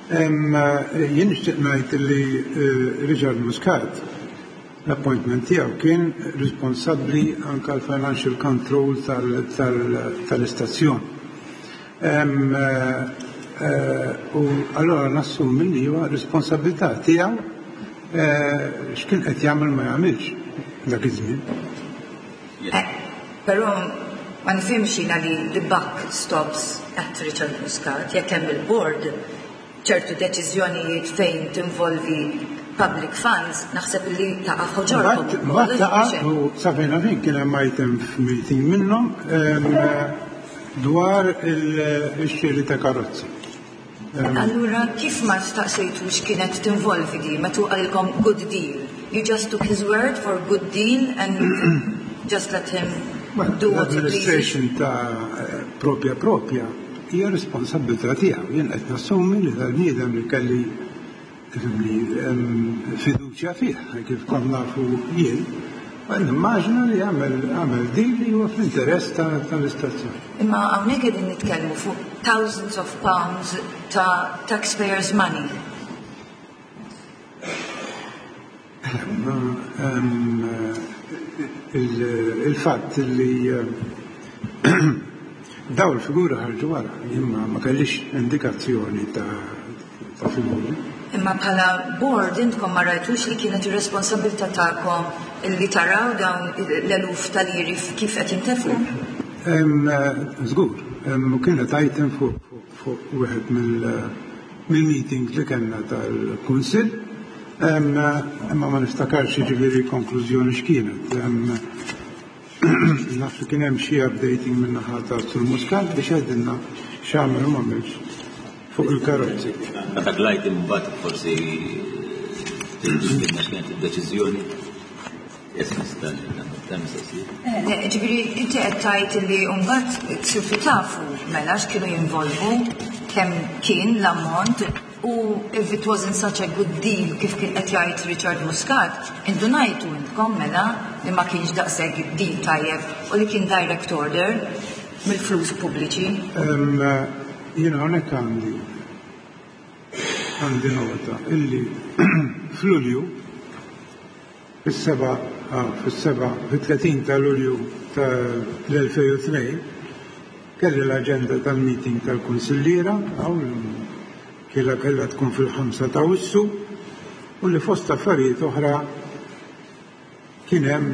Jien nixtieq ngħid li Richard Muscat l-appointment tiegħu kien responsabbli anke għal financial control tal-istazzjon. U allora nassumi li huwa responsabilità tiegħu x'kien qed jagħmel ma jagħmilx dak iż-żmien. Però ma nifhimx jiena li the buck stops at Richard Muscat, jekk hemm il-board ċertu deċiżjonijiet fejn tinvolvi public funds, naħseb li taqa' ħoġorkom. Mbagħad taqa' u sa fejn fin kien hemm item f'meeting minnhom dwar il-xiri ta' karozzi. Allura, kif ma staqsejtu x'kienet tinvolvi di, meta qalilkom good deal? You just took his word for good deal and just let him do what he pleases? L-administration ta' propja propja hija responsabilità tiegħu. Jien qed nassumi li dal-bniedem li kelli fiduċja fih, kif kont nafu jien, nimmaġina li għamel għamel deal li huwa fl-interess tal-istazzjon. Imma hawnhekk qegħdin nitkellmu fuq thousands of pounds ta' taxpayers' money. Il-fatt li daw il-figura ħarġu wara, imma ma kellix indikazzjoni ta' figuri. Imma bħala board intkom ma rajtux li kienet ir-responsabilità tagħkom li taraw dawn l-eluf tal-liri kif qed jintefqu? Żgur, kienet item fuq wieħed mill-meetings li kellna tal-Kunsill, imma ma niftakarx jiġifieri konklużjoni x'kienet. Naf li kien hemm xi updating min-naħa ta' Sur Muscat biex jgħidilna x'għamel u m'għamilx fuq il-karozzi. Meta glajt imbagħad forsi tgħidilna x'kienet id-deċiżjoni. Ġifieri inti qed tgħid li mbagħad sirtu tafu mela x'kienu jinvolvu, kemm kien l-ammont u if it wasn't such a good deal kif kien qed jgħid Richard Muscat, indunajtu intkom mela li ma kienx daqshekk deal tajjeb u li kien direct order mill-flus pubbliċi. Jiena hawnhekk għandi għandi nota illi f'Lulju fis-seba' fis-seba' fit-tletin ta' Lulju tal-elfejn u tnejn kelli l-aġenda tal-meeting tal-kunsilliera hawn kiela kellha tkun fil-ħamsa ta' Awwissu u li fost affarijiet oħra kien hemm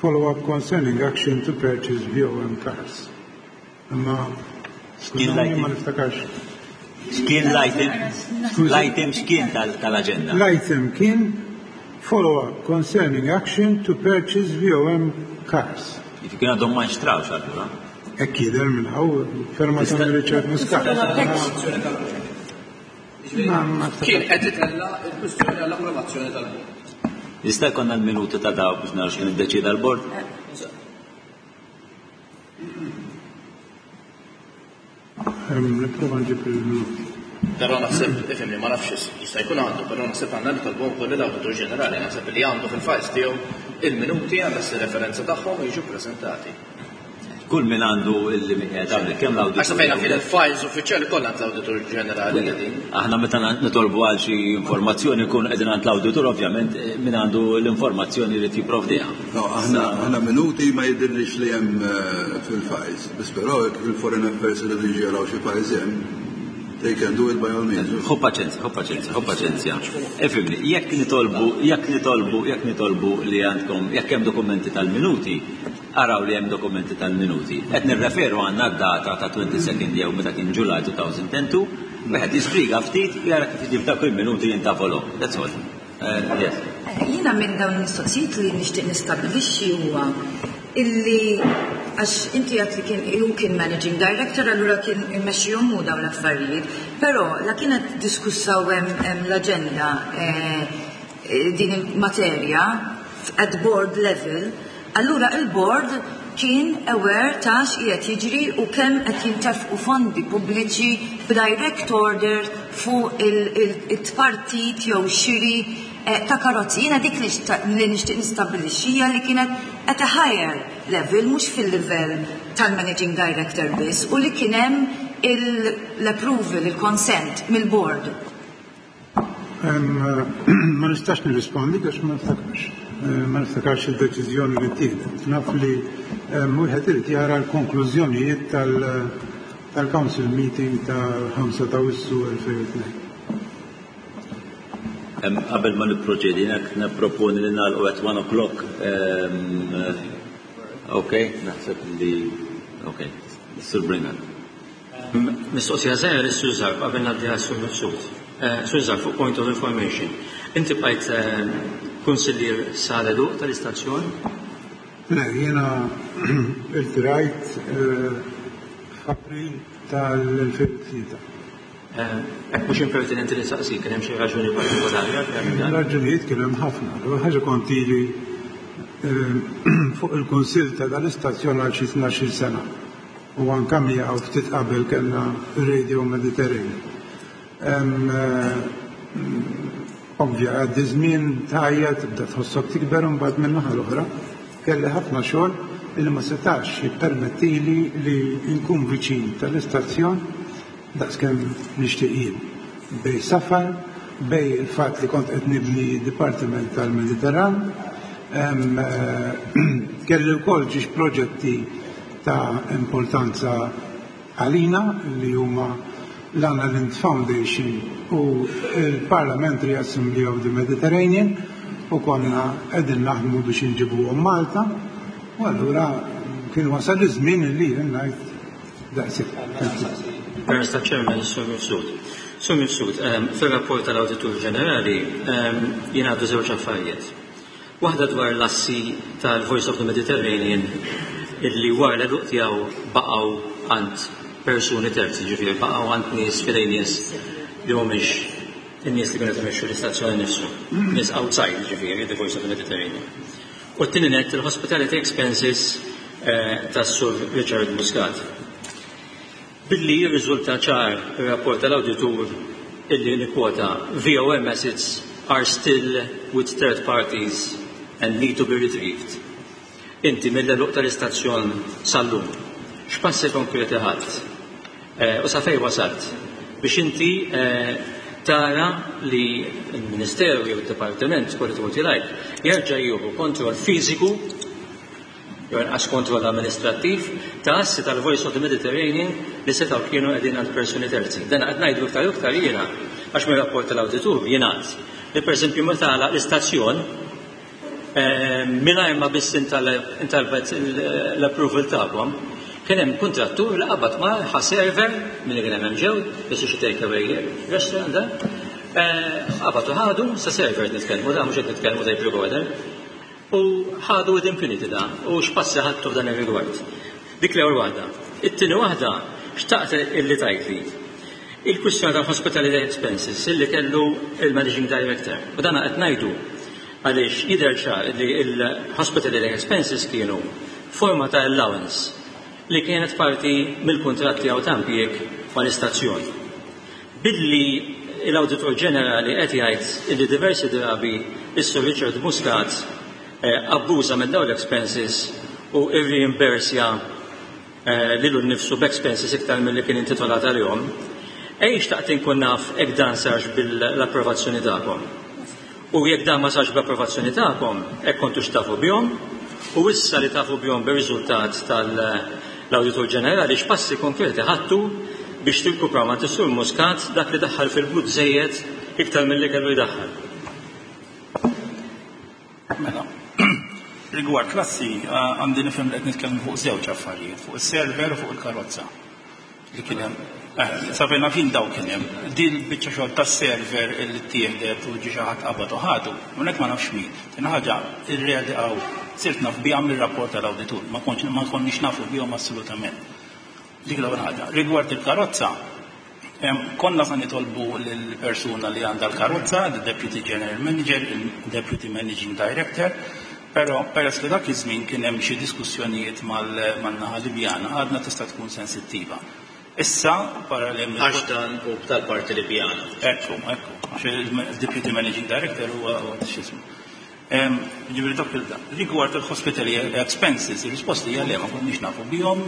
Follow-up concerning action to purchase V O M cars. Imma skużawni, ma niftakarx. X'kien l-item? L-item x'kien tal-agenda? L-item kien follow-up concerning action to purchase V O M cars. Kien għadhom ma nxtrawx allura. Hekk jidher minn hawn, firma ta' Richard Muscat. Kien qed itella' il-kwistjoni għall-approvazzjoni tal-bord. Jista' jkollna l-minuti ta' daw biex naraw x'kien iddeċida l-bord? Nipprova nġib il-minuti. Però naħseb, ifhimni, ma nafx jista' jkun għandu, però naħseb għandna nitolbu wkoll lill-Awditur Ġenerali, naħseb li għandu fil-files tiegħu il-minuti, għandha ssir referenza tagħhom u jiġu ppreżentati. Kull min għandu il-qiegħed hawnhekk, kemm l-awditur. Għax fejn fil-files uffiċjali kollha għand l-Awditur Ġenerali qegħdin. Aħna meta nitolbu għal xi informazzjoni nkunu qegħdin għand l-awditur, ovvjament min għandu l-informazzjoni li jipprovdiha. No, aħna aħna minuti ma jidhirlix li hemm eh, fil-files. Biss però jekk il-Foreign Affairs li jaraw xi files hemm, they can do it by all means. Ħu paċenzja, ħu paċenzja, ħu paċenzja. Ifhimni, jekk nitolbu, jekk nitolbu, jekk nitolbu li għandkom, jekk hemm dokumenti tal-minuti, araw li hemm dokumenti tal-minuti. Qed nirreferu għandna d-data ta' twenty-second jew meta kien July two thousand two, wieħed jispiega ftit jara kif iġib dak il-minuti jintafolhom. That's all. Uh, yes. Jiena minn dawn il-mistoqsijiet li nixtieq nistabbilixxi huwa illi għax inti għedt li kien hu kien managing director, allura kien imexxihom hu dawn l-affarijiet, però la kienet diskussa u hemm l-aġenda eh, eh, din il-materja at board level, allura il-board kien aware ta' x'qiegħed jiġri u kemm qed jintefqu fondi pubbliċi b'direct order fuq il-tpartit jew xiri eh, ta' karozzi. Jiena dik li li nixtieq nistabbilixxi hija li kienet at a higher level, mhux fil-level tal-managing director biss, u li kien hemm l-approval, il-consent mill-board. Ma nistax nirrispondi għax ma niftakarx. Eh, ma niftakarx il-deċiżjoni li ttieħdet. Naf li wieħed irid jara l-konklużjonijiet tal-Council meeting tal-ħamsa ta' Awwissu elfejn u tnejn. Qabel ma nipproċedi, jekk nipproponi li nagħlqu at one o'clock. Ok, naħseb li ok, Sur Bringat. Mistoqsija żgħira lis-Sur Zarb qabel ngħaddi għas-Sur Mifsud. Eh, Sur Zarb, fuq point of information. Inti bqajt eh, kunsillier sal-għeluq tal-istazzjon? Le, jiena irtirajt eh, f'April tal-elfejn u tlieta. Hekk mhux impertinenti li saqsi, kien hemm xi raġuni partikolari għalfejn dan? Raġunijiet kien hemm ħafna. L-ewwel ħaġa, kont ili fuq il-kunsill ta' dal-istazzjon għal xi tnax-il sena. U anka miegħu ftit qabel kellna Radio Mediterranean. Ovvja, għaddi żmien tajja, tibda tħossok tikber, u mbagħad min-naħa l-oħra kelli ħafna xogħol li ma setax jippermettili li nkun viċin tal-istazzjon daqskemm nixtieq jien. Bejn safar, bejn il-fatt li kont qed nibni Dipartiment tal-Mediterran, kelli wkoll ġiex proġetti ta' importanza għalina li huma l-Anna Lindh Foundation u il-Parliamentary Assembly of the Mediterranean, u konna qegħdin naħdmu biex inġibuhom Malta, u allura kien wasal iż-żmien li ngħid daqshekk. Permezz taċ-Chairman, Sur Mifsud. Sur Mifsud, fil-rapport tal-Awditur Ġenerali jingħadu żewġ affarijiet. Waħda dwar l-assi tal-Voice of the Mediterranean illi wara l-għeluq tiegħu baqgħu għand persuni terzi, ġifieri baqgħu għand nies, f'idejn nies li mhumiex in-nies li kienu imexxu l-istazzjoni nifsu, nies outside ġifieri the Voice of the Mediterranean. U t-tieni net, il-hospitality expenses eh, tas-Sur Richard Muscat. Billi jirriżulta ċar ir-rapport tal-awditur illi nikkwota V O M assets are still with third parties and need to be retrieved. Inti mill-għeluq tal-istazzjon sal-lum, x'passi konkreti ħadt eh, u sa fejn wasalt biex inti eh, tara li l-Ministeru jew il-Dipartiment, call it what you like, jerġa' jieħu kontroll fiżiku jew inqas kontroll amministrattiv ta' assi tal-Voice of the Mediterranean li setgħu kienu qegħdin għand persuni terzi? Dan qed ngħidu iktar iktar jiena għax mir-rapport tal-awditur jingħad li, pereżempju, meta għalaq l-istazzjon Mingħajr ma biss intalbet l-approval tagħkom, kien hemm kuntrattur li qabad ma ħa server milli kien hemm ġew, biss xi take away restaurant da. Qabad u ħadu sa server nitkellmu da mhux qed nitkellmu tape recorder. U ħadu with impunity da, u x'passi ħadtu f'dan ir-rigward. Dik l-ewwel waħda. It-tieni waħda xtaqt illi tgħidli. Il-kwistjoni tal-hospitality expenses illi kellu il-managing director. U dan qed ngħidu għaliex jidher ċar li il-hospitality expenses kienu forma ta' allowance li kienet parti mill-kuntratt tiegħu ta' impjieg mal-istazzjon. Billi l-Awditur Ġenerali qed jgħid illi diversi drabi is-Sur Richard Muscat abbuża minn dawn l-expenses u irreimbursja lilu nnifsu b'expenses iktar milli kien intitolat għalihom, ej xtaqt inkun naf hekk dan sarx bil-approvazzjoni tagħkom. U jekk dan ma sarx bl-approvazzjoni tagħkom, hekk kontux tafu bihom, u issa li tafu bihom bir-riżultat tal-Awditur Ġenerali x'passi konkreti ħadtu biex tirkupraw ma' Sur Muscat dak li daħħal fil-but żejjed iktar milli kellu jdaħħal. Mela, rigward klassi, għandi nifhem li qed nitkellmu fuq żewġ affarijiet, fuq is-server u fuq il-karozza. Li kien hemm. Sa fejn nafin daw kien hemm. Din il-biċċa xogħol tas-server li ttieħdet u ġie xi ħadd qabad u ħadu, hawnhekk ma nafx min. Tieni ħaġa, ir-reali hawn sirt naf biha mir-rapport tal-awditur, ma kontx ma konniex nafu bihom assolutament. Dik l-ewwel ħaġa. Rigward il-karozza, konna sa nitolbu lill-persuna li għandha l-karozza, the Deputy General Manager, il-Deputy Managing Director, però peress li dak iż-żmien kien hemm xi diskussjonijiet mal-naħa Libjana, għadna tista' tkun sensittiva. Issa, para li hemm Għax dan hu tal-parti Libjana. Ekku, ekku. Għax il-Deputy Managing Director huwa x'ismu. Ġifieri dak il-dan. Rigward il-hospitality expenses, ir-risposta hija le, ma konniex nafu bihom.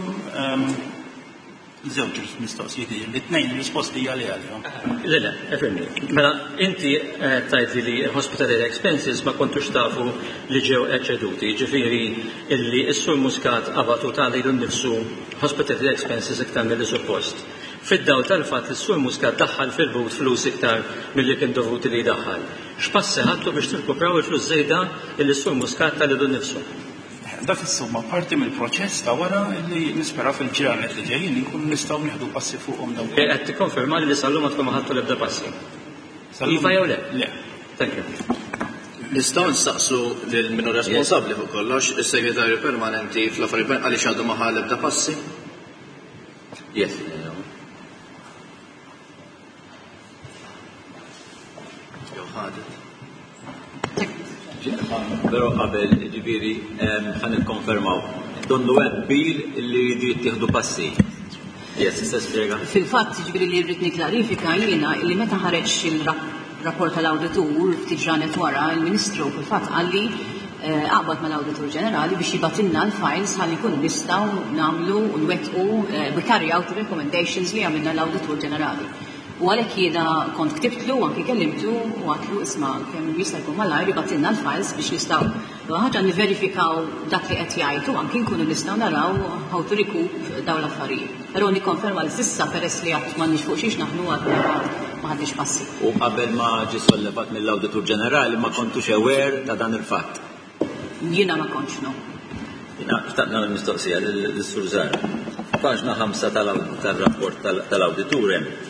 Żewġ mistoqsijiet, li tnejn ir-risposti hija le għalihom. Le, le, efirmi. Mela, inti tgħid li hospitality expenses ma kontux tafu li ġew eċċeduti, ġifieri illi s-Sur Muscat qabatu ta' lilu nnifsu hospitality expenses iktar milli suppost. Fid-dawl tal-fatt li s-Sur Muscat daħħal fil-but flus iktar milli kien dovuti li jdaħħal. X'passi ħadtu biex tirkupraw il-flus żejda illi s-Sur Muscat ta' lilu nnifsu? Dak insomma parti mill-proċess ta' wara li nispera fil-ġranet li ġejjin inkunu nistgħu nieħdu passi fuqhom dawn. Qed tikkonferma li sal-lum ma tkun ma ħadtu l-ebda passi. Sal-lum Iva jew le? Le. Thank you. Nistgħu nistaqsu lil min hu responsabbli fuq kollox, is-segretarju permanenti fl-affarijiet għaliex għadu ma ħa l-ebda passi? Yes. Jew ħadet. Però qabel, ġifieri, ħa nikkonfermaw. Donnu hemm bil li jridu jittieħdu passi. Yes, tista' spjega. Fil-fatt, ġifieri li rrid nikklarifika jiena li meta ħareġ il-rapport tal-awditur ftit ġranet wara, il-Ministru fil-fatt qalli aqbad mal-Awditur Ġenerali biex jibatilna l-files ħalli nkunu nistgħu nagħmlu u nwettqu we carry out the recommendations li għamilna l-Awditur Ġenerali. U għalhekk jiena kont ktibtlu u anki kellimtu u għatlu isma' kemm jista' jkun malajr jibatilna l-files biex nistgħu ħaġa niverifikaw dak li qed jgħid u anki nkunu nistgħu naraw how to recoup dawn l-affarijiet. Però nikkonferma li s'issa peress li għad m'għandniex fuq xiex naħnu għadna ma ħadniex passi. U qabel ma ġie sollevat mill-Awditur Ġenerali ma kontux aware ta' dan il-fatt? Jiena ma kontx, no. Jiena xtaqt nagħmel mistoqsija lis-Sur Zahra. Paġna ħamsa tal-rapport tal-awditur hemm.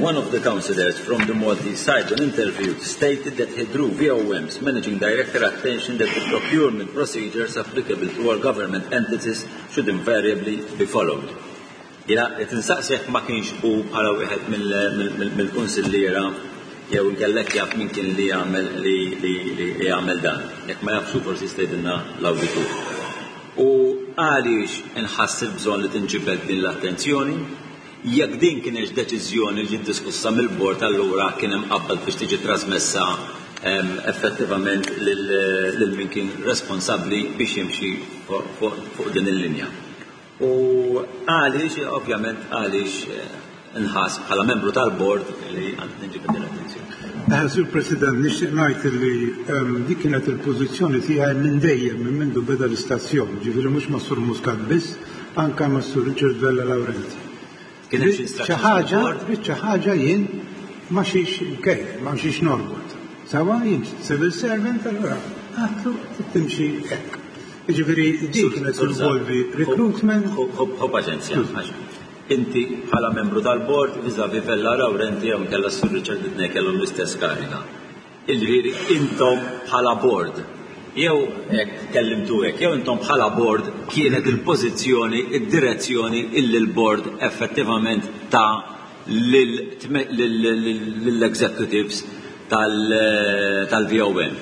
One of the councillors from the Maltese side when interviewed stated that he drew V O M's managing director attention that the procurement procedures applicable to all government entities should invariably be followed. Jiena qed insaqsi jekk ma kienx hu bħala wieħed mill-kunsilliera jew inkellek jaf min kien li jagħmel li li jagħmel dan. Jekk ma jafx forsi jista' jgħidilna l-awditur. U għaliex inħass il-bżonn li tinġibed din l-attenzjoni? Jekk din kienx deċiżjoni li ġiet diskussa mill-bord allura kien hemm qabbel biex tiġi trasmessa effettivament lil min kien responsabbli biex jimxi fuq din il-linja. U għaliex, ovvjament, għaliex nħass bħala membru tal-bord li għand ninġibed din l-attenzjoni. Sur President, nixtieq ngħid li dik kienet il-pożizzjoni tiegħi minn dejjem minn mindu beda l-istazzjon, ġifieri mhux ma' Sur Muscat biss, anke ma' Sur Richard Vella Laurenti. Kien hemm xi Biċċa ħaġa, biċċa ħaġa jien ma xiex kejf, ma xiex norbot. Sawa jien civil servant allura Għedtlu timxi hekk. Jiġifieri din kienet involvi recruitment. Ħu paċenzja. Inti bħala membru tal-bord vis-à-vis Vella Laurenti jew kellha Sur Richard it-tnejn kellhom l-istess kariga. Jiġifieri intom bħala board jew hekk kellimtu hekk, jew intom bħala board kienet il-pożizzjoni, id-direzzjoni illi l-board effettivament ta' lill-executives tal-V O M.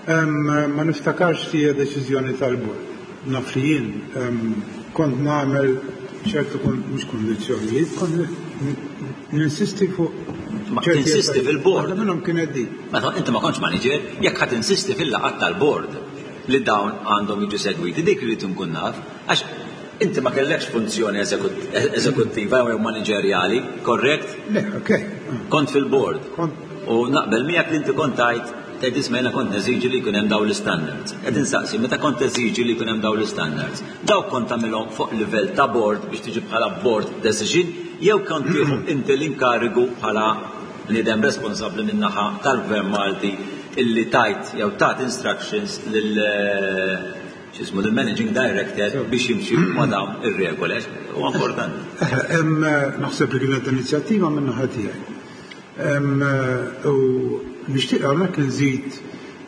Ma niftakarx li hija deċiżjoni tal-bord. Naf li jien kont nagħmel ċertu, mhux kondizzjonijiet, kont ninsisti fuq Ma tinsisti fil-board. Waħda minnhom kienet di. Meta inti ma kontx manager, jekk ħadd insisti fil-laqgħat tal-board li dawn għandhom jiġu segwiti, dik li nkun naf, għax inti ma kellekx funzjoni eżekuttiva jew manageriali, korrekt? Le, ok. Kont fil-board. U naqbel miegħek li inti kont tgħid tgħid isma' jiena kont neżiġi li jkun hemm dawn l-standards. Qed insaqsi, meta kont teżiġi li jkun hemm dawn l-standards, dawk kont tagħmilhom fuq livell ta' board biex tiġi bħala board decision jew kont tieħu inti l-inkarigu bħala bniedem responsabbli min-naħa tal-Gvern Malti illi tajt jew tat instructions lil x'ismu lill-managing director biex jimxi ma' dawn ir-regoli? Huwa importanti. Naħseb li kienet inizjattiva minn naħa tiegħi. U nixtieq hawnhekk nżid,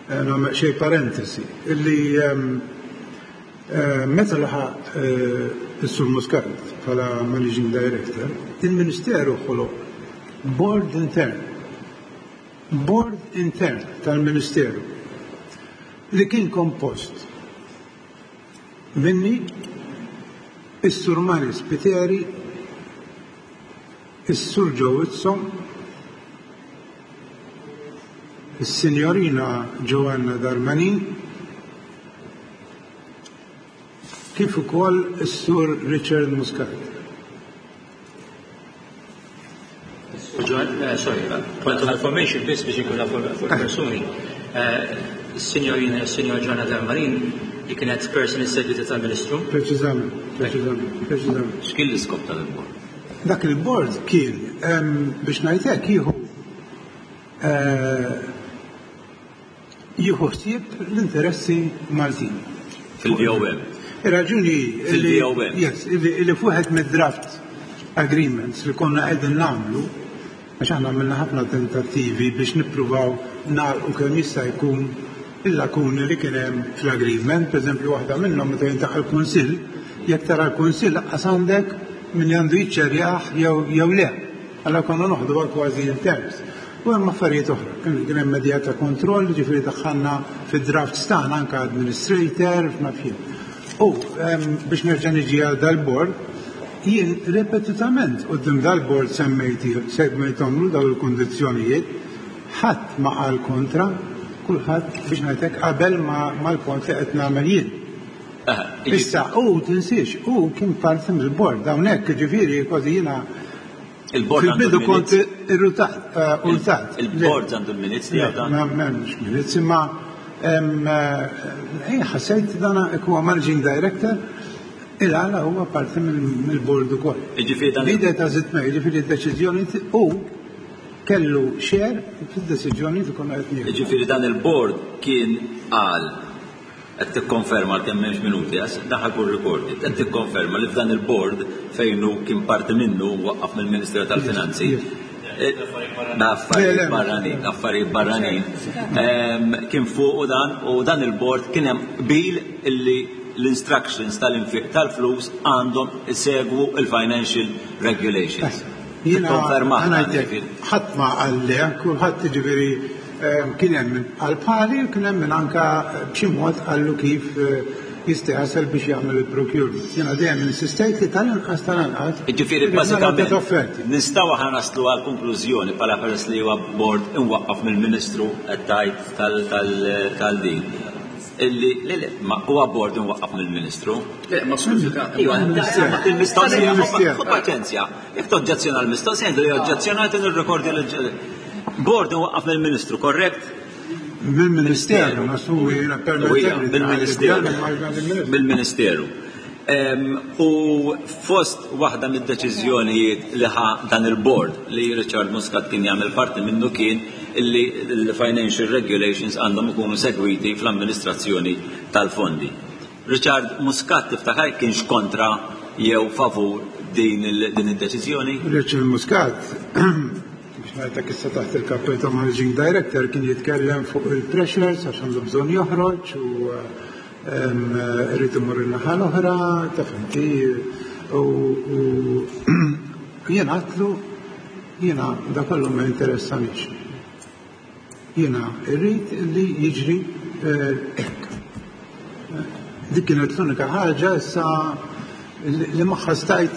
nagħmel xejn parentesi, illi meta laħaq is-Sur Muscat bħala managing director, il-Ministeru ħoloq board intern. Board intern tal-Ministeru li kien kompost minni, is-Sur Mario Spiteri, is-Sur Joe Whitson, is-Sinjorina Joanna Darmanin, kif ukoll is-Sur Richard Muscat. Sorry, point of information biss biex ikun nafu fuq persuni. Signorina, Signor Joanna Darmanin, li kienet person segwita tal-Ministru. Preċiżament, preċiżament, preċiżament. X'kien l-iskop tal-bord? Dak il-bord kien biex ngħidlek jieħu jieħu ħsieb l-interessi Maltin. Fil-V O M. Ir-raġuni Fil-V O M. Yes, illi fuħet mid-draft agreements li konna qegħdin nagħmlu, għax aħna għamilna ħafna tentattivi biex nippruvaw nagħlqu kemm jista' jkun il-lakuni li kien hemm fl-agreement, pereżempju waħda minnhom meta jintaqa' l-Kunsill, jekk tara l-Kunsill laqqas għandek min għandu jiċċerjah jew jew le. Allora konna noħdu kważi in terms. U hemm affarijiet oħra, kien hemm medja ta' kontroll, ġifieri daħħalna fid-drafts tagħna anke administrator, f'naf jien. U biex nerġa' niġi għal dal-bord, jien ripetutament quddiem dal-bord semmejti semmejthomlu dawn il-kundizzjonijiet, ħadd ma qal kontra, kulħadd biex ngħidlek qabel mal-kont li qed nagħmel jien. Issa, u tinsiex, u kien parti mill-bord, hawnhekk ġifieri kważi jiena Il-bord fil-bidu kont irrutat, urtat. Il-bord għandu l-minutes li għadan? Ma m'hemmx minutes, imma ħassejt dana huwa managing director, il-għala huwa parti mill-bord ukoll. Ġifieri dan L-idea ta' zitme, ġifieri d-deċiżjoni u kellu share fid-deċiżjoni li konna qed nieħdu. Ġifieri dan il-bord kien qal, qed tikkonferma kemm m'hemmx minuti, għax daħal kull recorded, qed tikkonferma li f'dan il-board fejn hu kien parti minnu waqqaf mill-Ministeru tal-Finanzi. Affarijiet barranin, affarijiet barranin. Kien fuq u dan u dan il-board kien hemm qbil illi l-instructions tal-infiq tal-flus għandhom isegwu il-financial regulations. Jiena Tikkonferma ħadd ma qalli, kulħadd ġifieri kien hemm min qal bħali u kien hemm min anka b'xi mod qallu kif jista' jasal biex jagħmel il-procurement. Jiena dejjem insistejt li tal-inqas tal-inqas. Ġifieri irrid nara bażikament offerti. Nistgħu aħna naslu għal konklużjoni bħala peress li huwa board imwaqqaf mill-Ministru qed tgħid tal-din. Illi le le, ma huwa board imwaqqaf mill-Ministru. Le, ma skużi ta' Iva, il-mistoqsija, ħu paċenzja. Jekk toġġezzjona l-mistoqsija, li oġġezzjonat nirrekordja l Board imwaqqaf mill-Ministru, korrekt? Mill-Ministeru, nasu jiena permettili. Mill-Ministeru. Mill-Ministeru. U fost waħda mid-deċiżjonijiet li ħa dan il-board li Richard Muscat kien jagħmel parti minnu kien illi l-financial regulations għandhom ikunu segwiti fl-amministrazzjoni tal-fondi. Richard Muscat tiftakar kienx kontra jew favur din id-deċiżjoni? Richard Muscat, biex ngħidlek issa taħt il-kappell ta' Managing Director, kien jitkellem fuq il-pressures għax għandu bżonn joħroġ u rrid imur in-naħa l-oħra, ta' fimti, u jien għatlu jiena da kollu ma interessanix. Jiena rrid li jiġri hekk. Dik kienet l-unika ħaġa issa li magħha stajt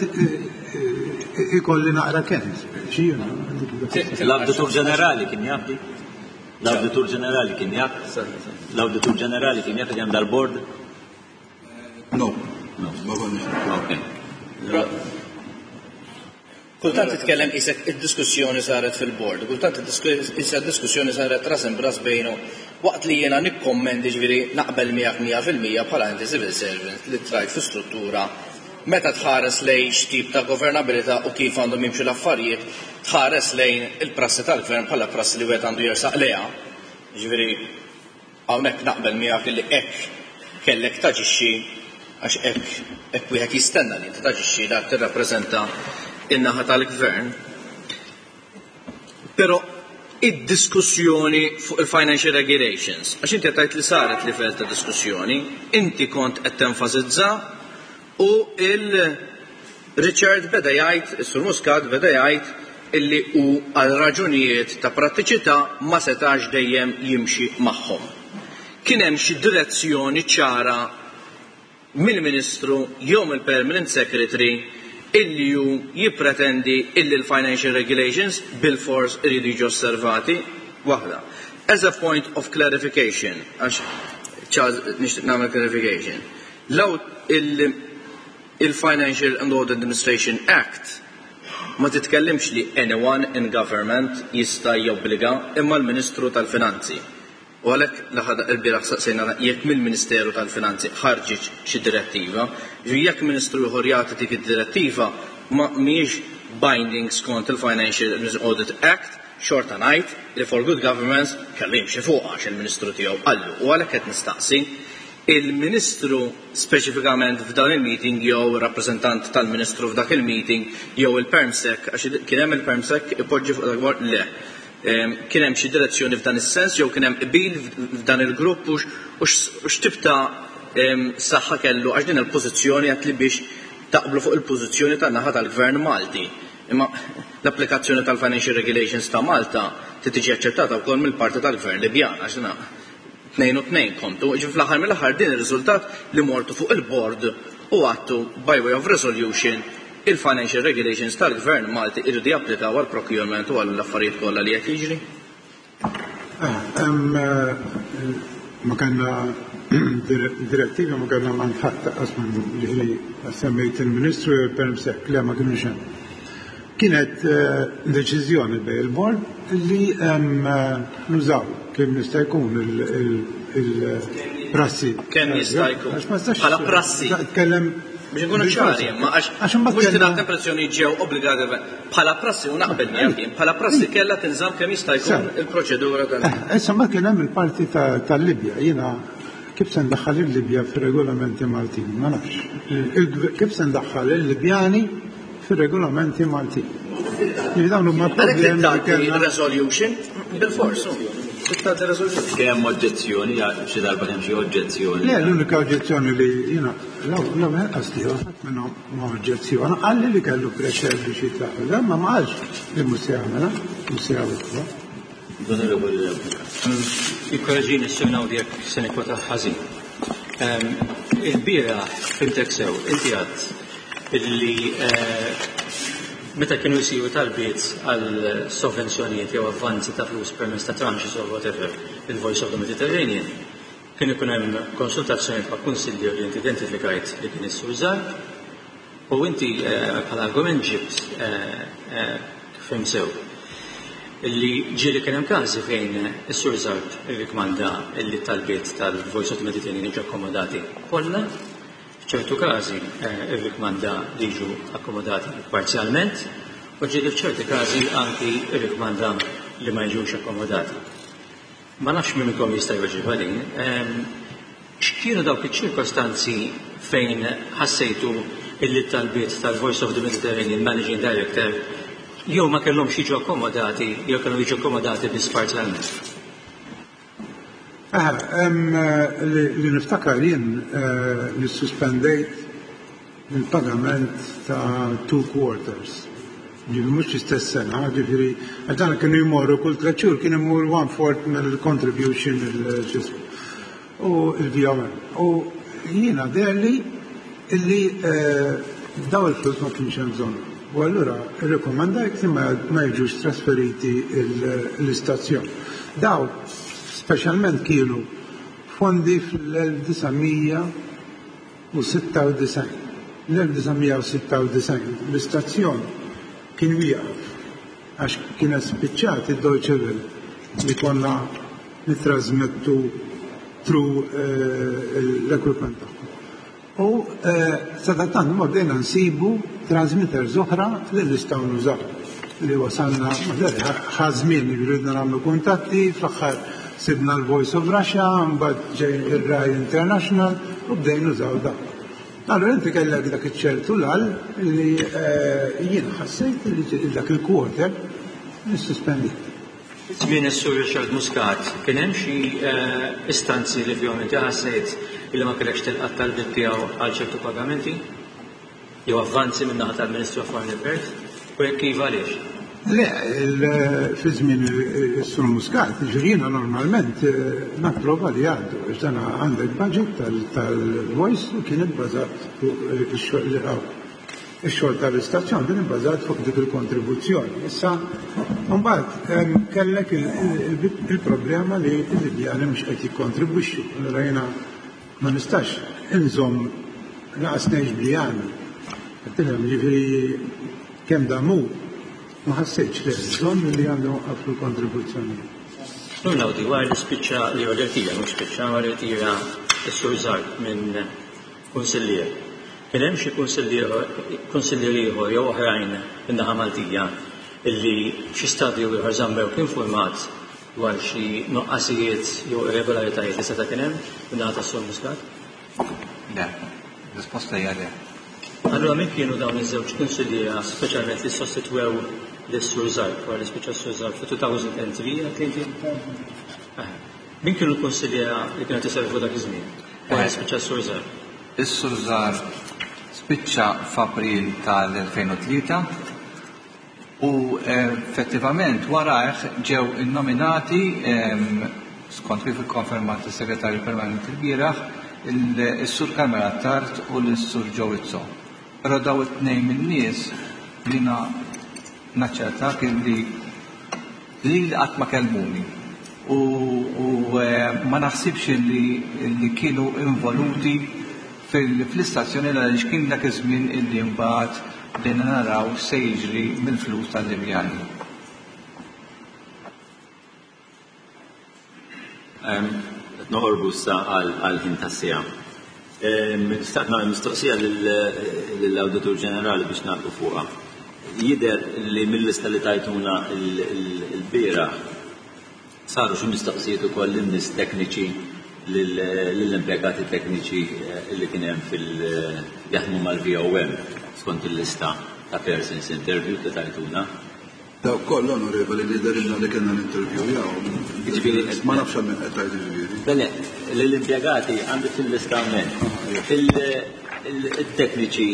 ikolli naqra kemm. L-Awditur Ġenerali kien jaf dik? L-Awditur Ġenerali kien jaf? L-Awditur Ġenerali kien jaf li hemm dal-board? No. No, ma konniex. Okay. Kultant titkellem isek id-diskussjoni saret fil-board, kultant issa diskussjoni saret ras imbras bejnu waqt li jiena nikkommendi ġifieri naqbel miegħek mija fil-mija bħala inti civil servant li trajt fi struttura meta tħares lejn x'tip ta' governabilità u kif għandhom jimxu l-affarijiet, tħares lejn il-prassi tal-gvern bħala prassi li wieħed għandu jersaq lejha. Ġifieri hawnhekk naqbel miegħek li hekk kellek taġixxi għax hekk hekk wieħed jistenna li inti taġixxi dak tirrappreżenta in-naħa tal-gvern. Però id-diskussjoni fuq il-financial regulations, għax inti qed tgħid li saret livell ta' diskussjoni, inti kont qed tenfasizza u il-Richard beda jgħid, is-Sur Muscat beda jgħid illi hu għal raġunijiet ta' prattiċità ma setax dejjem jimxi magħhom. Kien hemm xi direzzjoni ċara mill-Ministru jew mill-Permanent Secretary illi hu jippretendi illi l-financial regulations bil-fors iridu jiġu osservati? Waħda. As a point of clarification, għax Charles nixtieq nagħmel clarification. Law il-Financial and Audit Administration Act ma titkellimx li anyone in government jista' jobbliga imma l-Ministru tal-Finanzi. U għalhekk laħad il-bieraħ saqsejna jekk mill-Ministeru tal-Finanzi ħarġitx xi direttiva, ġifieri jekk Ministru ieħor jagħti dik id-direttiva ma mhijiex binding skont il-Financial Audit Act, xorta ngħid li for good governance kellu jimxi fuq għax il-Ministru tiegħu qallu. U għalhekk qed nistaqsi il-Ministru speċifikament f'dan il-meeting jew rappreżentant tal-Ministru f'dak il-meeting jew il-PermSec, għax kien hemm il-PermSec ipoġġi fuq dak bord, le. Kien hemm xi direzzjoni f'dan is-sens jew kien hemm qbil f'dan il-grupp u x'tip ta' saħħa kellu għax din il-pożizzjoni qed li biex taqblu fuq il-pożizzjoni tan-naħa tal-Gvern Malti. Imma l-applikazzjoni tal-Financial Regulations ta' Malta trid tiġi aċċettata wkoll mill-parti tal-Gvern Libjan għax din tnejn u tnejn kontu, ġi fl-aħħar mill-aħħar din ir-riżultat li mortu fuq il-board u għattu by way of resolution il-financial regulations tal-Gvern Malti irridu japplikaw għal procurement u għall affarijiet kollha li qed jiġri. Ma kellna direttiva, ma kellna manħadd taqqas ġifieri semmejt il-Ministru jew il-PermSec, le ma kienux hemm. Kienet deċiżjoni bejn il-board li nużaw kemm jista' jkun il-prassi. Kemm jista' jkun? Bħala prassi. Tkellem biex nkunu ċari, ma għax mhux tingħata impressjoni ġew obbligati bħala prassi u naqbel miegħek jien, bħala prassi kellha tinżamm kemm jista' jkun il-proċedura tal. Issa ma kien hemm il-parti tal-Libja, jiena kif se ndaħħal il-Libja fir-regolamenti Maltin, ma nafx. Kif se ndaħħal il-Libjani fir-regolamenti Maltin? Dawn huma problemi li kellna. Resolution bil-fors. Kien hemm oġġezzjoni, xi darba kemm xi oġġezzjoni? Le, l-unika oġġezzjoni li jiena l-ewwel qas tiegħu ħadd minnhom ma oġġezzjoni, qalli li kellu pressure biex jitlaq, ma ma qalx li mhux se jagħmilha, mhux se jagħmilha. Ikkoreġini s-sur Naudi jekk se nikkwota ħażin. Il-bieraħ fimtek sew, inti għadt illi meta kienu jsiru talbiet għal sovvenzjonijiet jew avvanzi ta' flus permezz ta' tranches or whatever, il-Voice of the Mediterranean, kien ikun hemm konsultazzjoni ma' kunsillier li inti identifikajt li kien is-Sur Zarb, u inti bħala argument ġibt kif sew illi ġieli kien hemm każi fejn is-Sur Zarb irrikmanda illi talbiet tal-Voice of the Mediterranean jiġu akkomodati kollha, f'ċertu każi irrikmanda li jiġu akkomodati parzjalment, u ġieli f'ċerti każi anki irrikmanda li ma jiġux akkomodati. Ma nafx min minnkom jista' jweġibha din. X'kienu dawk iċ-ċirkostanzi fejn ħassejtu illi talbiet tal-Voice of the Mediterranean Managing Director jew ma kellhomx jiġu akkomodati jew kellhom jiġu akkomodati biss parzjalment? Li niftakar jien li suspendejt il-pagament ta' two quarters. Ġifieri mhux l-istess sena, ġifieri dan kienu jmorru kull tliet xhur kien imur one fourth mill-contribution il-ġismu u il-V O M. U jiena deherli illi daw il-flus ma kienx hemm bżonn. U allura irrekomandajt li ma jiġux trasferiti l-istazzjon. Daw speċjalment kienu fondi fl-elf disa' mija u sitta u disgħin. L-elf disa' mija u sitta u disgħin l-istazzjon kien wieqaf għax kienet spiċċat id-Deutsche Welle li konna nitrasmettu through l-equipment tagħhom. U sadattant ma bdejna nsibu transmitters oħra li nistgħu nużaw li wasalna ħa żmien li ridna nagħmlu kuntatti, fl-aħħar sibna l-Voice of Russia, mbagħad ġej ir-Rai International u bdejna nużaw dak. Allora inti kellek dak iċ-ċertu lal li jien ħassejt li dak il-quarter nissuspendi. Żmien is-Sur Richard Muscat, kien hemm xi istanzi li fihom inti ħassejt illi ma kellekx tilqa' talbiet tiegħu għal ċertu pagamenti jew avvanzi minn naħa tal-Ministru of Foreign Affairs? U jekk iva, għaliex? Le, fi żmien is-Sur Muscat, ġifieri normalment napprova li għaddu, għax dan għandek budget tal-Voice u kien ibbażat fuq ix-xogħol li għaw. Ix-xogħol tal-istazzjon kien ibbażat fuq dik il-kontribuzzjoni. Issa, mbagħad kellek il-problema li l-Libjani mhux qed jikkontribwixxu. Allura jiena ma nistax inżomm laqas ngħix bli għandi. Ġifieri kemm damu ma ħassejtx li bżonn li għandhom waqfu l-kontribuzzjoni. Sur Naudi, wara li spiċċa li rtira, mhux spiċċa, wara li rtira s-Sur Zarb minn kunsillier. Kien hemm xi kunsillier ieħor jew oħrajn min-naħa Maltija illi xi stadju ieħor żammewk informat dwar xi nuqqasijiet jew irregolaritajiet li seta' kien hemm min-naħa tas-Sur Muscat? Le, risposta hija le. Allura min kienu dawn iż-żewġ kunsilliera speċjalment li sostitwew lis-Sur Zarb wara li spiċċa s-Sur Zarb fi elfejn u tlieta għedt inti? Min kienu l-kunsilliera li kienu iservu dak iż-żmien wara li spiċċa s-Sur Zarb? Is-Sur Zarb spiċċa f'April tal-elfejn u tlieta u effettivament warajh ġew innominati, skont kif ikkonfermat is-Segretarju Permanenti l-bieraħ, is-Sur Carmel Attard u l-Sur Joe Izzo. Però daw it-tnejn min-nies li naċċertak li li qatt ma kellmuni u ma naħsibx li kienu involuti fl-istazzjoni għaliex kien dak iż-żmien illi mbagħad bdejna naraw se jiġri mill-flus tal-Libjani. Noqorbu issa għal-ħin tas-siegħa. Xtaqt nagħmel mistoqsija lill-Awditur Ġenerali biex nagħlqu fuqha. Jidher li mill-lista li tajtuna l-bieraħ saru xi mistoqsijiet ukoll lin-nies tekniċi, lill-impjegati tekniċi li kien hemm fil jaħdmu mal-V O M skont il-lista ta' persons interview li tajtuna. Daw koll, onorevoli, li dehrilna li kellna l-interview jaw. Ġifieri Ma nafx minn qed tgħid ġifieri. Le, l-impjegati għandi fil-lista hawnhekk. Il-tekniċi,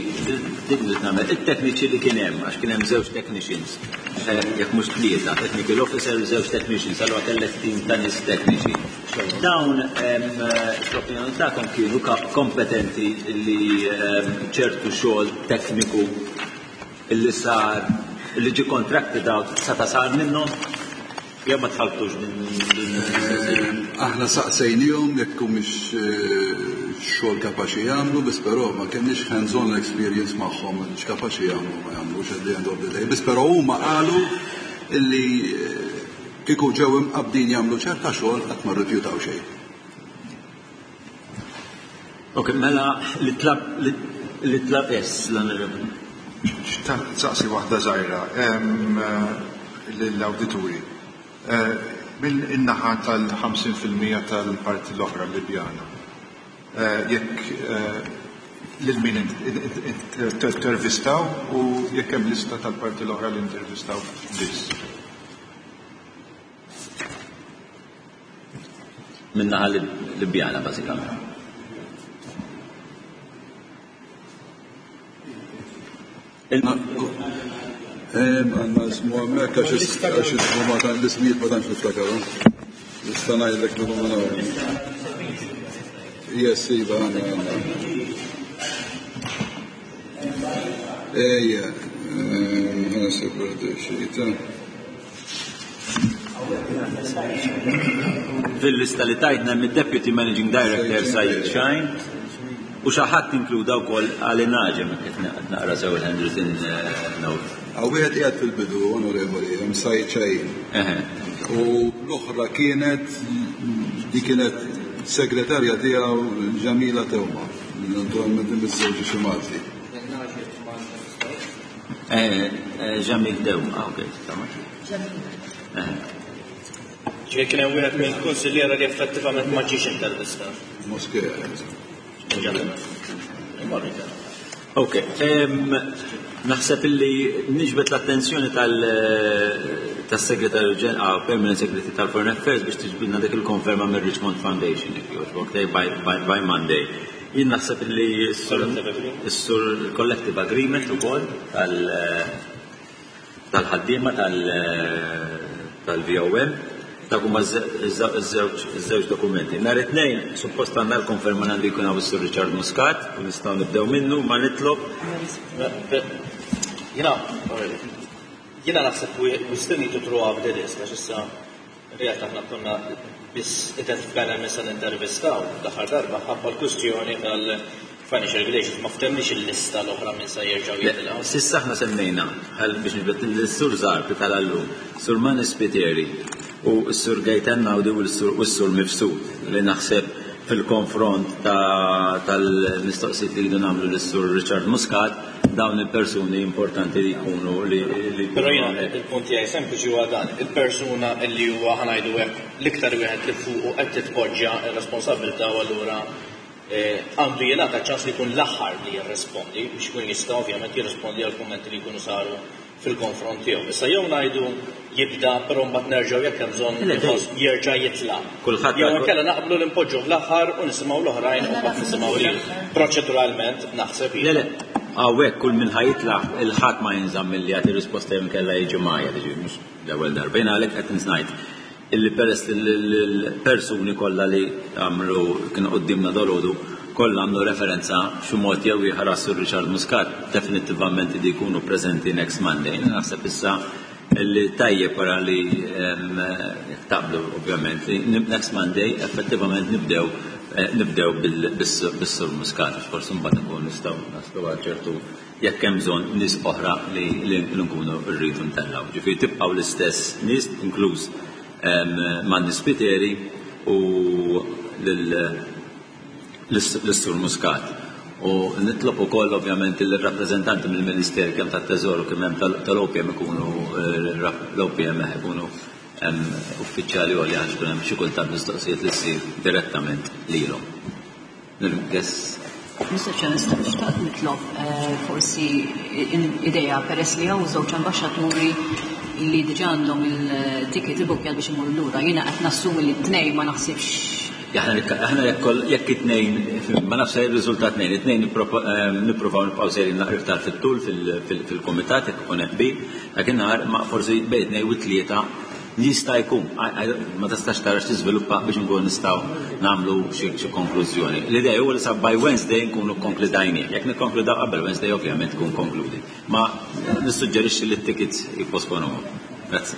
din li nagħmel, il-tekniċi li kien hemm, għax kien hemm żewġ technicians, jekk mhux tlieta, technical officer u żewġ technicians, allura kellek team ta' nies tekniċi. Dawn, l-opinjoni tagħkom, kienu kompetenti li ċertu xogħol tekniku illi sar, li ġi contracted out, seta' sar minnhom? Jew ma tħaltux din? Aħna saqsejnihom jekk mhix xogħol kapaċi jagħmlu, biss però ma kenniex hands-on experience magħhom x'kapaċi jagħmlu ma jagħmlux at the end of the day. Biss però huma qalu illi kieku ġew imqabdin jagħmlu ċerta xogħol qatt ma rrifjutaw xejn. Ok, mela li tlab li tlab yes, l-onorevoli. Saqsi waħda żgħira lill-awdituri. Mill-naħa tal-ħamsin fil-mija tal-parti l-oħra Libjana. Jekk lil min intervistaw u jekk hemm lista tal-parti l-oħra li intervistaw biss. Min-naħa Libjana bażikament. Għanna ismu għammek għax ismu ma tan l-ismijiet ma tantx niftakarhom. Nista' ngħidlek li huma nagħmlu. Yes, iva għandna għandna. Ejja, ħana sikur xita. Fil-lista li tajtna mid-Deputy Managing Director Said Shine u xi ħadd inkluda wkoll Ali Naġem qed naqra sew il-handwritten note. Għaw wieħed qiegħed fil-bidu, onorevoli, hemm Said Shine. U l-oħra kienet di kienet segretarja tiegħu Ġamila Tewma, naturalment miżżewġa xi Malti. Ġamil Tewma, okej, tamam. Ġifieri kien hemm wieħed mill-kunsilliera li effettivament ma ġiex intervistat. Moskea. Ok, naħseb illi niġbed l-attenzjoni tas-Segretarju Ġenerali, Permanent Secretary tal-Foreign Affairs biex tiġbidna dik il-konferma mir-Richmond Foundation, jekk jogħġbok, by Monday. Jien naħseb illi s-sur collective agreement ukoll tal-ħaddiema tal-V O M. Dak huma ż-żewġ dokumenti. Nhar it-tnejn suppost għandna l-konferma għandu jkun hawn is-Sur Richard Muscat u nistgħu nibdew minnu ma nitlob. Jiena jiena naħseb we still need to throw up the list għax issa realtà aħna konna biss identifikajna minn se nintervistaw l-aħħar darba ħabba l-kwistjoni tal-financial regulations ma ftemniex il-lista l-oħra minn se jerġgħu jitilgħu. S'issa aħna semmejna ħal biex nibet l-Sur Zarb tal-allum, Sur Manis Spiteri u s-Sur Gaetan Naudi u s-Sur Mifsud li naħseb fil-konfront tal-mistoqsijiet li jridu nagħmlu lis-Sur Richard Muscat dawn il-persuni importanti li jkunu li Però jiena il-punt tiegħi sempliċi huwa dan, il-persuna li huwa ħanajdu hekk l-iktar wieħed li fuqu qed titpoġġa r-responsabilità u allura għandu jingħata ċans li jkun l-aħħar li jirrispondi biex ikun jista' ovvjament jirrispondi għal kummenti li jkunu saru fil-konfront tiegħu. Issa jew ngħidu jibda però mbagħad nerġgħu jekk hemm bżonn jerġa' jitla'. Kulħadd Jew inkella naqblu li npoġġu fl-aħħar u nisimgħu l-oħrajn u mbagħad nisimgħu lil. Proċeduralment naħseb Le, le, hawnhekk kull min ħajitla' il-ħadd ma jinżamm milli jagħti risposta jew inkella jiġi magħja, jiġifieri mhux l-ewwel darba. Jiena għalhekk qed ngħid illi peress l-persuni kollha li għamlu kienu quddiemna dolodu kollha għamlu referenza xi mod jew ieħor għas-Sur Richard Muscat definittivament li jkunu preżenti next Monday. Naħseb issa li tajjeb wara li taqblu ovvjament li next Monday effettivament nibdew nibdew bis-Sur Muscat, forsi mbagħad nkunu nistgħu naslu għal ċertu jekk hemm bżonn nies oħra li nkunu rridu ntellgħu. Ġifieri tibqgħu l-istess nies inkluż Manni Spiteri u l-Sur Muscat. U nitlob ukoll ovvjament il-rappreżentanti mill-Ministeru kemm tat-Teżor u kemm hemm tal-O P M ikunu l-O P M ikunu uffiċjali għolja għax ikun hemm xi kultant mistoqsijiet li ssir direttament lilhom. Nirgess. Mister Chairman, xtaqt nitlob forsi idea peress li hawn żewġ ambaxxaturi li diġà għandhom il-ticket ibbukkjat biex imorru lura. Jiena qed nassumi li t-tnejn ma naħsibx. Aħna jekk it-tnejn, ma nafx se jirriżulta tnejn, it-tnejn nippruvaw nibqgħu sejrin naqra iktar fit-tul fil-kumitat jekk ikun hemm qbil, dakinhar ma forsi bejn tnejn u tlieta jista' jkun, ma tistax tara x'tiżviluppa biex nkunu nistgħu nagħmlu xi konklużjoni. L-idea huwa li sa by Wednesday nkunu kkonkludajnieh. Jekk nikkonkludaw qabel Wednesday ovvjament tkun konkludi. Ma nissuġġerixxi li t-tickets jipposponuhom. Grazzi.